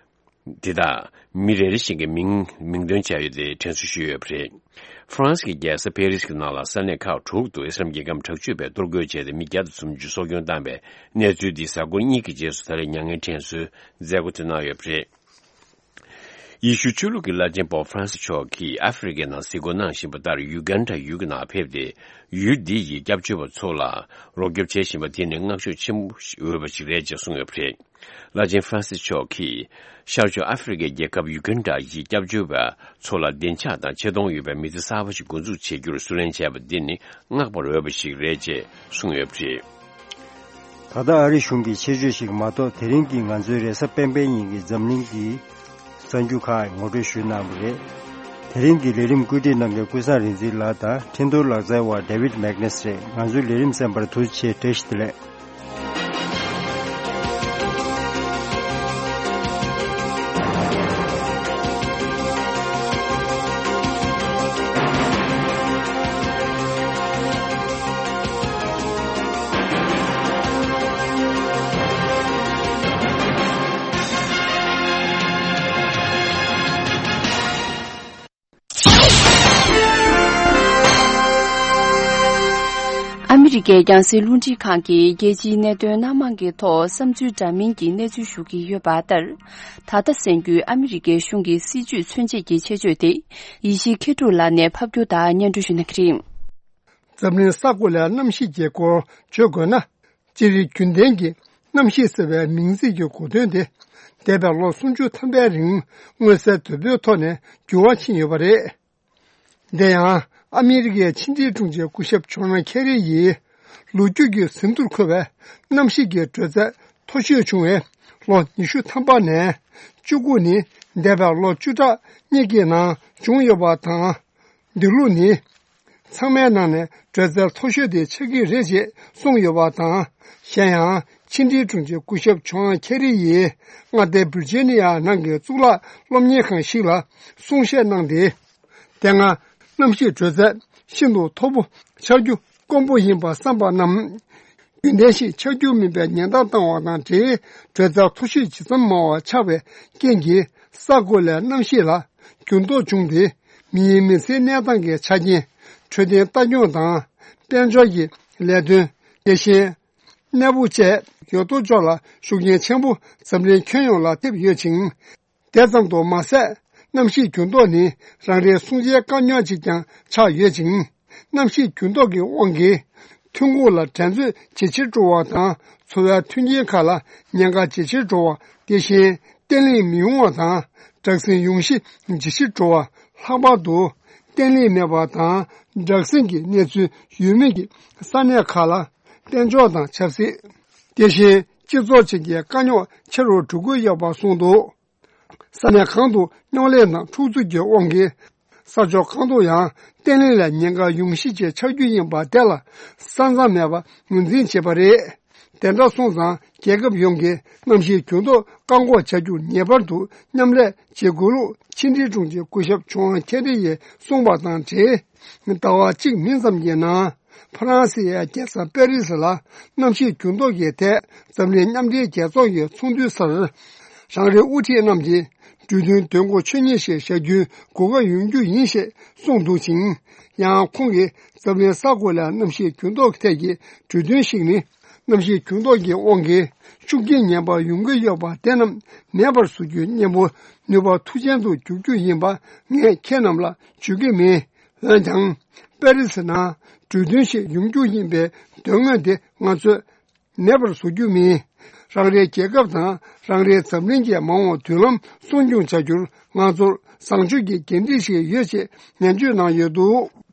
དེ་དག་མི་རེ་རེ་བཞིན་གྱི་མིང་མིང་འདོན་བྱས་ཡོད་དེ་དྲན་གསོ་ཞུས་ཡོད་པ་རེད། ཧྥ་རན་སི་གི་རྒྱལ་ས་ཕེ་རི་སི་གི་ནང་ལ་ས་གནས་ཁག་དྲུག་ཏུ་ཨི་སི་རམ་རྒྱལ་ཁབ་དྲག་སྤྱོད་པས་གཏོར་རྒོལ་བྱས་ཏེ་མི་བརྒྱ་དང་སུམ་ཅུ་སྲོག་སྐྱོན་བཏང་པའི་གནས་ཚུལ་འདི་གཟའ་འཁོར་གཉིས་ཀྱི་རྗེས་སུ་ད་རེས་མྱ་ངན་དྲན་གསོའི་མཛད་སྒོ་དེ་གནང་ཡོད་པ་རེད། ཡེ་ཤུ་ཆོས་ལུགས་ཀྱི་བླ་ཆེན་པོབ་ཧྥ་རན་སི་མཆོག་གིས་ཨ་ཧྥེ་རི་ཁའི་ནང་གཟིགས་སྐོར་གནང་བཞིན་པ་ལྟར་ཡུ་གན་ཌ་ཡུལ་གྱི་ནང་ཕེབས་ཏེ། ཡུལ་འདི་ཡི་སྐྱབས་བཅོལ་བ་ཚོ་ལ་རོགས་སྐྱོབ་བྱེད་བཞིན་པ་དེ་ནི་བསྔགས་བརྗོད་ཆེན་པོ་འོས་པ་ཞིག་རེད་ཅེས་གསུངས་ཡོད་པ་རེད། བླ་ཆེན་ཧྥ་རན་སི་མཆོག་གིས་ཤར་ཕྱོགས་ཨ་ཧྥེ་རི་ཁའི་རྒྱལ་ཁབ་ཡུ་གན་ཌ་ཡི་སྐྱབས་བཅོལ་བ་ཚོ་ལ་བདེ་འཇགས་དང་ཆེ་མཐོང་ཡོད་པའི་མི་ཚེ་གསར་པ་ཞིག་འགོ་འཛུགས་བྱེད་རྒྱུར་བསུ་ལེན་བྱས་པ་འདི་ནི་བསྔགས་པར་འོས་པ་ཞིག་རེད་ཅེས་གསུངས་ཡོད་པ་རེད། ད་ལྟ་ཨ་རི་གཞུང་གི་ཆེད་བརྗོད་ཞིག་མ་གཏོགས། དེ་རིང་གི་ང་ཚོའི་རེས་གཟའ་སྤེན་པའི་ཉིན་གྱི་འཛམ་གླིང་གི་གསར་འགྱུར་ཁག་ངོ་སྤྲོད་ཞུས་གནང་བ་རེད། དེ་རིང་གི་ལས་རིམ་བཀོད་སྒྲིག་གནང་མཁན་ཀུན་བཟང་རིག་འཛིན་ལགས་དང་འཕྲིན་གཏོང་ལག་རྩལ་བ་David Magnus་རེད། ང་ཚོའི་ལས་རིམ་གསན་པར་ཐུགས་རྗེ་ཆེ། བཀྲ་ཤིས་བདེ་ལེགས། ཨ་མི་རི་ཀའི་རྒྱང་སྲིང་རླུང་འཕྲིན་ཁང་གིས་རྒྱལ་སྤྱིའི་གནད་དོན་སྣ་མང་གི་ཐོག་བསམ་ཚུལ་འདྲ་མིན་གྱི་གནས་ཚུལ་ཞུ་གི་ཡོད་པ་ལྟར། ད་ལྟ་གསན་རྒྱུའི་ཨ་མི་རི་ཀའི་གཞུང་གི་སྲིད་བྱུས་མཚོན་བྱེད་ཀྱི་ཆེད་བརྗོད་དེ་ཡེ་ཤེས་མཁས་གྲུབ་ལགས་ནས་ཕབ་སྒྱུར་དང་སྙན་སྒྲོན་ཞུ་གནང་གི་རེད། འཛམ་གླིང་ས་གོ་ལའི་གནམ་གཤིས་ཀྱི་སྐོར་བརྗོད་དགོས་ན། སྤྱིར་རྒྱུན་ལྡན་གྱི་གནམ་གཤིས་ཟེར་བའི་མིང་ཚིག་གི་གོ་དོན་དེ། འདས་པའི་ལོ་སུམ་ཅུ་ཐམ་པའི་རིང་མངོན་གསལ་དོད་པོའི་ཐོག་ནས་འགྱུར་བ་ཕྱིན་ཡོད་པ་རེད། དེ་ཡང་ཨ་མི་རི་ཀའི་ཕྱི་འབྲེལ་དྲུང་ཆེ་སྐུ་ཞབས་ཇོན་ཁེ་རི་ཡིས་ལོ་རྒྱུས་ཀྱི་ཟིན་ཐོར་འཁོད་པའི་གནམ་གཤིས་ཀྱི་དྲོད་ཚད་མཐོ་ཤོས་བྱུང་བའི་ལོ་ཉི་ཤུ་ཐམ་པ་ནས་བཅུ་དགུ་ནི་འདས་པའི་ལོ་བཅུ་ཕྲག་གཉིས་ཀྱི་ནང་བྱུང་ཡོད་པ་དང་། འདི་ལོ་ནི་ཚང་མའི་ནང་ནས་དྲོད་ཚད་མཐོ་ཤོས་དེ་ཆགས་ཀྱི་རེད་ཅེས་གསུངས་ཡོད་པ་དང་། གཞན་ཡང་ཕྱི་འབྲེལ་དྲུང་ཆེ་སྐུ་ཞབས་ཇོན་ཁེ་རི་ཡིས་མངའ་སྡེ་བིར་ཇི་ནི་ཡ་ནང་གི་གཙུག་ལག་སློབ་གཉེར་ཁང་ཞིག་ལ་གསུང་བཤད་གནང་སྟེ། དེ་སྔ་གནམ་གཤིས་དྲོད་ཚད་ཤིན་ཏུ་མཐོ་པོ་ཆགས་རྒྱུ་དཀོན་པོ་ཡིན་པ་བསམ་པ་རྣམས། རྒྱུན་ལྡན་ཞིག་ཆགས་རྒྱུ་མིན་པའི་ཉེན་བརྡ་བཏང་བ་དང་འབྲེལ། དྲོད་ཚད་མཐོ་ཤོས་ཇི་ཙམ་མང་བ་ཆགས་པའི་རྐྱེན་གྱིས་ས་གོ་ལའི་གནམ་གཤིས་ལ་འགྱུར་ལྡོག་བྱུང་སྟེ། མིའི་མི་ཚེའི་གནས་སྟངས་ཀྱི་ཆ་རྐྱེན། འཕྲོད་བསྟེན་ལྟ་སྐྱོང་དང་དཔལ་འབྱོར་གྱི་ལས་དོན། དེ་བཞིན་གནས་སྤོ་བཅས་ཡོད་དོ་ཅོག་ལ་ཤུགས་རྐྱེན་ཆེན་པོ་འཛམ་གླིང་ཁྱོན་ཡོངས་ལ་ཐེབས་ཡོད་ཅིང་། དེ་ཙམ་དུ་མ་ཟད། གནམ་གཤིས་འགྱུར་ལྡོག་ནི་རང་རེའི་སྲུང་བྱའི་དཀའ་རྙོག་ཅིག་ཀྱང་ཆགས་ཡོད་ཅིང་། གནམ་གཤིས་འགྱུར་ལྡོག་གི་དབང་གིས་ཐོན་ཁུངས་ལ་འགྲན་རྩོད་ཇེ་ཆེར་འགྲོ་བ་དང་། འཚོ་བའི་མཐུན་རྐྱེན་ཁག་ལ་ཉེན་ཁ་ཇེ་ཆེར་འགྲོ་བ། དེ་བཞིན་བརྟན་ལྷིང་མི་ཡོང་བ་དང་། དྲག་ཟིང་ཡོང་གཞི་ཇེ་ཆེར་འགྲོ་བ། ལྷག་པར་དུ་བརྟན་ལྷིང་མེད་པ་དང་། དྲག་ཟིང་གི་གནས་ཚུལ་ཡོད་མེད་ཀྱི་ས་གནས་ཁག་ལ་དཔལ་འབྱོར་དང་ཆབ་སྲིད། དེ་བཞིན་སྤྱི་ཚོགས་བཅས་ཀྱི་དཀའ་རྙོག་ཆེ་རུ་འགྲོ་གི་ཡོད་པ་གསུངས་འདུག། ས་གནས་གང་དུ་རྙོག་གླེང་དང་འཁྲུག་རྩོད་ཀྱི་དབང་གིས་ས་ཕྱོགས་གང་དུ་ཡང་བརྟན་ལྷིང་ལ་ཉེན་ཁ་ཡོང་གཞི་ཅིག་ཆགས་རྒྱུ་ཡིན་པ་དེ་ལ་ས་མཚམས་མེད་པར་ངོས་འཛིན་བྱེད་པ་རེད། དེ་འདྲ་སོང་ཙང་རྒྱལ་ཁབ་ཡོངས་ཀྱིས་གནམ་གཤིས་འགྱུར་ལྡོག་བཀག་འགོག་བྱ་རྒྱུར་ངེས་པར་དུ་མཉམ་ལས་བྱེད་དགོས་ལུགས་ཕྱི་འབྲེལ་དྲུང་ཆེ་སྐུ་ཞབས་ཇོན་ཁེ་རི་ཡིས་གསུངས་པ་དང་འབྲེལ། ཟླ་བ་གཅིག་མིན་ཙམ་གྱི་ནང་། ཧྥ་རན་སི་ཡའི་རྒྱལ་ས་པེ་རི་སི་ལ་གནམ་གཤིས་འགྱུར་ལྡོག་གི་ཐད་འཛམ་གླིང་མཉམ་འབྲེལ་རྒྱལ་ཚོགས་ཀྱི་ཚོགས་འདུའི་སར། རང་རེའི་དབུ་ཁྲིད་རྣམས་ཀྱིས་གྲོས་མཐུན་དོན་གོ་ཆོད་ཉེས་ཤིག་བཞག་རྒྱུའི་གོ་སྐབས་ཡོང་རྒྱུ་ཡིན་ཞེས་གསུངས་འདུག་ཅིང་། ཡང་ཁོང་གིས་འཛམ་གླིང་ས་གོ་ལའི་གནམ་གཤིས་འགྱུར་ལྡོག་ཐད་ཀྱི་གྲོས་མཐུན་ཞིག་ནི། གནམ་གཤིས་འགྱུར་ལྡོག་གི་དབང་གིས་ཤུགས་རྐྱེན་ངན་པ་ཡོང་གི་ཡོད་པ་དེ་རྣམས་མེད་པར་བཟོ་རྒྱུའི་གཉེན་པོ་ནུས་པ་མཐུ་ཅན་དུ་འགྱུར་རྒྱུ་ཡིན་པ་ངས་ཁྱེད་རྣམས་ལ་བརྗོད་ཀྱི་མེད། འོན་ཀྱང་། པེ་རི་སི་ནང་གྲོས་མཐུན་ཞིག་ཡོང་རྒྱུ་ཡིན་པའི་དོན་དངོས་དེ་ང་ཚོས་མེད་པར་བཟོ་རྒྱུ་མིན། རང་རེའི་རྒྱལ་ཁབ་དང་རང་རེའི་འཛམ་གླིང་གི་མ་འོངས་མདུན་ལམ་སྲུང་སྐྱོང་བྱ་རྒྱུར་ང་ཚོར་བཟང་སྤྱོད་ཀྱི་འགན་འཁྲི་ཞིག་ཡོད་ཅེས་ནན་བརྗོད་གནང་ཡོད་འདུག།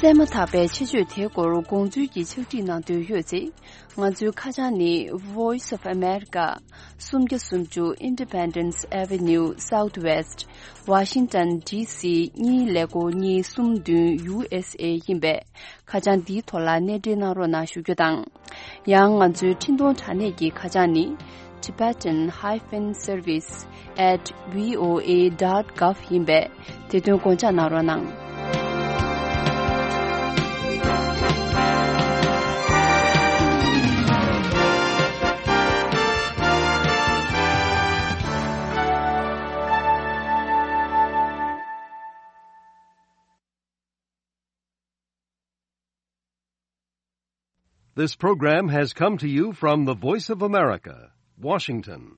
གསན་མ་ཐག་པའི་ཆེད་བརྗོད་དེའི་སྐོར་དགོངས་ཚུལ་གྱི་ཕྱག་བྲིས་གནང་འདོད་ཡོད་ཚེ། ང་ཚོའི་ཁ་བྱང་ནི། Voice of America། སུམ་བརྒྱ་སུམ་ཅུ། Independence Avenue Southwest། Washington D C གཉིས་ཀླད་ཀོར་གཉིས་གསུམ་བདུན། U S A ཡིན་པས། ཁ་བྱང་འདིའི་ཐོག་ལ་གནས་འབྲེལ་གནང་རོགས་གནང་ཞུ་རྒྱུ་དང་། ཡང་ང་ཚོའི་འཕྲིན་གཏོང་དྲ་གནས་ཀྱི་ཁ་བྱང་ནི། Tibetan hyphen service at V O A dot gov ཡིན་པས། དེ་དོན་དགོངས་འཇགས་གནང་རོགས་གནང་། This program has come to you from the Voice of America, Washington.